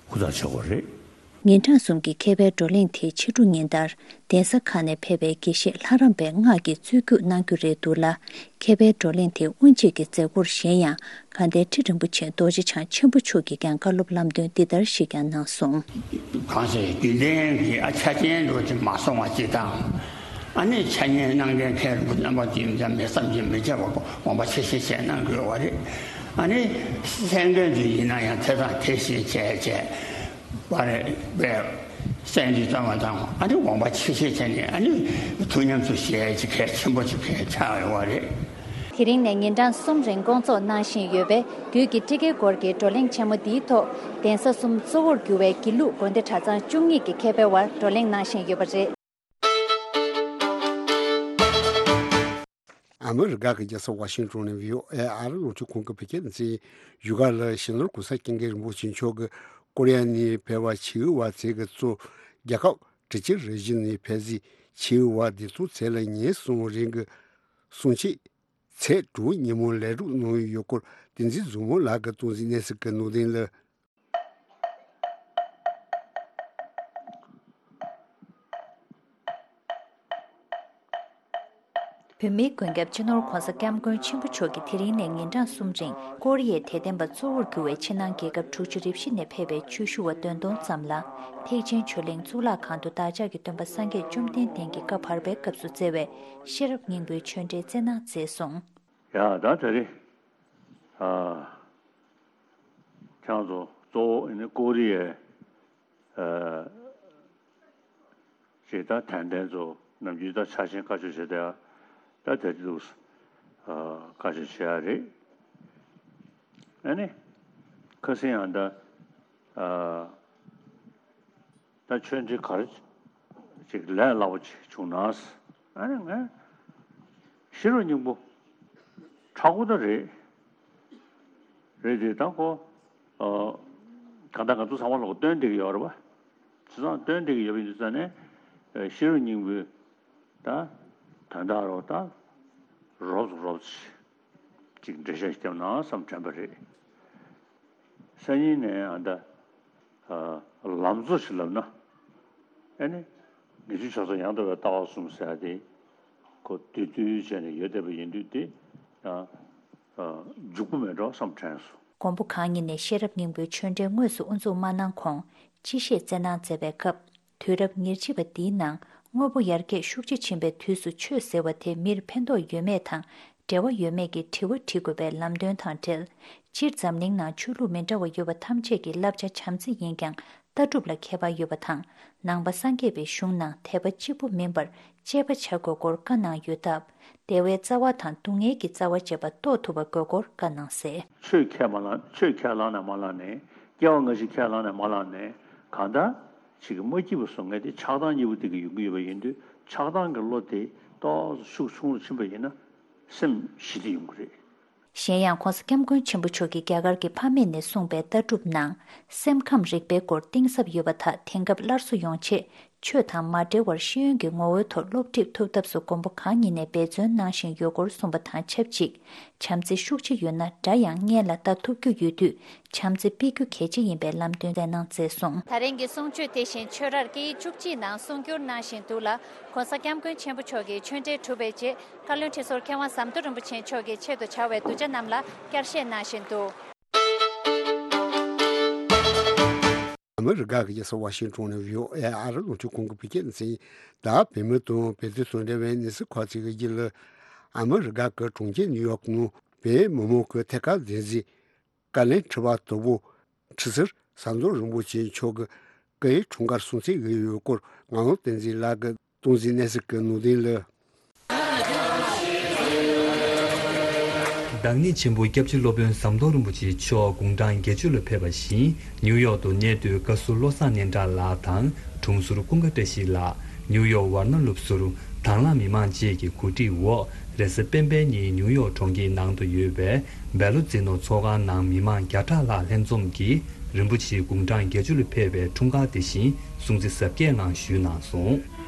ཧུར་ཐག་བྱེད་དགོས་རེད། ཉིན་གྲངས་གསུམ་གྱི་མཁས་པའི་བགྲོ་གླེང་དེ་ཕྱི་དྲོ་ཉིན་ལྟར་གདན་ས་ཁག་ནས་ཕེབས་པའི་དགེ་བཤེས་ལྷ་རམས་པས་སྔགས་ཀྱི་རྩོད་རྒྱུགས་གནང་རྒྱུ་རེད་འདུག་ལ། མཁས་པའི་བགྲོ་གླེང་དེ་དབུ་འབྱེད་ཀྱི་མཛད་སྒོར་གཞན་ཡང་དགའ་ལྡན་ཁྲི་རིན་པོ་ཆེ་རྡོ་རྗེ་འཆང་ཆེན་པོ་མཆོག་གིས་ཀྱང་བཀའ་སློབ་ལམ་སྟོན་འདི་ལྟར་ཞིག་ཀྱང་གནང་སོང་། གང་ཞིག་རྒྱུན་ལྡན་གྱི་ཨ་ཆ་རྐྱེན་འགྲོ་ཅིག་མ་སོང་བ་ཅིག་དང་། ཨ་ནི་འཆད་ཉན་གནང་མཁན་མཁན་རིན་པོ་ཆེ་རྣམ་པ་དེ་ཡིན་ཙང་མི་བསམ་གྱིས་མི་ཁྱབ་པ་དགོངས་པ་ཆེ་བཞེས་བྱས་གནང་དགོས་པ་རེད། ཨ་ནི་གསན་མཁན་ཚོ་ཡིན་ན་ཡང་དེ་དང་དེ་བཞིན་བྱས་བྱས་པ་རེད་པས། གསན་རྒྱུ་ཙམ་མ་དང་ཨ་ནི་དགོངས་པ་ཆེ་བཞེས་བྱས་ནས་ཨ་ནི་ཐུགས་ཉམས་སུ་བཞེས་ཅིག་གལ་ཆེན་པོ་ཅིག་གལ་ཆགས་ཡོད་པ་རེད། དེ་རིང་ནས་ཉིན་གྲངས་གསུམ་རིང་སྐོང་ཚོགས་གནང་བཞིན་ཡོད་པའི་རྒྱུད་ཀྱི་ཊཱི་ཀའི་སྐོར་གྱི་བགྲོ་གླེང་ཆེན་མོ་འདིའི་ཐོག་གདན་ས་གསུམ་གཙོ་བོར་གྱུར་བའི་དགེ་ལུགས་དགོན་སྡེ་གྲྭ་ཚང་བཅུ་གཉིས་ཀྱི་མཁས་པའི་དབར་བགྲོ་གླེང་གནང་བཞིན་ཡོད་པ་རེད། ཨ་མི་རི་ཀ་གི་རྒྱལ་ས་ཝ་ཤིང་ཏོན་ནས་བྷི་ཨོ་ཨེ་ཨ་རི་རླུང་འཕྲིན་ཁང་གི་བོད་སྐད་སྡེ་ཚན་ཡིན། བཞུགས་སྒར་ལ་གཞོན་ནུར་གོང་ས་སྐྱབས་མགོན་རིན་པོ་ཆེ་མཆོག་གིས་ཀོ་རི་ཡ་ནས་ཕེབས་པ་ཆེ་བའི་བ་ཚེ་གི་གཙོ་རྒྱལ་ཁབ་ཊི་ཅི་རི་ཇི་ནས་ཕེབས་སའི་ཆེ་བའི་བ་བདེ་སྲུང་ཚེ་ལ་ཉིན་གསུམ་རིང་གི་གསུང་ཆོས་ཚེས་དྲུག་ཉིན་མོ་ལས་སྒྲུབ་གནང་ཡོད་སྐོར་བསྟན་འཛིན་མཛོ་མོ་ལགས་ཀྱིས་གཏོང་གཟིགས་གནས་ཚུལ་གྱི་ནང་དོན་ལ། བོད་མིའི་མགོན་སྐྱབས་སྤྱི་ནོར་༧གོང་ས་༧སྐྱབས་མགོན་ཆེན་པོ་མཆོག་གིས་དེ་རིང་ནས་ཉིན་གྲངས་གསུམ་རིང་ཀོ་རི་ཡའི་དད་ལྡན་པ་གཙོ་བོར་གྱུར་བའི་ཕྱི་ནང་རྒྱལ་ཁབ་དྲུག་ཅུ་རེ་བཞི་ནས་ཕེབས་པའི་ཆོས་ཞུ་བ་བདུན་སྟོང་ཙམ་ལ་ཐེག་ཆེན་ཆོས་གླིང་གཙུག་ལག་ཁང་དུ་བདག་ཅག་གི་སྟོན་པ་སངས་རྒྱས་བཅོམ་ལྡན་འདས་ཀྱི་བཀའ་བར་པའི་སྐབས་སུ་སྩལ་བའི་ཤེས་རབ་སྙིང་པོའི་ཆོས་འབྲེལ་སྩལ་གནང་མཛད་སོང་། ཡ་ད་དེ་རིང་ཨ་ཁྱེད་རང་ཚོ་གཙོ་བོ་ཨ་ནི་ཀོ་རི་ཡའི་ཨ་ཅིག་ད་དད་ལྡན་ཚོ་ནམ་རྒྱུན་ད་ཆ་ཤས་བཀའ་ཆོས་བྱེད་བསྡད་ཡ་ད་དེ་འདུག་ཨ་བཀའ་ཆོས་བྱེད་ཡ་རེད། ཨ་ནི་ཁ་སང་ཡང་ད་ཨ་ད་ཆོས་འབྲེལ་ག་རེ་ཅིག་ལས་སླ་པོ་ཅིག་བྱུང་ན། ཨ་ནི་ངས་ཤེས་རབ་སྙིང་པོ་དྲག་པོ་ད་རེད། རེད་དེ་ད་ཁོ་ཨ་གང་ལྟར་ང་ཚོ་ཚང་མ་ལོག་སྟོན་བསྡད་ཀྱི་ཡོད་རེད་པ། བྱས་ཙང་སྟོན་བསྡད་ཀྱི་ཡོད་པ་ཡིན་དུས་ཙང་ནས་ཨ་ཤེས་རབ་སྙིང་པོའི་ད་དོན་དག་རོ་ད་རོབ་ཙམ་རོབ་ཙམ་ཅིག་འགྲེལ་བཤད་བརྒྱབ་ན་བསམ་དྲན་པ་རེད། སང་ཉིན་ནས་ཨ་ད་ཨ་ལམ་གཙོ་ཞིག་ལབ་ན། ཨ་ནི་ངེས་འབྱུང་ཆགས་སོགས་ཡང་དག་པའི་ལྟ་བ་གསུམ་ཟེར་ཡ་དེ་ཁོ་བསྡུས་བསྡུས་བྱས་ནས་ཡོད་བསྡད་པ་ཡིན་དུས་དེ་ཡང་ཨ་འཇུག་པོ་མེད་འགྲོ་བསམ་དྲན་སོང་། མགོན་པོ་གང་ཉིད་ནས་ཤེས་རབ་སྙིང་པོའི་ཆོས་འབྲེལ་དངོས་སུ་དབུ་འཛུགས་མ་གནང་གོང་སྤྱི་བཤད་སྩལ་གནང་མཛད་པའི་སྐབས། དུས་རབས་ཉེར་གཅིག་པ་འདིའི་ནང་དངོས་པོ་ཡར་རྒྱས་ཤུགས་ཆེ་ཕྱིན་པའི་དུས་སུ་ཆོས་ཟེར་བ་དེ་མིར་ཕན་ཐོགས་ཡོད་མེད་དང་འབྲེལ་བ་ཡོད་མེད་ཀྱི་དྲི་བ་དྲི་དགོས་པའི་ལམ་སྟོན་དང་འབྲེལ། སྤྱིར་འཛམ་གླིང་ནང་ཆོས་ལུགས་མི་འདྲ་བ་ཡོད་པ་ཐམས་ཅད་ཀྱི་བསླབ་བྱ་བྱམས་བརྩེ་ཡིན་ཀྱང་ལྟ་གྲུབ་ལ་ཁྱད་པར་ཡོད་པ་དང་། ནང་པ་སངས་རྒྱས་པའི་གཞུང་ནང་དད་པ་གཅིག་པུ་མིན་པར་དཔྱད་པ་བྱ་དགོས་སྐོར་བཀའ་གནང་ཡོད་སྟབས། བདེ་བའི་རྩ་བ་དང་སྡུག་བསྔལ་གྱི་རྩ་བ་བཅས་པ་རྟོགས་ཐུབ་པ་དགོས་སྐོར་བཀའ་གནང་གསལ། ཆོས་ཁས་མ་བླངས། ཆོས་ཁས་བླངས་ནས་མ་བླངས་ནས། སྐྱེ་བ་སྔ་ཕྱི་ཁས་བླངས་ནས་མ་བླངས་ནས། གང་ལྟར་ཅིག་གི་མ་སྐྱིད་པ་བཟོ་མཁན་དེ་ཆགས་སྡང་གཉིས་པོ་དེ་གི་ཡོང་གི་ཡོད་པ་ཡིན་དུས། ཆགས་སྡང་གི་བློ་དེ་ཏོག་ཙམ་ཤུགས་ཆུང་རུ་ཕྱིན་པ་ཡིན་ན་སེམས་ཞི་བདེ་ཡོང་གི་རེད། གཞན་ཡང་༧གོང་ས་༧སྐྱབས་མགོན་ཆེན་པོ་མཆོག་གིས་རྒྱ་གར་གྱི་ཕ་མེས་ནས་གསུངས་པའི་ལྟ་གྲུབ་ནང་སེམས་ཁམས་རིག་པའི་སྐོར་གཏིང་ཟབ་ཡོད་པ་དག་དེང་སྐབས་སླར་གསོ་ཡོང་ཆེད། ཆོས་དང་མ་འབྲེལ་བར་ཤེས་ཡོན་གྱི་ངོ་བོའི་ཐོག་སློབ་ཁྲིད་ཐུབ་ཐབས་སུ་མགོན་པོ་གང་ཉིད་ནས་འབད་བརྩོན་གནང་བཞིན་ཡོད་སྐོར་གསུངས་པ་དང་ཆབས་ཅིག་བྱམས་བརྩེ་ཤུགས་ཆེ་ཡོད་ན་དགྲ་ཡང་སྔོན་ལ་ལྟ་ཐུབ་རྒྱུ་ཡོད་དུས། བྱམས་བརྩེ་སྤེལ་རྒྱུ་གལ་ཆེ་ཡིན་པའི་ལམ་སྟོན་སྩལ་གནང་མཛད་སོང་། ད་རིང་གི་གསུང་ཆོས་དེ་བཞིན་ཆོས་རར་སྐད་ཡིག་བཅུ་གཅིག་ནང་གསུང་བསྒྱུར་གནང་བཞིན་འདུག་ལ། ྋགོང་ས་ྋསྐྱབས་མགོན་ཆེན་པོ་མཆོག་གིས་ཆོས་འབྲེལ་གྲུབ་པའི་རྗེས་བཀའ་བློན་ཁྲི་ཟུར་མཁས་དབང་ཟམ་གདོང་རིན་པོ་ཆེ་མཆོག་གི་ཆེད་དུ་བྱ་བའི་གདུལ་བྱ་རྣམས་ལ་བསྐྱར་བཤད་གནང་བཞིན་འདུག། ཨ་མི་རི་ཀ་གི་རྒྱལ་ས་ཝ་ཤིང་ཊོན་ནས་བྷི་ཨོ་ཨེ་ཨ་རི་རླུང་འཕྲིན་ཁང་གི་བོད་སྐད་སྡེ་ཚན། ད་བོད་མི་དང་བོད་དོན་དང་འབྲེལ་བའི་གནས་ཚུལ་ཁག་ཅིག་གི་རྒྱུད་ལ། ཨ་མི་རི་ཀ་གི་གྲོང་ཁྱེར་ནིའུ་ཡོག་ནང་བོད་མི་མང་གི་ཐད་ཀར་བདེན་འཛིན་བཀའ་བློན་ཁྲི་པ་དོལ་པོ་ཁྲི་ཟུར་ཟམ་གདོང་རིན་པོ་ཆེ་མཆོག་གི་སྐུའི་འཁྲུངས་སྐར་སྲུང་བརྩི་ཞུས་ཡོད་སྐོར་ངག་དབང་བསྟན་འཛིན་ལགས་ཀྱིས་གཏོང་མཛད་གནས་ཚུལ་གྱི་ནང་དོན་ལ། བདག་ཉིད་ཆེན་པོ་སྐྱབས་རྗེ་སློབ་དཔོན་ཟམ་གདོང་རིན་པོ་ཆེ་མཆོག་དགུང་གྲངས་བརྒྱད་ཅུ་ལ་ཕེབས་པ་བཞིན་ནིའུ་ཡོག་ཏུ་གནས་སྡོད་བཀའ་ཟུར་བློ་བཟང་སྙན་གྲགས་ལགས་དང་དྲུང་ཟུར་ཀུན་དགའ་བཀྲ་ཤིས་ལགས། ནིའུ་ཡོག་ཝར་ན་ལུབ་ཟུར་དྭང་བླངས་མི་མང་བཅས་ཀྱི་གོ་སྒྲིག་འོག་རེས་གཟའ་སྤེན་པའི་ཉིན་ནིའུ་ཡོག་གྲོང་ཁྱེར་ནང་དུ་ཡོད་པའི་བེ་ལོ་ཛི་ནོ་ཚོགས་ཁང་ནང་མི་མང་བརྒྱ་ཕྲག་ལྷག་ལྷན་འཛོམས་ཀྱིས་རིན་པོ་ཆེ་དགུང་གྲངས་བརྒྱད་ཅུ་ལ་ཕེབས་པའི་འཁྲུངས་སྐར་དེ་བཞིན་སྲུང་བརྩི་གཟབ་རྒྱས་ངང་ཞུས་གནང་སོང་།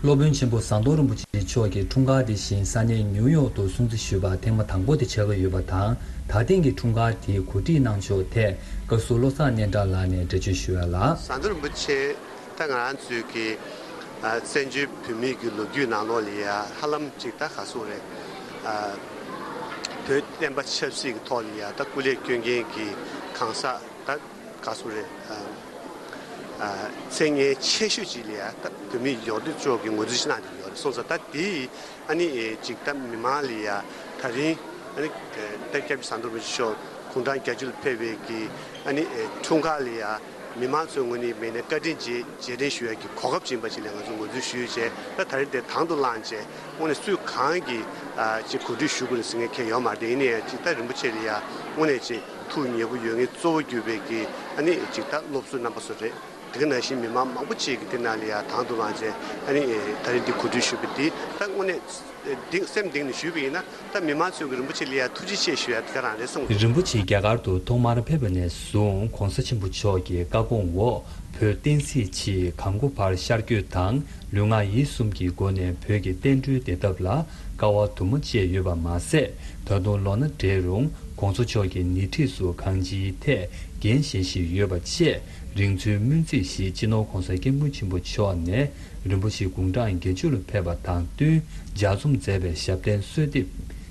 སློབ་དཔོན་ཆེན་པོ་ཟམ་གདོང་རིན་པོ་ཆེ་མཆོག་གི་འཁྲུངས་སྐར་དེ་བཞིན་ས་གནས་ནིའུ་ཡོག་ཏུ་སྲུང་བརྩི་ཞུས་པ་ཐེངས་མ་དང་པོ་དེ་ཆགས་ཀྱི་ཡོད་པ་དང་། ད་ཐེངས་ཀྱི་འཁྲུངས་སྐར་དེའི་གོ་སྒྲིག་གནང་ཕྱོགས་ཐད་བཀའ་ཟུར་བློ་བཟང་སྙན་གྲགས་ལགས་ནས་འགྲེལ་བརྗོད་ཞུ་ཡ་ལ། ཟམ་གདོང་རིན་པོ་ཆེ་ད་ང་རང་ཚོའི་གི་ཨ་བཙན་བྱོལ་བོད་མིའི་གི་ལོ་རྒྱུས་ནང་ལོགས་ལ་ཡ་ཧ་ལམ་ཅིག་ད་ག་ཟེར་རེད། ཨ་བོད་བསྟན་པ་ཆབ་སྲིད་ཀྱི་ཐོག་ལ་ཡ་ད་སྐུ་ལས་བསྐྱོན་མཁན་གྱི་གང་ཟག་ད་ག་ཟེར་རེད། ཨ་ཨ་མཚན་སྙན་ཆེ་ཤོས་ཅིག་ལ་ཡ་ད་བོད་མིའི་ཡོངས་འདུ་ཅོག་གི་ངོས་འཛིན་ཞིག་གནང་བསྡད་ཡོད་རེད་སོང་ཙང་ད་དེ་ཨ་ནི་ཅིག་ད་མི་མང་ལ་ཡ་ད་རིང་ཨ་ནི་ད་སྐྱབས་རྗེ་ཟམ་གདོང་རིན་པོ་ཆེ་མཆོག་དགུང་གྲངས་བརྒྱད་ཅུ་ལ་ཕེབས་པའི་གི་ཨ་ནི་འཁྲུངས་སྐར་ལ་ཡ་མི་མང་ཚོའི་ངོས་ནས་མེད་ནས་བཀའ་དྲིན་རྗེས་རྗེས་དྲན་ཞུ་ཡ་གི་གོ་སྐབས་ཅིག་ཡིན་པ་ཅིག་ལ་ང་ཚོ་ངོས་འཛིན་ཞུས་བྱས། ད་ད་རིང་དེ་དང་དུ་བླངས་བྱས་དངོས་གནས་སུས་གང་གི་ཨ་ཅིག་གོ་སྒྲིག་ཞུ་དགོས་རེད་ཟེར་མཁན་གང་ཡང་ཡོད་མ་རེད། དེ་ཡིན་ན་ཡང་ཅིག་ད་རིན་པོ་ཆེ་ལ་ཡ་དངོས་གནས་ཅིག་ཐུགས་མཉེས་པོ་ཡོད་མཁན་གཙོ་བོ་གྱུར་པའི་གི་ཨ་ནི་ཅིག་ད་སློབ་གསོ་རྣམ་པ་ཚོ་རེད། དེ་ག་ནང་བཞིན་མི་མང་མང་པོ་ཅིག་གིས་དེ་ནང་ལ་ཡ་དང་དུ་བླངས་བྱས་ཨ་ནི་ད་རིང་འདི་གོ་སྒྲིག་ཞུས་པ་འདི་ད་དངོས་གནས་གཏིང་སེམས་གཏིང་ནས་ཞུས་པ་ཡིན་ན་ད་མི་མང་ཚོས་གི་རིན་པོ་ཆེ་ལ་ཡ་ཐུགས་རྗེ་ཆེ་ཞུ་ཡ་དེ་ག་རང་རེད་བསམ་གི་འདུག། རིན་པོ་ཆེ་རྒྱ་གར་དུ་ཐོག་མར་ཕེབས་པ་ནས་བཟུང་གོང་ས་ཆེན་པོ་མཆོག་གི་བཀའ་དགོངས་འོག་བོད་བསྟན་སྲིད་ཆེད་གང་སྒོ་བར་ཤར་བསྐྱོད་དང་ལུས་ངག་ཡིད་གསུམ་གྱི་སྒོ་ནས་བོད་ཀྱི་བསྟན་འགྲོའི་བདེ་ཐབས་ལ་དཀའ་བ་དུ་མ་སྤྱད་ཡོད་པ་མ་ཟད། ད་དུང་ལོ་ན་བགྲེས་རུང་གོང་ས་མཆོག་གི་ཉེ་འཁྲིས་སུ་གང་ཅིའི་ཐད་འགན་བཞེས་བཞིན་ཡོད་པ་བཅས། རིང་འཚོའི་སྨོན་ཚིག་ཞིག་སྤྱི་ནོར་༧གོང་ས་༧སྐྱབས་མགོན་ཆེན་པོ་མཆོག་ནས་རིན་པོ་ཆེ་དགུང་གྲངས་བརྒྱད་ཅུ་ལ་ཕེབས་པ་དང་བསྟུན་ལྗགས་རྩོམ་མཛད་པའི་ཞབས་བརྟན་གསོལ་འདེབས།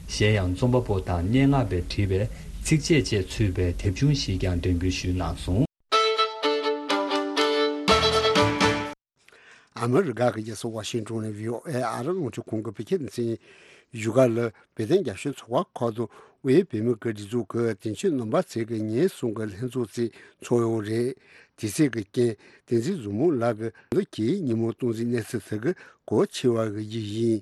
གཞན་ཡང་རྩོམ་པ་པོ་དང་སྙན་ངག་པས་བྲིས་པའི་ཚིགས་བཅད་བཅས་ཚུད་པའི་དེབ་ཆུང་ཞིག་ཀྱང་འགྲེམས་སྐུལ་ཞུས་གནང་སོང་། ཨ་མི་རི་ཀ་གི་རྒྱལ་ས་ཝ་ཤིང་ཊོན་ནས་བྷི་ཨོ་ཨེ་ཨ་རི་རླུང་འཕྲིན་ཁང་གི་བོད་སྐད་སྡེ་ཚན་བཞུགས་སྒར་ལ་བོད་དོན་རྒྱབ་སྐྱོར་ཚོགས་པ་ཁག་དང་དབུས་བོད་མིའི་སྒེར་སྡེ་ཚོགས་ཀྱི་དོན་གཅོད་རྣམ་པ་ཚོས་ཀྱི་ཉིན་གསུམ་གྱི་ལྷན་ཚོགས་ཚོགས་ཡོད་རེད། དེ་ཚོགས་ཀྱི་རྐྱེན་བསྟན་འཛིན་བཟང་མོ་ལགས་ཀྱིས་ལོ་གཅིག་ཉིན་མོ་གཏོང་རྩིས་གནས་ཚུལ་དེ་གི་གོ་ཆེ་བ་གི་རྒྱུ་ཡིན།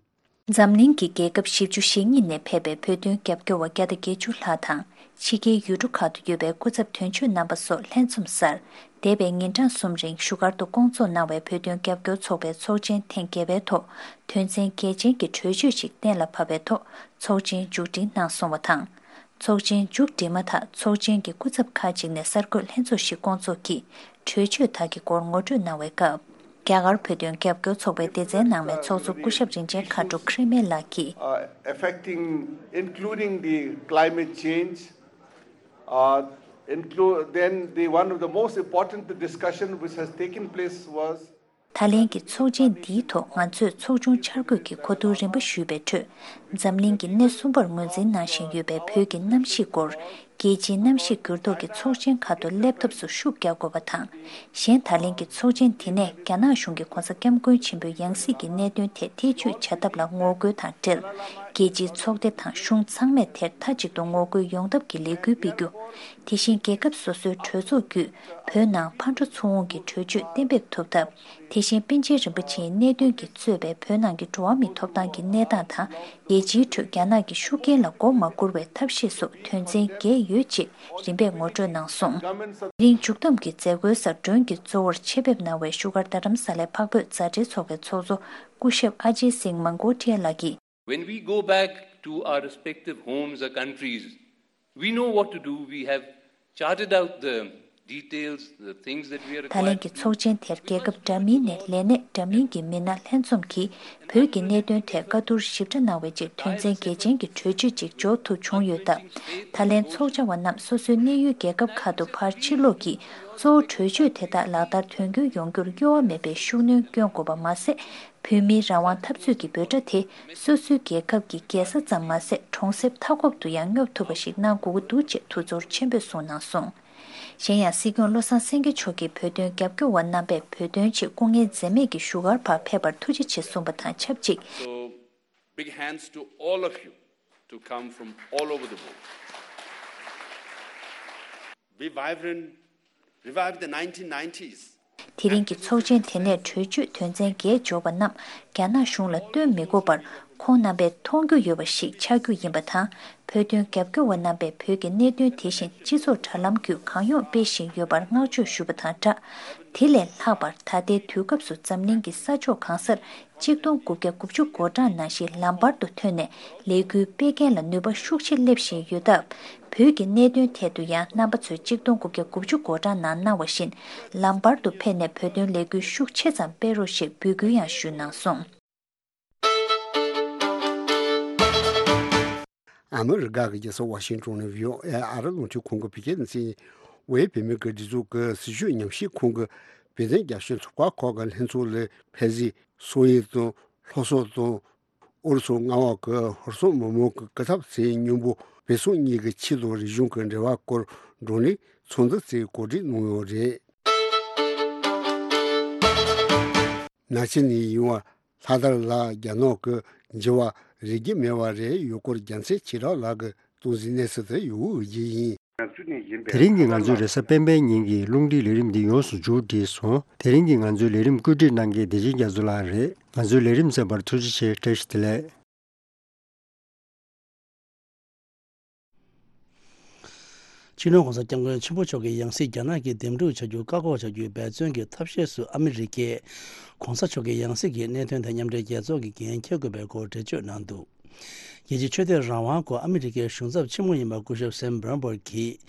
འཛམ་གླིང་གི་རྒྱལ་ཁབ་བཞི་བཅུ་ཞེ་གཉིས་ནས་ཕེབས་པའི་བོད་དོན་རྒྱབ་སྐྱོར་བ་བརྒྱ་དང་བརྒྱད་ཅུ་ལྷག་དང་། ཕྱི་རྒྱལ་ཡུལ་གྲུ་ཁག་ཏུ་ཡོད་པའི་སྐུ་ཚབ་དོན་གཅོད་རྣམ་པ་སོགས་ལྷན་འཛོམས་སར། འདས་པའི་ཉིན་གྲངས་གསུམ་རིང་བཞུགས་སྒར་དུ་བསྐོང་ཚོགས་གནང་བའི་བོད་དོན་རྒྱབ་སྐྱོར་ཚོགས་པའི་ཚོགས་ཆེན་ཐེངས་བརྒྱད་པའི་ཐོག་དོན་ཚན་གལ་ཆེན་གྱི་གྲོས་ཆོད་ཅིག་གཏན་ལ་ཕབ་པའི་ཐོག་ཚོགས་ཆེན་མཇུག་སྒྲིལ་གནང་སོང་བ་དང་། ཚོགས་ཆེན་མཇུག་སྒྲིལ་མ་ཐག་ཚོགས་ཆེན་གྱི་སྐུ་ཚབ་ཁག་ཅིག་ནས་གསར་འགོད་ལྷན་ཚོགས་ཤིག་བསྐོང་ཚོགས་ཀྱིས་གྲོས་ཆོད་དག་གི་སྐོར་ངོ་སྤྲོད་གནང་བའི་སྐབས། རྒྱ་གར་བོད་དོན་རྒྱབ་སྐྱོར་ཚོགས་པའི་སྡེ་ཚན་ནང་མའི་ཚོགས་གཙོ་སྐུ་ཞབས་རིན་ཆེན་མཁའ་འགྲོ་ཁེ་རི་མེ་ལགས་ཀྱིས། Uh, affecting, including the climate change, uh, include, then the, one of the most important discussion which has taken place was ད་ལན་གྱི་ཚོགས་ཆེན་འདིའི་ཐོག་ང་ཚོས་ཚོགས་ཆུང་འཆར་འགོད་ཀྱི་གོ་བསྡུར་རིམ་པ་ཞུས་པའི་ཁྲོད། འཛམ་གླིང་གི་སྣེ་གསུམ་པར་ངོས་འཛིན་གནང་བཞིན་ཡོད་པའི་བོད་ཀྱི་གནམ་གཤིས་སྐོར། རྒྱལ་སྤྱིའི་གནམ་གཤིས་འགྱུར་ལྡོག་གི་ཚོགས་ཆེན་ཁག་ཏུ་སླེབས་ཐབས་སུ་ཤུགས་རྒྱག་དགོས་པ་དང་། གཞན་ད་ལན་གྱི་ཚོགས་ཆེན་དེ་ནས་རྒྱ་ནག་གཞུང་གིས་༧གོང་ས་༧སྐྱབས་མགོན་ཆེན་པོའི་ཡང་སྲིད་ཀྱི་གནད་དོན་ཐད་ཐེ་བྱུས་བྱ་ཐབས་ལ་ངོ་རྒོལ་དང་འབྲེལ། རྒྱལ་སྤྱིའི་ཚོགས་སྡེ་དང་གཞུང་ཚང་མས་དེར་མཐའ་གཅིག་ཏུ་ངོ་རྒོལ་ཡོང་ཐབས་ཀྱི་ལས་འགུལ་སྤེལ་རྒྱུ། དེ་བཞིན་རྒྱལ་ཁབ་སོ་སོའི་གྲོས་ཚོགས་བརྒྱུད་བོད་ནང་ཕར་འགྲོ་ཚུར་འོང་གི་གྲོས་ཆོད་གཏན་འབེབས་ཐུབ་ཐབས། དེ་བཞིན་པཎ་ཆེན་རིན་པོ་ཆེའི་གནད་དོན་གྱིས་གཙོས་པའི་བོད་ནང་གི་འགྲོ་བ་མིའི་ཐོབ་ཐང་གི་གནས་སྟངས་དང་། རྒྱལ་སྤྱིའི་ཁྲོད་རྒྱ་ནག་གི་ཤུགས་རྐྱེན་ལ་མགོ་མ་སྒུར་བའི་ཐབས་ཤེས་སོགས་དོན་ཚན་བརྒྱད་ཡོད་ཅེས་རིམ་པས་ངོ་སྤྲོད་གནང་སོང་། དེ་རིང་མཇུག་བསྡོམས་ཀྱི་མཛད་སྒོའི་སར་མགྲོན་གྱི་གཙོ་བོར་ཆེད་ཕེབས་གནང་བའི་བཞུགས་སྒར་རྡ་རམ་ས་ལའི་འཕགས་བོད་མཛའ་འབྲེལ་ཚོགས་པའི་ཚོགས་གཙོ་སྐུ་ཞབས་ཨ་ཇེ་སིང་མན་གོ་ཊི་ཡ་ལགས་ཀྱིས། When we go back to our respective homes or countries, we know what to do. We have Charted out the details, the things that we are required to do. ད་ལན་གྱི་ཚོགས་ཆེན་དེར་རྒྱལ་ཁབ་འདྲ་མིན་ནས་ལས་གནས་འདྲ་མིན་གྱི་མི་སྣ་ལྷན་འཛོམས་ཀྱིས་བོད་ཀྱི་གནད་དོན་ཐད་བཀའ་བསྡུར་ཞིབ་ཕྲ་གནང་བའི་རྗེས་དོན་ཚན་གལ་ཆེན་གྱི་གྲོས་ཆོད་ཅིག་འཇོག་ཐུབ་བྱུང་ཡོད་སྟབས། ད་ལན་ཚོགས་བཅར་བ་རྣམས་སོ་སོའི་གནས་ཡུལ་རྒྱལ་ཁབ་ཁག་ཏུ་ཕར་ཕྱིར་ལོག་གིས་གཙོ་བོ་གྲོས་ཆོད་དེ་དག་ལག་བསྟར་དོན་འཁྱོལ་ཡོང་རྒྱུར་གཡོ་བ་མེད་པའི་ཤུགས་སྣོན་སྐྱོན་དགོས་པ་མ་ཟད། བོད་མིའི་རང་དབང་འཐབ་རྩོད་ཀྱི་འབོད་སྒྲ་དེ་སོ་སོའི་རྒྱལ་ཁབ་ཀྱི་རྒྱལ་ས་ཙམ་མ་ཟད་གྲོང་གསེབ་མཐའ་འཁོབ་ཏུ་ཡང་སྙོབ་ཐུབ་པ་ཞིག་གནང་དགོས་ཀྱི་འདུག་ཅེས་ཐུགས་ཚོར་ཆེན་པོས་གསུངས་གནང་སོང་། གཞན་ཡང་སྲིད་སྐྱོང་བློ་བཟང་སེང་གེ་མཆོག་གིས་བོད་དོན་རྒྱབ་སྐྱོར་བ་རྣམ་པས་བོད་དོན་ཆེད་སྐུ་ངལ་འཛེམས་མེད་ཀྱིས་བཞུགས་སྒར་བར་ཕེབས་པར་ཐུགས་རྗེ་ཆེ་གསུངས་པ་དང་ཆབས་ཅིག So, big hands to all of you to come from all over the world. Be vibrant, revive the nineteen nineties. དེ་རིང་གི་ཚོགས་ཆེན་དེ་ནས་གྲོས་ཆོད་དོན་ཚན་བརྒྱད་འཇོག་པ་རྣམས་རྒྱ་ནག་གཞུང་ལ་སྟོན་མི་དགོས་པར་ཁོང་རྣམ་པས་མཐོང་རྒྱུ་ཡོད་པ་ཞིག་ཆགས་རྒྱུ་ཡིན་པ་དང་། བོད་དོན་རྒྱབ་སྐྱོར་བ་རྣམ་པས་བོད་ཀྱི་གནད་དོན་དེ་བཞིན་སྤྱི་ཚོགས་དྲ་ལམ་བརྒྱུད་གང་ཡོང་སྤེལ་བཞིན་ཡོད་པར་བསྔགས་བརྗོད་ཞུ་བ་དང་སྦྲགས། དེ་ལས་ལྷག་པར་ད་ལྟའི་དུས་སྐབས་སུ་འཛམ་གླིང་གི་ས་ཕྱོགས་གང་སར་གཅིག་སྟོང་དགུ་བརྒྱ་དགུ་བཅུ་གོ་གྲངས་ནང་བཞིན་ལམ་བར་དུ་ཐོན་ནས་ལས་འགུལ་སྤེལ་མཁན་ལ་ནུས་པ་ཤུགས་ཆེ་སླེབས་བཞིན་ཡོད་སྟབས། བོད་ཀྱི་གནད་དོན་ཐད་དུ་ཡང་རྣམ་པ་ཚོས་གཅིག་སྟོང་དགུ་བརྒྱ་དགུ་བཅུ་གོ་གྲངས་ནང་གནང་བ་བཞིན་ལམ་བར་དུ་ཕེབས་ནས་བོད་དོན་ལས་འགུལ་ཤུགས་ཆེ་ཙམ་སྤེལ་རོགས་ཞེས་འབོད་སྐུལ་ཡང་ཞུས་གནང་སོང་། ཨ་མི་རི་ཀ་གི་རྒྱལ་ས་ཝ་ཤིང་ཏོན་ནས་བྷི་ཨོ་ཨེ་ཨ་རི་རླུང་འཕྲིན་ཁང་གི་བོད་སྐད་སྡེ་ཚན། ཝེ་བོད་མི་སྒེར་སྡེ་ཚོགས་ཀྱི་སྲི་ཞུ་ཉམས་ཞིབ་ཁང་གི་བོད་དོན་རྒྱབ་སྐྱོར་ཚོགས་པ་ཁག་གི་ལྷན་ཚོགས་ལ་ཕེབས་བཞིན་སོག་ཡུལ་དང་ལྷོ་སོག་དང་ཨུ་རུ་སུ་མངའ་འོག་གི་ཧུར་སེམས་མི་མང་གི་སྐུ་ཚབ་ཚོས་མཉམ་པོ་བོད་སོག་གཉིས་ཀྱི་ཆོས་དང་རིག་གཞུང་གི་འབྲེལ་བ་སྐོར་བགྲོ་གླེང་ཚོགས་འདུ་ཞིག་གོ་སྒྲིག་གནང་ཡོད་རེད། ནང་ཆེན་ནས་ཡོང་བ་ལྷག་དར་ལགས་རྒྱ་ནག་གི་འགྱུར་བ་རིག་རྒྱུ་མེད་པ་རེད་ཡོད་སྐོར་རྒྱལ་མཚན་ཆོས་གྲགས་ལགས་ཀྱིས་གཏོང་ཟིན་གནས་ཚུལ་དེ་ཡོད་རྒྱུ་ཡིན། དེ་རིང་གི་ང་ཚོའི་རེས་གཟའ་སྤེན་པའི་ཉིན་གྱི་རླུང་འཕྲིན་ལས་རིམ་འདི་ཡོངས་སུ་མཇུག་བསྒྲིལ་སོང་། དེ་རིང་གི་ང་ཚོའི་ལས་རིམ་བཀོད་སྒྲིག་གནང་མཁན་བདེ་ཆེན་རྒྱ་མཚོ་ལགས་རེད། ང་ཚོའི་ལས་རིམ་གསན་པར་ཐུགས་རྗེ་ཆེ། བཀྲ་ཤིས་བདེ་ལེགས། སྤྱི་ནོར་༸གོང་ས་༸སྐྱབས་མགོན་ཆེན་པོ་མཆོག་གི་ཡང་སྲིད་རྒྱ་ནག་གིས་འདེམས་སྒྲུག་བྱ་རྒྱུ་བཀག་འགོག་བྱ་རྒྱུའི་འབད་བརྩོན་གྱི་ཐབས་ཤེས་སུ་ཨ་མི་རི་ཀས་༸གོང་ས་མཆོག་གི་ཡང་སྲིད་ཀྱི་གནད་དོན་དེ་མཉམ་འབྲེལ་རྒྱལ་ཚོགས་ཀྱིས་འགན་འཁྱེར་དགོས་པའི་སྐོར་འགྲེལ་བརྗོད་གནང་འདུག་རྒྱལ་སྤྱིའི་ཆོས་དད་རང་དབང་སྐོར་ཨ་མི་རི་ཀའི་གཞུང་ཚབ་ཆེན་མོ་ཡིན་པ་སྐུ་ཞབས་སེམ་བྷོན་སྦུར་གྱིས་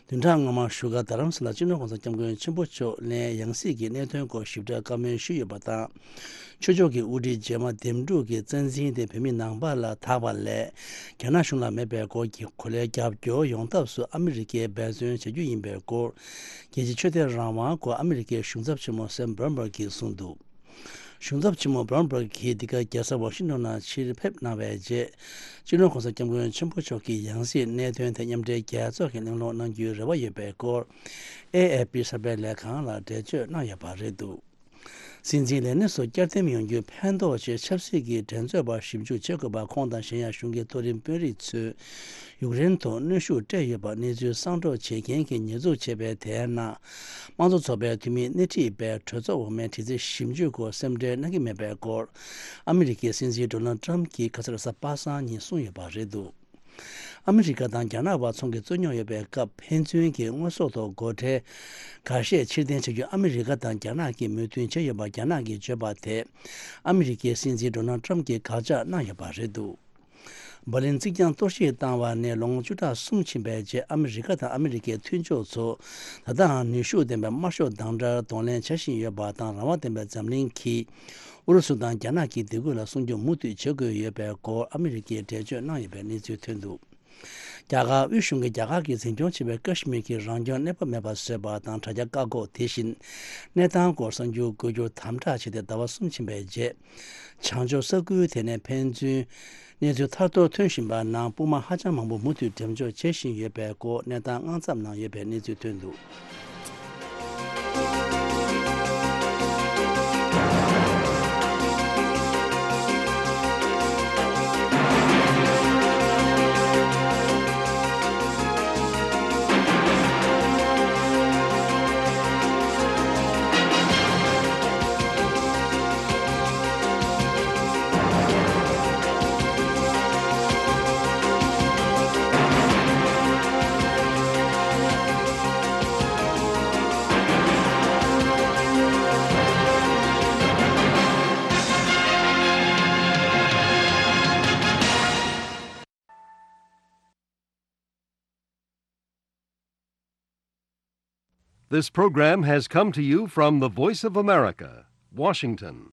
བདུན་ཕྲག་སྔོན་མ་བཞུགས་སྒར་རྡ་རམ་ས་ལར་སྤྱི་ནོར་༸གོང་ས་༸སྐྱབས་མགོན་ཆེན་པོ་མཆོག་ནས་ཡང་སྲིད་ཀྱི་གནད་དོན་སྐོར་ཞིབ་ཕྲ་བཀའ་མོལ་ཞུས་ཡོད་པ་དང་། ཆོས་ཕྱོགས་ཀྱི་དབུ་ཁྲིད་རྗེས་མ་འདེམས་སྒྲུག་གི་རྩ་འཛིན་དེ་བོད་མི་ནང་པ་ལ་ཐག་པ་ལས། རྒྱ་ནག་གཞུང་ལ་མེད་པའི་སྐོར་གྱི་གོ་ལའི་རྒྱབ་སྐྱོར་ཡོང་ཐབས་སུ་ཨ་མི་རི་ཀས་འབད་བརྩོན་བྱ་རྒྱུ་ཡིན་པའི་སྐོར། རྒྱལ་སྤྱིའི་ཆོས་དད་རང་དབང་སྐོར་ཨ་མི་རི་ཀའི་གཞུང་ཚབ་ཆེན་མོ་སེམ་བྷོན་སྦུར་གྱིས་གསུངས་འདུག་གཞུང་ཚབ་ཆེན་མོ་བྷོན་སྦུར་གྱིས་འདི་ག་རྒྱལ་ས་ཝ་ཤིང་ཏོན་ནང་ཕྱིར་ཕེབས་གནང་བའི་རྗེས། སྤྱི་ནོར་༸གོང་ས་༸སྐྱབས་མགོན་ཆེན་པོ་མཆོག་གི་ཡང་སྲིད་གནད་དོན་དེ་མཉམ་འབྲེལ་རྒྱལ་ཚོགས་ཀྱིས་གླེང་སློང་གནང་རྒྱུའི་རེ་བ་ཡོད་པའི་སྐོར། ཨེ་ཨེ་པི་གསར་སྤེལ་ལས་ཁང་ལ་འགྲེལ་བརྗོད་གནང་ཡོད་པ་རེད་འདུག་སྲིད་འཛིན་ལས་སྣེ་སོགས་བསྐྱར་འདེམས་ཡོང་རྒྱུའི་ཕན་ཐོགས་ཆེད་ཆབ་སྲིད་ཀྱི་འགྲན་རྩོད་པ་ཞིབ་འཇུག་བྱེད་དགོས་པ་ཁོང་དང་གཞན་ཡང་གཞུང་གི་མཐོ་རིམ་དཔོན་རིགས་ཚོས་ཡུཀ་རེན་ཐོག་གནོན་ཤུགས་སྤྲད་ཡོད་པ་གནས་ཚུལ་གསང་སྒྲོག་བྱེད་མཁན་གྱིས་ཉེས་འཛུགས་བྱས་པའི་དེའི་ནང་། དམངས་གཙོ་ཚོགས་པའི་འཐུས་མི་སྣེ་ཁྲིད་པས་གྲོས་ཚོགས་འོག་མའི་དྲི་རྩད་ཞིབ་འཇུག་སྐོར་སེམས་ཁྲལ་གནང་གི་མེད་པའི་སྐོར། ཨ་མི་རི་ཀའི་སྲིད་འཛིན་ཌོ་ནལ་ཏྲམ་གྱིས་ཁ་སང་རེས་གཟའ་པ་སངས་ཉིན་གསུངས་ཡོད་པ་རེད་འདུག་ཨ་མི་རི་ཀ་དང་རྒྱ་ནག་བར་ཚོང་གི་རྩོད་རྙོག་ཡོད་པའི་སྐབས་ཕན་ཚུན་གྱི་དངོས་ཟོག་ཐོག་སྒོ་ཁྲལ་འགའ་ཤས་ཕྱིར་འཐེན་བྱ་རྒྱུ་ཨ་མི་རི་ཀ་དང་རྒྱ་ནག་གིས་མོས་མཐུན་བྱས་ཡོད་པ་རྒྱ་ནག་གིས་བརྗོད་པ་དེ་ཨ་མི་རི་ཀའི་སྲིད་འཛིན་ཌོ་ནལ་ཏྲམ་གྱིས་དགག་བྱ་གནང་ཡོད་པ་རེད་འདུག་འབར་ལིན་རྩིག་གྱང་གཏོར་བཤིག་བཏང་བ་ནས་ལོ་ངོ་བཅུ་ཕྲག་གསུམ་ཕྱིན་པའི་རྗེས་ཨ་མི་རི་ཀ་དང་ཨ་མི་རི་ཀའི་མཐུན་ཕྱོགས་ཚོ་ད་ལྟའང་ནུས་ཤུགས་ལྡན་པའི་དམར་ཤོག་དང་འདྲ་གདོང་ལེན་བྱ་བཞིན་ཡོད་པ་དང་རང་དབང་ལྡན་པའི་འཛམ་གླིང་གིས། ཨུ་རུ་སུ་དང་རྒྱ་ནག་གི་སྡིགས་སྐུལ་ལ་སྲུང་སྐྱོབ་མུ་མཐུད་བྱེད་དགོས་ཡོད་པའི་སྐོར་ཨ་མི་རི་ཀས་འགྲེལ་བརྗོད་གནང་ཡོད་པའི་གནས་ཚུལ་ཐོན་འདུག་རྒྱ་གར་དབུས་གཞུང་གིས་རྒྱ་གར་གྱིས་འཛིན་སྐྱོང་བྱེད་པའི་ཀ་ཤི་མིར་གྱི་རང་སྐྱོང་གནས་བབ་མེད་པར་བཟོས་པ་དང་དྲ་རྒྱ་བཀག་འགོག་དེ་བཞིན་གནས་སྟངས་སྐོར་གསར་འགྱུར་འགོད་རྒྱུར་དམ་དྲག་བྱས་ཏེ་ཟླ་བ་གསུམ་ཕྱིན་པའི་རྗེས། བྱང་ཕྱོགས་ས་ཁུལ་དེ་ནས་ཕན་ཚུན་གནས་ཚུལ་ཐར་ཐོར་ཐོན་བཞིན་པ་ནང་དཔུང་དམག་ཧ་ཅང་མང་པོ་མུ་མཐུད་འགྲེམས་འཇོག་བྱེད་བཞིན་ཡོད་པའི་སྐོར་གནས་སྟངས་དངངས་འཚབ་གནང་ཡོད་པའི་གནས་ཚུལ་ཐོན་འདུག This program has come to you from the Voice of America, Washington.